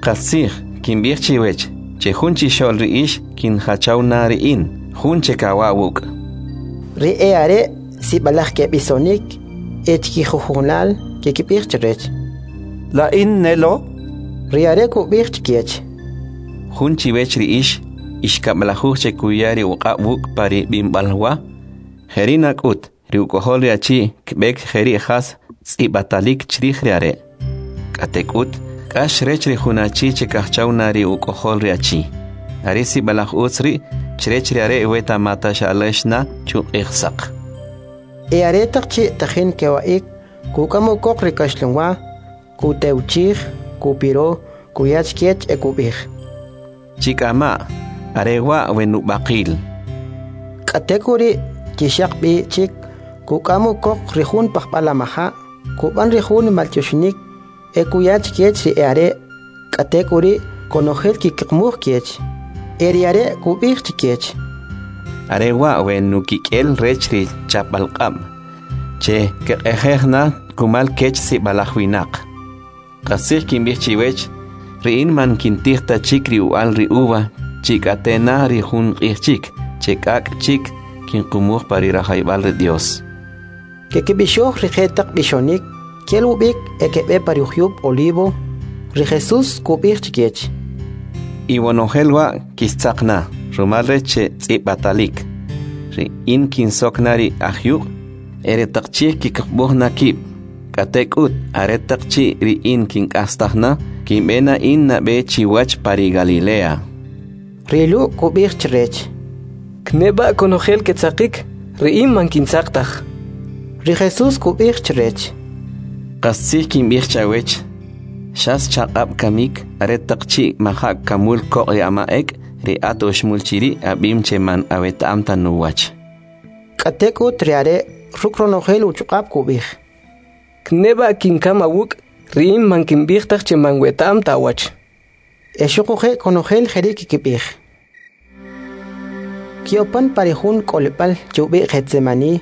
Qastzij, kinb'ij chiwech, che jun chixo'l ri ix kinjachaw na ri in, jun che kawa' wuk'. Ri e are' sib'alaj keb'isonik e chkijujunal kikib'ij chrech: La in nelo? Ri are' kub'ij chkech: Jun chiwech ri ix, ix kab'lajuj che kuya ri uq'ab' wuk' pa ri b'imb'al wa, jeri' nak'ut, ri uk'ojol ri achi kb'ek jeri' jas tz'ib'atalik chrij ri are'. K'atek'ut, k'ax rech ri jun achi che kajchaw na ri uk'ojol ri achi. Are sib'alaj utz ri' chrech ri are' weta mata xa'lax na chuq'ij saq. E aretaq chi' tajin kewa'ik, kuk'am ukoq ri kaxlanwa, kutewchij, kupiro, kuya chkech e kub'ij: Chik'ama', are wa' we nub'aqil. K'atek'uri' kixaq b'i chik, kuk'am ukoq ri jun pajb'al amaja', kub'an ri jun maltyoxinik e kuya chkech ri e are', k'atek'uri' konojel kikiqmuj kech. E ri are' kub'ij chkech: Are wa' we nukik'el rech ri chapb'alq'ab', che kq'ejej na kumal kech sib'alaj winaq. Qastzij kinb'ij chiwech, ri in man kintij ta chik ri u'al ri uva chi k'ate na ri jun q'ij chik, che k'ak' chik kinqumuj pa ri rajayb'al ri Dios. Kekib'ixoj ri jetaq b'ixonik, kel ub'ik e keb'e pa ri ujyub' Olivo. Ri Jesús kub'ij chkech: Iwonojel wa' kixtzaq na, rumal rech che tz'ib'atalik. Ri in kinsok na ri ajyuq', e ri taq chij kikb'uj na kib'. K'atek'ut, aretaq chi' ri in kink'astaj na, kinb'e na in nab'e chiwach pa ri Galilea. Ri Lu' kub'ij chrech: Kneb'a' konojel ketzaqik, ri in man kintzaq taj. Ri Jesús kub'ij chrech: Qastzij kinb'ij chawech, xas chaq'ab' kamik, aretaq chi' maja' kamul koq' ri ama' ek', ri at oxmul chiri' ab'im che man aweta'am ta nuwach. K'atek'ut ri are' ruk' ronojel uchuq'ab' kub'ij: Kneb'a' kinkam awuk', ri in man kinb'ij taj che man weta'am ta awach. E xuquje' konojel jeri' kikib'ij. Kiopan pa ri jun k'olib'al che ub'i' Getsemani,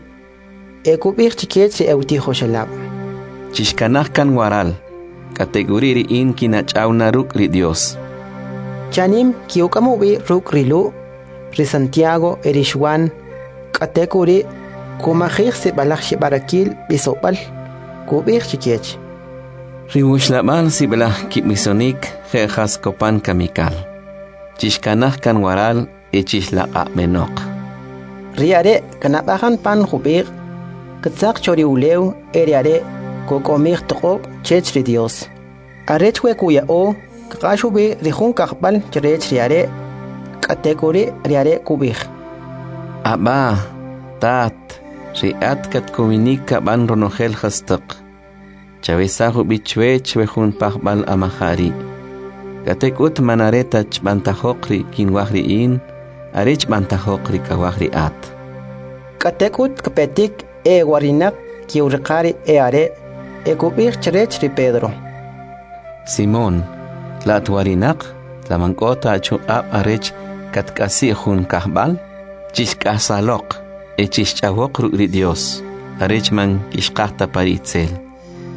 e kub'ij chkech ri e'utijoxelab': Chixkanaj kan waral, k'atek'uri' ri in kinach'aw na ruk' ri Dios. Chanim ki'uk'am ub'i ruk' ri Lu', ri Santiago e ri Xwan, k'atek'uri' kumajij sib'alaj xib'arakil b'isob'al, kub'ij chkech: Ri wuxlab'al sib'alaj kib'isonik je' jas kopan kamikal. Chixkanaj kan waral e chixlaq'ab'enoq. Ri are' kanab'ajan pan jub'iq', ktzaq cho ri ulew e ri are' kuk'omij toq'ob' chech ri Dios. Arech we kuya'o, kq'ax ub'i ri jun kajb'al chrech ri are', k'atek'uri' ri are' kub'ij: Abba, Tat, ri at katkowinik kab'an ronojel jastaq. Chawesaj ub'i chwech we jun pajb'al amaja' ri'. K'atek'ut man are ta chb'antajoq ri kinwaj ri in, are chb'antajoq ri kawaj ri at. K'atek'ut kpetik e warinaq ki'uriqa ri e are' e kub'ij chrech ri Pedro: Simón, la at warinaq? La man k'o ta achuq'ab' arech katk'asi' jun kajb'al? Chixk'asaloq e chixch'awoq ruk' ri Dios, arech man kixqaj ta pa ri itzel.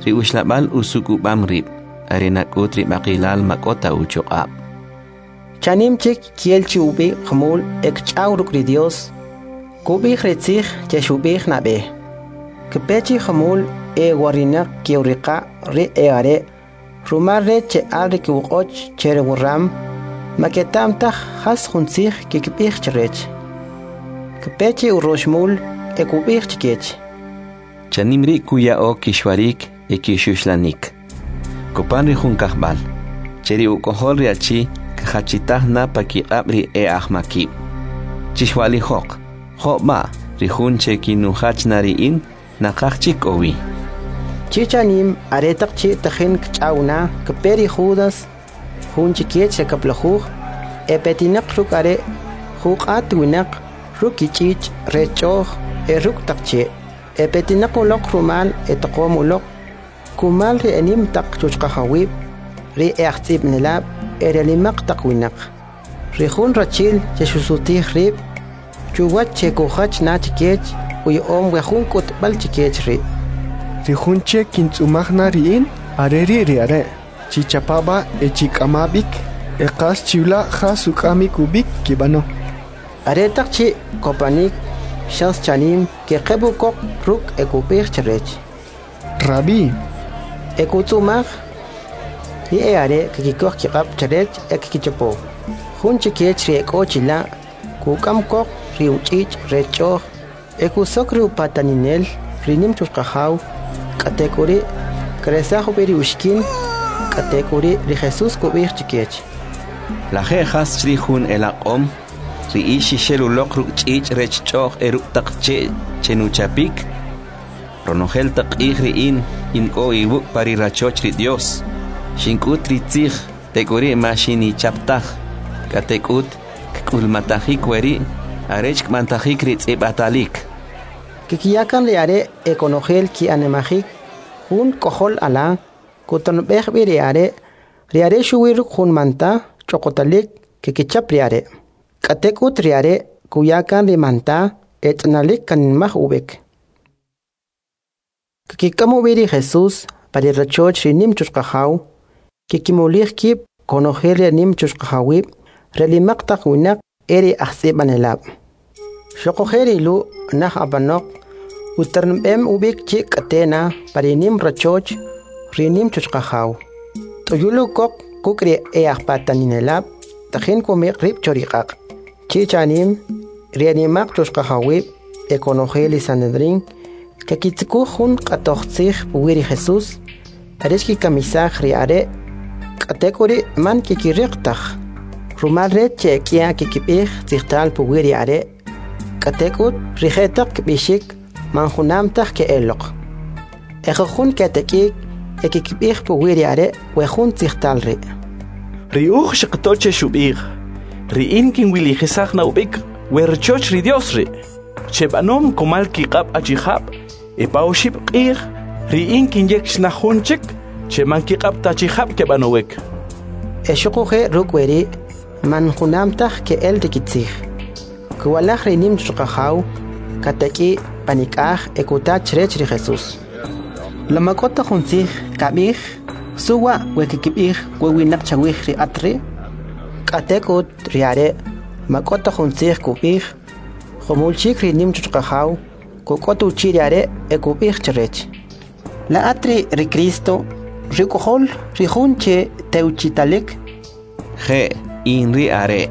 Ri uxlab'al usuk'ub'am rib', are nak'ut ri b'aqilal ma k'o ta uchuq'ab'. Chanim chik kiel chi ub'i jumul e kch'aw ruk' ri Dios, kub'ij ri tzij che xub'ij nab'e. Kpe chi jumul e warinaq ki'uriqa ri e are', rumal rech che al ri kiwq'och che ri wuram, ma keta'm taj jas jun tzij kikb'ij chrech. Kpe chi uroxmul e kub'ij chkech: Chanim ri' kuya'o kixwarik e kixuxlanik. Kopan ri jun kajb'al, che ri uk'ojol ri achi kjachitaj na pa kiq'ab' ri e ajmakib'. Chixwa'lijoq, jo' b'a' ri jun che kinujach na ri in, naqaj chik k'o wi. Chi chanim aretaq chi' tajin kch'aw na, kpe ri Judas, jun chikech ri kab'lajuj, e petinaq ruk' are' juq'at winaq ruk' kich'ich' rech ch'o'j e ruk' taq che', e petinaq uloq rumal e taqom uloq kumal ri enim taq chuchqajawib', ri e ajtz'ib'anelab' e ri nimaq taq winaq. Ri jun rachi'l che xusutij rib' chuwach che kujach na chikech uya'om we jun k'utb'al chikech ri'. Ri jun che kintz'umaj na ri in, are ri' ri are'. Chichapa b'a e chik'ama b'ik, e qas chiwla' jas uk'amik ub'ik kib'ano. Aretaq chi' kopanik, xas chanim keqeb' ukoq ruk' e kub'ij chrech: Rabí. E kutz'umaj. Ri e'are' kkikoj kiq'ab' chrech e kkichapo. Jun chikech ri ek'o chila' kuk'am koq ri uch'ich' rech ch'o'j e kusok ri upataninel ri nim chuchqajaw, k'atek'uri' kresaj ub'i ri uxikin. K'atek'uri' ri Jesús kub'ij chikech: La je' jas chrij jun elaq'om, ri ix xixel uloq ruk' ch'ich' rech ch'o'j e ruk' taq che' chenuchapik? Ronojel taq q'ij ri in, in k'o iwuk' pa ri rachoch ri Dios. Xink'ut ri tzij, tek'uri' ma xinichap taj. K'atek'ut, kk'ulmatajik weri' arech kb'antajik ri tz'ib'atalik. Kkiya kan ri are' e konojel ki'animajik. Jun k'ojol ala kutanb'ej b'i ri are', ri are' xuwi ruk' jun manta ch'oqotalik kkichap ri are'. K'atek'ut ri are' kuya kan ri manta e tz'inalik kanimaj ub'ik. Kkik'am ub'i ri Jesús pa ri rachoch ri nim chuchqajaw, kikimulij kib' konojel ri nim chuchqajawib', ri nimaq taq winaq e ri ajtz'ib'anelab'. Xuquje' ri Lu' naj apanoq uternb'em ub'ik chi k'atena pa ri nim rachoch ri nim chuchqajaw. T'uyul ukoq kuk' ri e ajpataninelab' tajin kumiq' rib' cho ri q'aq'. Chi chanim ri nimaq chuchqajawib' e konojel ri Sanedrín kakitzukuj jun q'atoj tzij puwi' ri Jesús arech kikamisaj ri are', k'atek'uri' man kikiriq taj. Rumal rech che ek'ya kikib'ij tzijtal puwi' ri are', k'atek'ut ri jetaq kb'ixik man junam taj ke'eloq. E jujun ketek'ik e kikib'ij puwi' ri are' we jun tzijtal ri'. Ri uj xqato che xub'ij: Ri in kinwilijisaj na ub'ik we rachoch ri Dios ri', che b'anom kumal kiq'ab' achijab', e pa oxib' q'ij ri in kinyek na jun chik che man kiq'ab' ta achijab' keb'anowik. E xuquje' ruk' weri' man junam taj ke'el ri kitzij. Kuwalaj ri nim chuchqajaw katak'i panik'aj e kuta chrech ri Jesús: La ma k'o ta jun tzij kab'ij? Suwa we kikib'ij we winaq chawij ri at ri'? K'atek'ut ri are' ma k'o ta jun tzij kub'ij. Jumul chik ri nim chuchqajaw kuk'ot uchi' ri are' e kub'ij chrech: La at ri' ri Cristo, ri uk'ojol ri jun che tewchitalik? Je', in ri are'.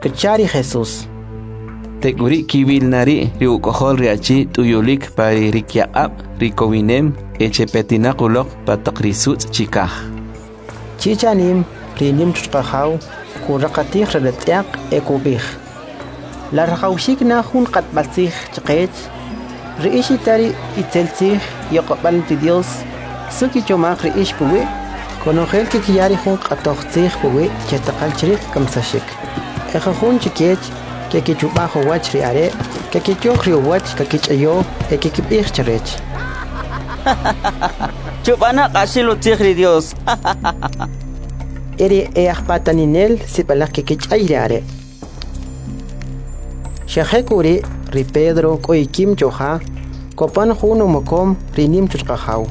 Kcha ri Jesús. Tek'uri' kiwil na ri' ri uk'ojol ri achi t'uyulik pa ri rikyaq'ab' ri kowinem e che petinaq uloq pa taq ri sutz' chikaj. Chi chanim ri nim chuchqajaw kuraqatij ri ratz'yaq e kub'ij: La rajawxik na jun q'atb'al tzij chqech? Ri ix ita ri itzel tzij yoq'ob'al ri Dios, su kichomaj ri ix puwi'? Konojel kikiya ri jun q'atoj tzij puwi' che taqal chrij kamsaxik. E jujun chikech kekichub'aj uwach ri are', kekichoj ri uwach kakich'ayo e kikib'ij chrech: Chub'ana k'axil utzij ri Dios. E ri e ajpataninel sib'alaj kekich'ay ri are'. Xa jek'uri' ri Pedro k'o ikim choja, kopan jun umokom ri nim chuchqajaw.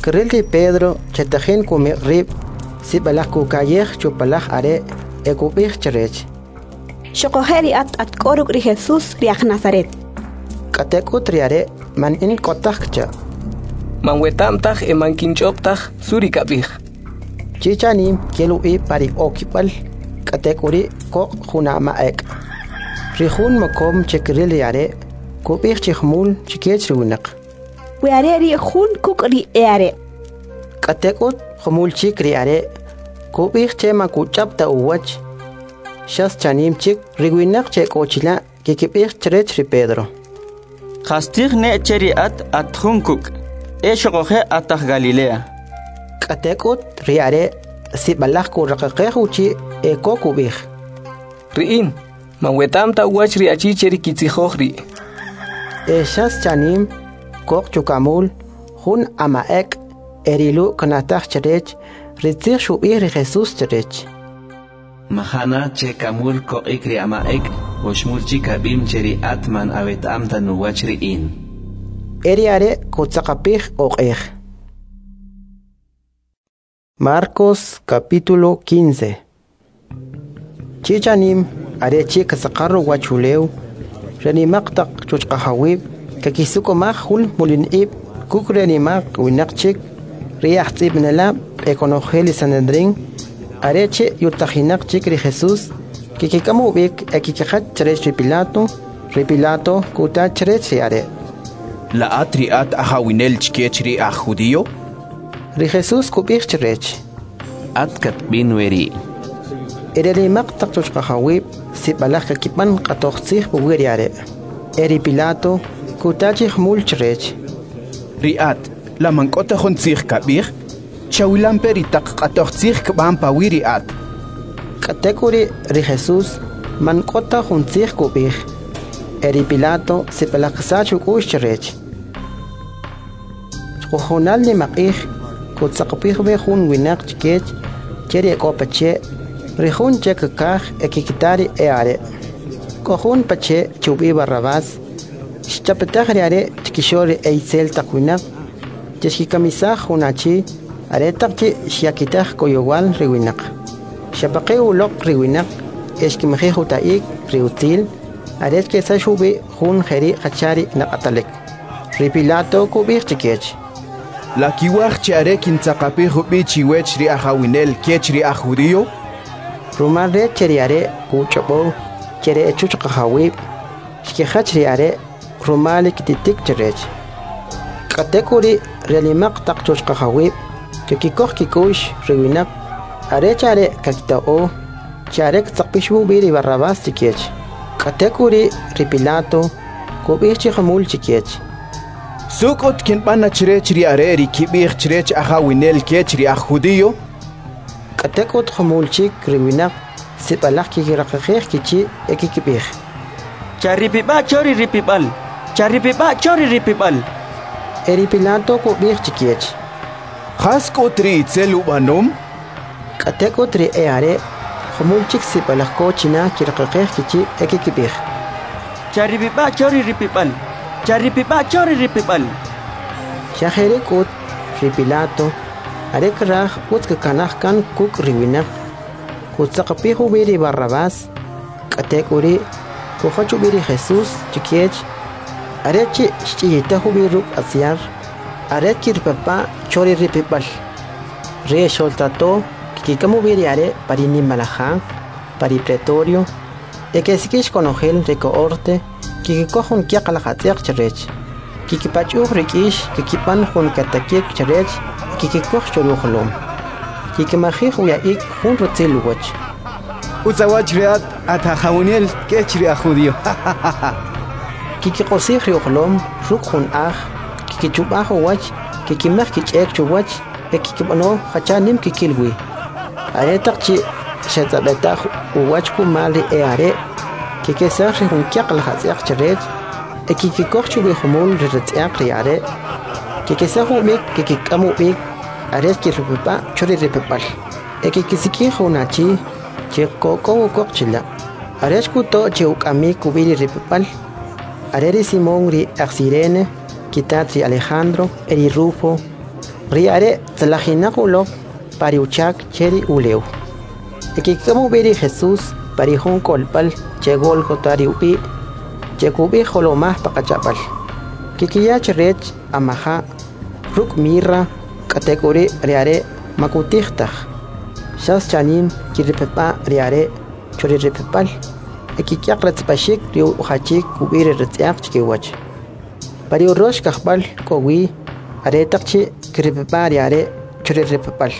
Kril ri Pedro che tajin kumiq' rib', sib'alaj kuka'yej chupalaj are' e kub'ij chrech: Xuquje' ri at at k'o ruk' ri Jesús ri aj Nazaret. K'atek'ut ri are' man in k'o taj kcha'. Man weta'm taj e man kinch'ob' taj su ri kab'ij. Chi chanim kel ub'i pa ri okib'al, k'atek'uri' koq' jun ama' ek'. Ri jun mokom che kril ri are' kub'ij chi jumul chikech ri winaq: We are' ri' jun kuk' ri e are'. K'atek'ut jumul chik ri are' kub'ij che ma kuch'ab' ta uwach. Xas chanim chik ri winaq che k'o chila' kikib'ij chrech ri Pedro: Qastzij ne' che ri at at jun kuk', e xuquje' at aj Galilea. K'atek'ut ri are' sib'alaj kuraqaqej uchi' e ko kub'ij: Ri in, man weta'm ta uwach ri achi che ri kitzijoj ri'. E xas chanim koq chukamul jun ama'ek e ri Lu' knataj chrech ri tzij xub'ij ri Jesús chrech: Majana che kamul koq'ik ri ama'ek, oxmul chik ab'im che ri at man aweta'm ta nuwach ri in. E ri are' kutzaqapij oq'ej. Marcos capítulo 15. Chi chanim are chi' kasaqar uwachulew, ri nimaq taq chuchqajawib' kakisuk'umaj jun mulin ib' kuk' ri nimaq winaq chik, ri ajtz'ib'anelab' e konojel ri Sanedrín. Are chi' yutajinaq chik ri Jesús, kikik'am ub'ik e kikijach chrech ri Pilato. Ri Pilato kuta chrech ri are': La at ri at ajawinel chkech ri aj judío? Ri Jesús kub'ij chrech: At katb'in weri'. E ri nimaq taq chuchqajawib' sib'alaj kakib'an q'atoj tzij puwi' ri are'. E ri Pilato kuta chi jumul chrech: Ri at, la man k'o ta jun tzij kab'ij? Chawilampe ri taq q'atoj tzij kb'an pawi' ri at. K'atek'uri' ri Jesús man k'o ta jun tzij kub'ij. E ri Pilato sib'alaj ksach uk'u'x chrech. Chjujunal nimaq'ij kutzaqapij b'i jun winaq chkech che ri ek'o pache', ri jun che kkaj e kikita ri e'are'. K'o jun pache' che ub'i' Barrabás, xchapetaj ri are' chkixo'l ri e'itzel taq winaq che xkikamisaj jun achi aretaq chi' xyakitaj koyowal ri winaq. Xepaqi' uloq ri winaq e xkimajij uta'ik ri utzil arech kesax ub'i jun jeri' jacha ri naq'atalik. Ri Pilato kub'ij chkech: La kiwaj che are kintzaqapij ub'i chiwech ri ajawinel kech ri aj judío? Rumal rech che ri are' kuch'ob'o che ri echuchqajawib' xkijach ri are' rumal kititik chrech. K'atek'uri' ri nimaq taq chuchqajawib' kikikoj kik'u'x ri winaq arech are' kakita'o che are ktzaqpix ub'i ri Barrabás chkech. K'atek'uri' ri Pilato kub'ij chi jumul chkech: Suk'ut kinb'an na chrech ri are' ri kib'ij chrech ajawinel kech ri aj judío? K'atek'ut jumul chik ri winaq sib'alaj kikiraqaqej kichi' e kikib'ij: Charipib'a' cho ri ripib'al, charipib'a' cho ri ripib'al. E ri Pilato kub'ij chkech: Jas k'ut ri itzel ub'anom? K'atek'ut ri e'are' jumul chik sib'alaj ko china kiraqaqej kichi' e kikib'ij: Charipib'a' cho ri ripib'al, charipib'a' cho ri ripib'al. Xa jeri' k'ut ri Pilato are kraj utz kakanaj kan kuk' ri winaq, kutzaqapij ub'i ri Barrabás. K'atek'uri' kujach ub'i ri Jesús chkech are chi' xch'iyitaj ub'i ruk' atz'yar arech kiripapa' cho ri ripib'al. Ri exoltato kikik'am ub'i ri are' pa ri nimalaj ja, pa ri pretorio, e kesik'ix konojel ri kohorte kikikoj jun kyaq laj atz'yaq chrech, kikipach'uj ri k'ix, kikib'an jun katakik chrech e kikikoj cho ri ujolom. Kikimajij uya'ik jun rutzil uwach: Utz awach ri at, at ajawinel kech ri aj judío. Kikiq'osij ri ujolom ruk' jun aj, kikichub'aj uwach, kikimaj kich'ek chuwach e kikib'ano jacha nim kikil wi. Aretaq chi' xetz'ab'etaj uwach kumal ri e'are', kikesaj ri jun kyaq laj atz'yaq chrech e kikikoj chuwi jumul ri ratz'yaq ri are'. Kikesaj ub'ik kikik'am ub'ik arech kiripib'a' cho ri ripib'al. E kikisik'ij jun achi che kok'ow ukoq chila' arech kuto' che uk'amik ub'i ri ripib'al. Are ri Simón ri aj Cirene, kitat ri Alejandro e ri Rufo. Ri are' tzalajinaq uloq pa ri uchak che ri ulew. E kik'am ub'i ri Jesús pa ri jun k'olb'al che Golgota ri ub'i', che kub'ij jolomaj paqach'ab'al. Kikiya chrech amaja' ruk' mirra, k'atek'uri' ri are' makutij taj. Xas chanim kiripib'a' ri are' cho ri ripib'al e kikyaq ratz'b'axik ri ujachik ub'i ri ratz'yaq chikiwach. Pa ri urox kajb'al k'o wi aretaq chi' kiripib'a' ri are' cho ri ripib'al.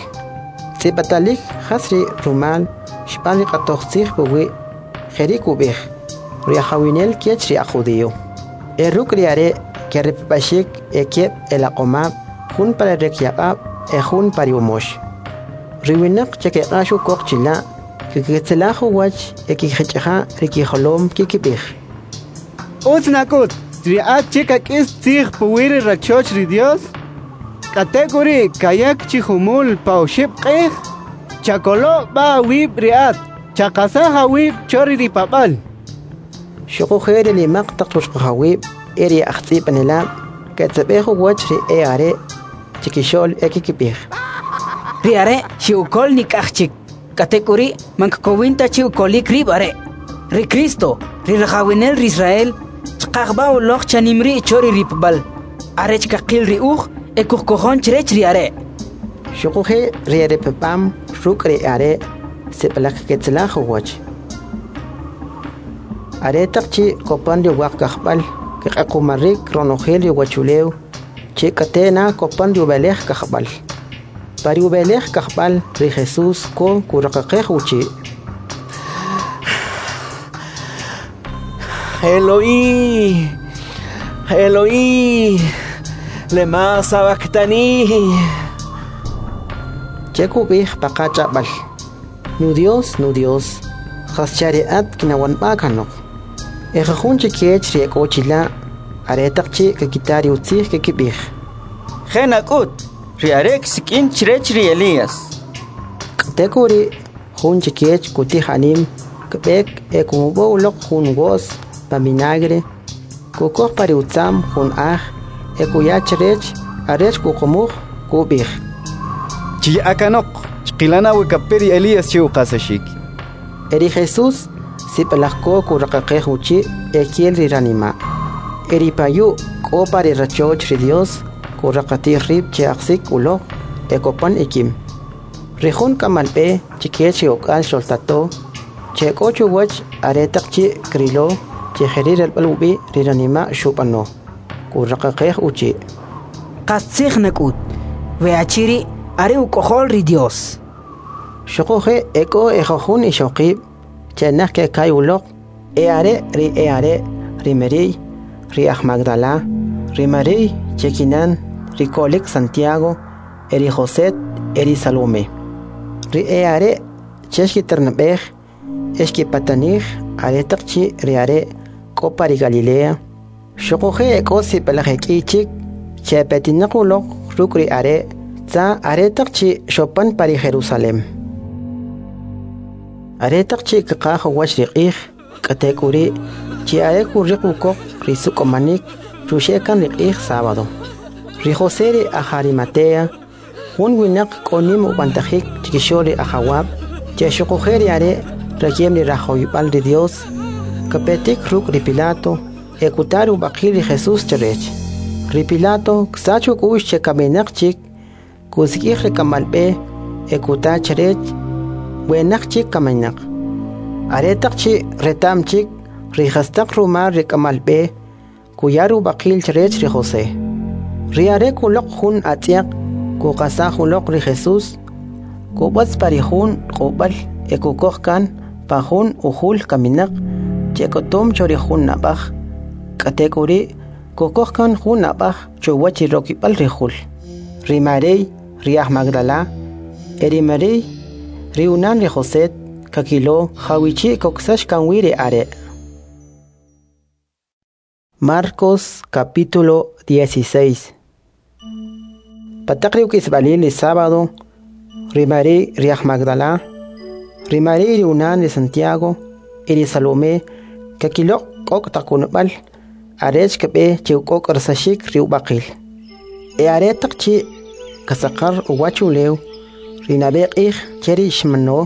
Tz'ib'atalik jas ri rumal xb'an ri q'atoj tzij puwi', jeri' kub'ij: Ri ajawinel kech ri aj judío. E ruk' ri are' keripib'axik e keb' elaq'omab', jun pa ri rikyaq'ab' e jun pa ri umox. Ri winaq che keq'ax ukoq chila', kikitzelaj uwach e kkijich'aja' ri kijolom kikib'ij: Utz nak'ut, ri at che kak'is tzij puwi ri rachoch ri Dios, k'atek'uri' kayak chi jumul pa oxib' q'ij, chakolo' b'a awib' ri at, chaqasaj awib' cho ri ripab'al. Xuquje' ri nimaq taq chuchqajawib' e ri ajtz'ib'anelab' ketzeb'ej uwach ri e'are' chikixo'l e kikib'ij: Ri are' xe'ukol nik'aj chik, k'atek'uri' man kkowin ta che ukolik rib' are'. Ri Cristo, ri rajawinel ri Israel, chqaj b'a' uloq chanim ri' cho ri ripb'al, arech kaqil ri uj e kujkojon chrech ri are'. Xuquje' ri eripb'am ruk' ri are' sib'alaj kketzelaj uwach. Aretaq chi' kopan ri uwaq kajb'al, kq'equmarik ronojel ri uwachulew, chi k'ate' na kopan ri ub'elej kajb'al. Pa ri ub'elej kajb'al, ri Jesús ko kuraqaqej uchi': Eloí, Eloí, lema sabactani. Che kub'ij pa qach'ab'al: Nu Dios, nu Dios, jascha ri at kinawanb'a kanoq. E jujun chikech ri ek'o chila', aretaq chi' kakita ri utzij kikib'ij: Je' nak'ut, ri are' ksik'in chrech ri Elías. K'atek'uri', jun chikech kutij anim, kb'ek e kumub'o uloq jun wo's pa vinagre, kukoj pa ri utza'm jun aj e kuya chrech arech kuqumuj, kub'ij: Chiya'a kanoq, chqilana we kape ri Elías che uqasaxik. E ri Jesús sib'alaj ko kuraqaqej uchi' e kel ri ranima'. E ri payu' k'o pa ri rachoch ri Dios kuraqatij rib' che ajsik uloq e kopan ikim. Ri jun k'amal b'e chikech ri ok'al xoltato, che k'o chuwach aretaq chi' krilo che jeri' relb'al ub'i ri ranima' xub'ano, kuraqaqej uchi': Qastzij nak'ut, we achi ri' are uk'ojol ri Dios. Xuquje' e k'o ejujun ixoqib' che naj keka'y uloq, e'are ri e'are' ri Mari'y, ri aj Magdala, ri Mari'y che kinan ri ko'lik Santiago, e ri Joset e ri Salome. Ri e'are' che xkiternab'ej e xkipatanij aretaq chi' ri are' k'o pa ri Galilea. Xuquje' e k'o sib'alaj ek'i chik che epetinaq uloq ruk' ri are' tza aretaq chi' xopan pa ri Jerusalem. Aretaq chi' kqaj uwach ri q'ij, k'atek'uri' chi are kuriq ukoq ri suk'umanik chuxe' kan ri q'ij sábado. Ri José ri aj Arimatea, jun winaq k'o nim ub'antajik chikixo'l ri ajawab', che xuquje' ri are' reyem ri rajawib'al ri Dios, kapetik ruk' ri Pilato e kuta ri ub'aqil ri Jesús chrech. Ri Pilato ksach uk'u'x che kaminaq chik, kusik'ij ri k'amal b'e e kuta chrech we naj chik kaminaq. Aretaq chi' reta'm chik ri jastaq rumal ri k'amal b'e, kuya ri ub'aqil chrech ri José. Ri are' kuloq jun atz'yaq kuqasaj uloq ri Jesús, kub'atz pa ri jun q'ub'al e kukoj kan pa jun ujul kaminaq che k'otom cho ri jun ab'aj, k'atek'uri' kukoj kan jun ab'aj chuwach ri rokib'al ri jul. Ri Mari'y, ri aj Magdala, e ri Mari'y, ri unan ri José, kakilo jawichi' koksax kan wi ri are'. Marcos capítulo 16. Pataq ri uk'isb'alil ri sábado, ri Mari'y ri aj Magdala, ri Mari'y ri unan ri Santiago e ri Salomé kakiloq' k'ok' taq kunub'al arech kb'e che uk'ok'orsaxik ri ub'aqil. E aretaq chi' kasaqar uwach ulew, ri nab'e q'ij che ri xmano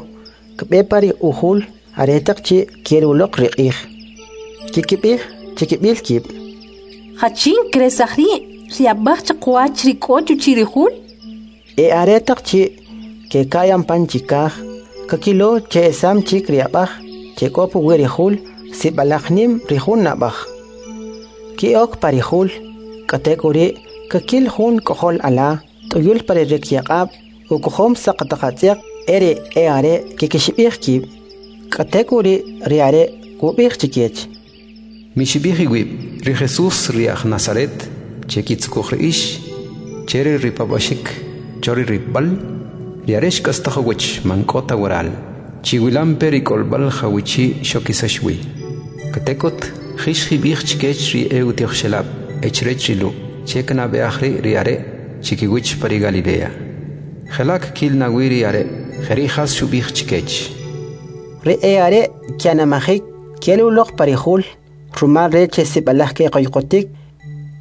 kb'e pa ri ujul aretaq chi' kel uloq ri q'ij. Kikib'ij chikib'il kib': Jachin kresaj ri' ri ab'aj chaqwach ri k'o chuchi' ri jul? E aretaq chi' keka'y pan chikaj, kakilo che esam chik ri ab'aj che k'o puwi ri jul, sib'alaj nim ri jun ab'aj. Ki'ok pa ri jul, k'atek'uri' kakil jun k'ojol ala t'uyul pa ri rikyaq'ab' ukojom saq taq atz'yaq e ri e'are' kikixib'ij kib'. K'atek'uri' ri are' kub'ij chikech: Mixib'ij iwib', ri Jesús ri aj Nazaret, che kitzukuj ri ix, che ri ripab'axik cho ri ripb'al, Ri are' xk'astaj uwach, man k'o ta waral. Chiwilampe ri k'olb'al jawichi' xokisax wi. K'atek'ut, jix jib'ij chkech ri e'utijoxelab' e chrech ri Lu', che knab'e'aj ri' ri are' chikiwach pa ri Galilea. Jela' kkil na wi ri are', jeri' jas xub'ij chkech. Ri e'are' ke'animajik ke'el uloq pa ri jul, rumal rech che sib'alaj keqoyqotik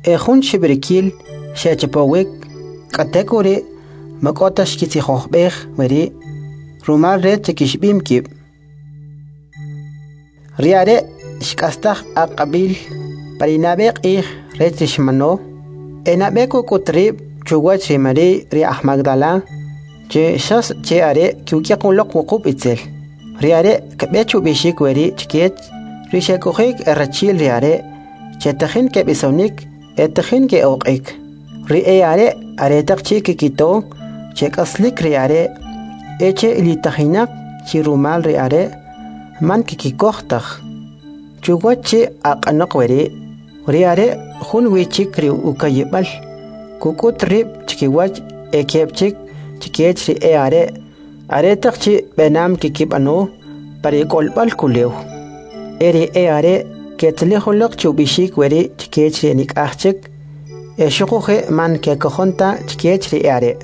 e jun xib'rikil xechapowik, k'atek'uri' ma k'o ta xkitzijob'ej weri' rumal rech che kixib'im kib'. Ri are' xk'astaj aq'ab'il pa ri nab'e q'ij rech ri xmano, e nab'e kuk'ut rib' chuwach ri Mari'y ri aj Magdala, che xas che are' kuk'yaq uloq wuqub' itzel. Ri are' kb'e chub'ixik weri' chkech ri xek'oji'k erachi'l ri are' che tajin keb'isonik e tajin ke'oq'ik. Ri e'are' aretaq chi' kkito che k'aslik ri are' e che ilitajinaq chi rumal ri are', man kkikoj taj. Chuwach chi aq'anoq weri', ri are' jun wi chik ri uka'yib'al, kuk'ut rib' chkiwach e keb' chik chkech ri e'are' aretaq chi' b'enam kkib'ano pa ri k'olb'al kulew. E ri e'are' ketzalij uloq che ub'ixik weri' chkech ri enik'aj chik, e xuquje' man kekojon ta chkech ri e'are'.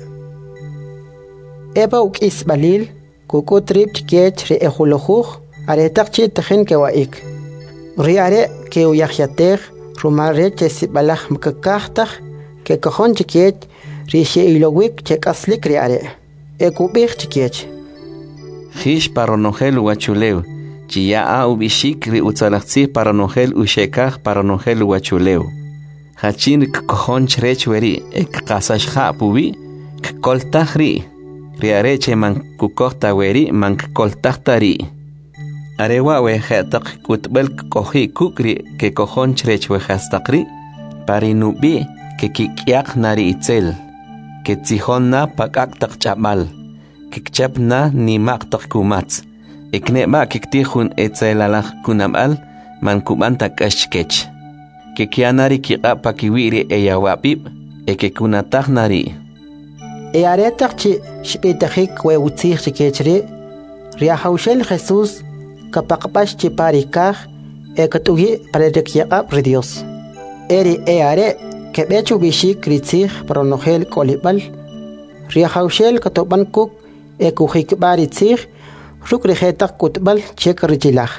E pa uk'isb'alil, kuk'ut rib' chkech ri ejulujuj aretaq chi' tajin kewa'ik. Ri are' ke'uyajyatej rumal rech che sib'alaj kkaj taj kekojon chkech ri xe'ilowik che k'aslik ri are'. E kub'ij chkech: Jix pa ronojel uwachulew, chiya'a ub'ixik ri utzalaj tzij pa ronojel uxekaj pa ronojel uwachulew. Jachin ri kkojon chrech weri' e kqasax ja' puwi', kkoltaj ri'. Ri are' che man kukoj ta weri' man kkoltaj ta ri'. Are wa' we je'taq k'utb'al kk'oji' kuk' ri kekojon chrech we jastaq ri', pa ri nub'i' kekik'yaq na ri itzel, ketzijon na pa k'ak' taq ch'ab'al, kkichap na nima'q taq kumatz, e kne'b'a' kiktij jun etzelalaj kunab'al man kub'an ta k'ax chkech. Kekya na ri kiq'ab' pakiwi' ri eyawab'ib' e kekunataj na ri'. E aretaq chi' xb'itajik we utzij chkech ri', ri Ajawxel Jesús kapaqb'ax chi pa ri kaj e kat'uyi' pa ri rikyaq'ab' ri Dios. E ri e'are' keb'e chub'ixik ri tzij pa ronojel k'olib'al. Ri Ajawxel katob'an kuk' e kujikb'a' ri tzij ruk' ri jetaq k'utb'al che karichilaj.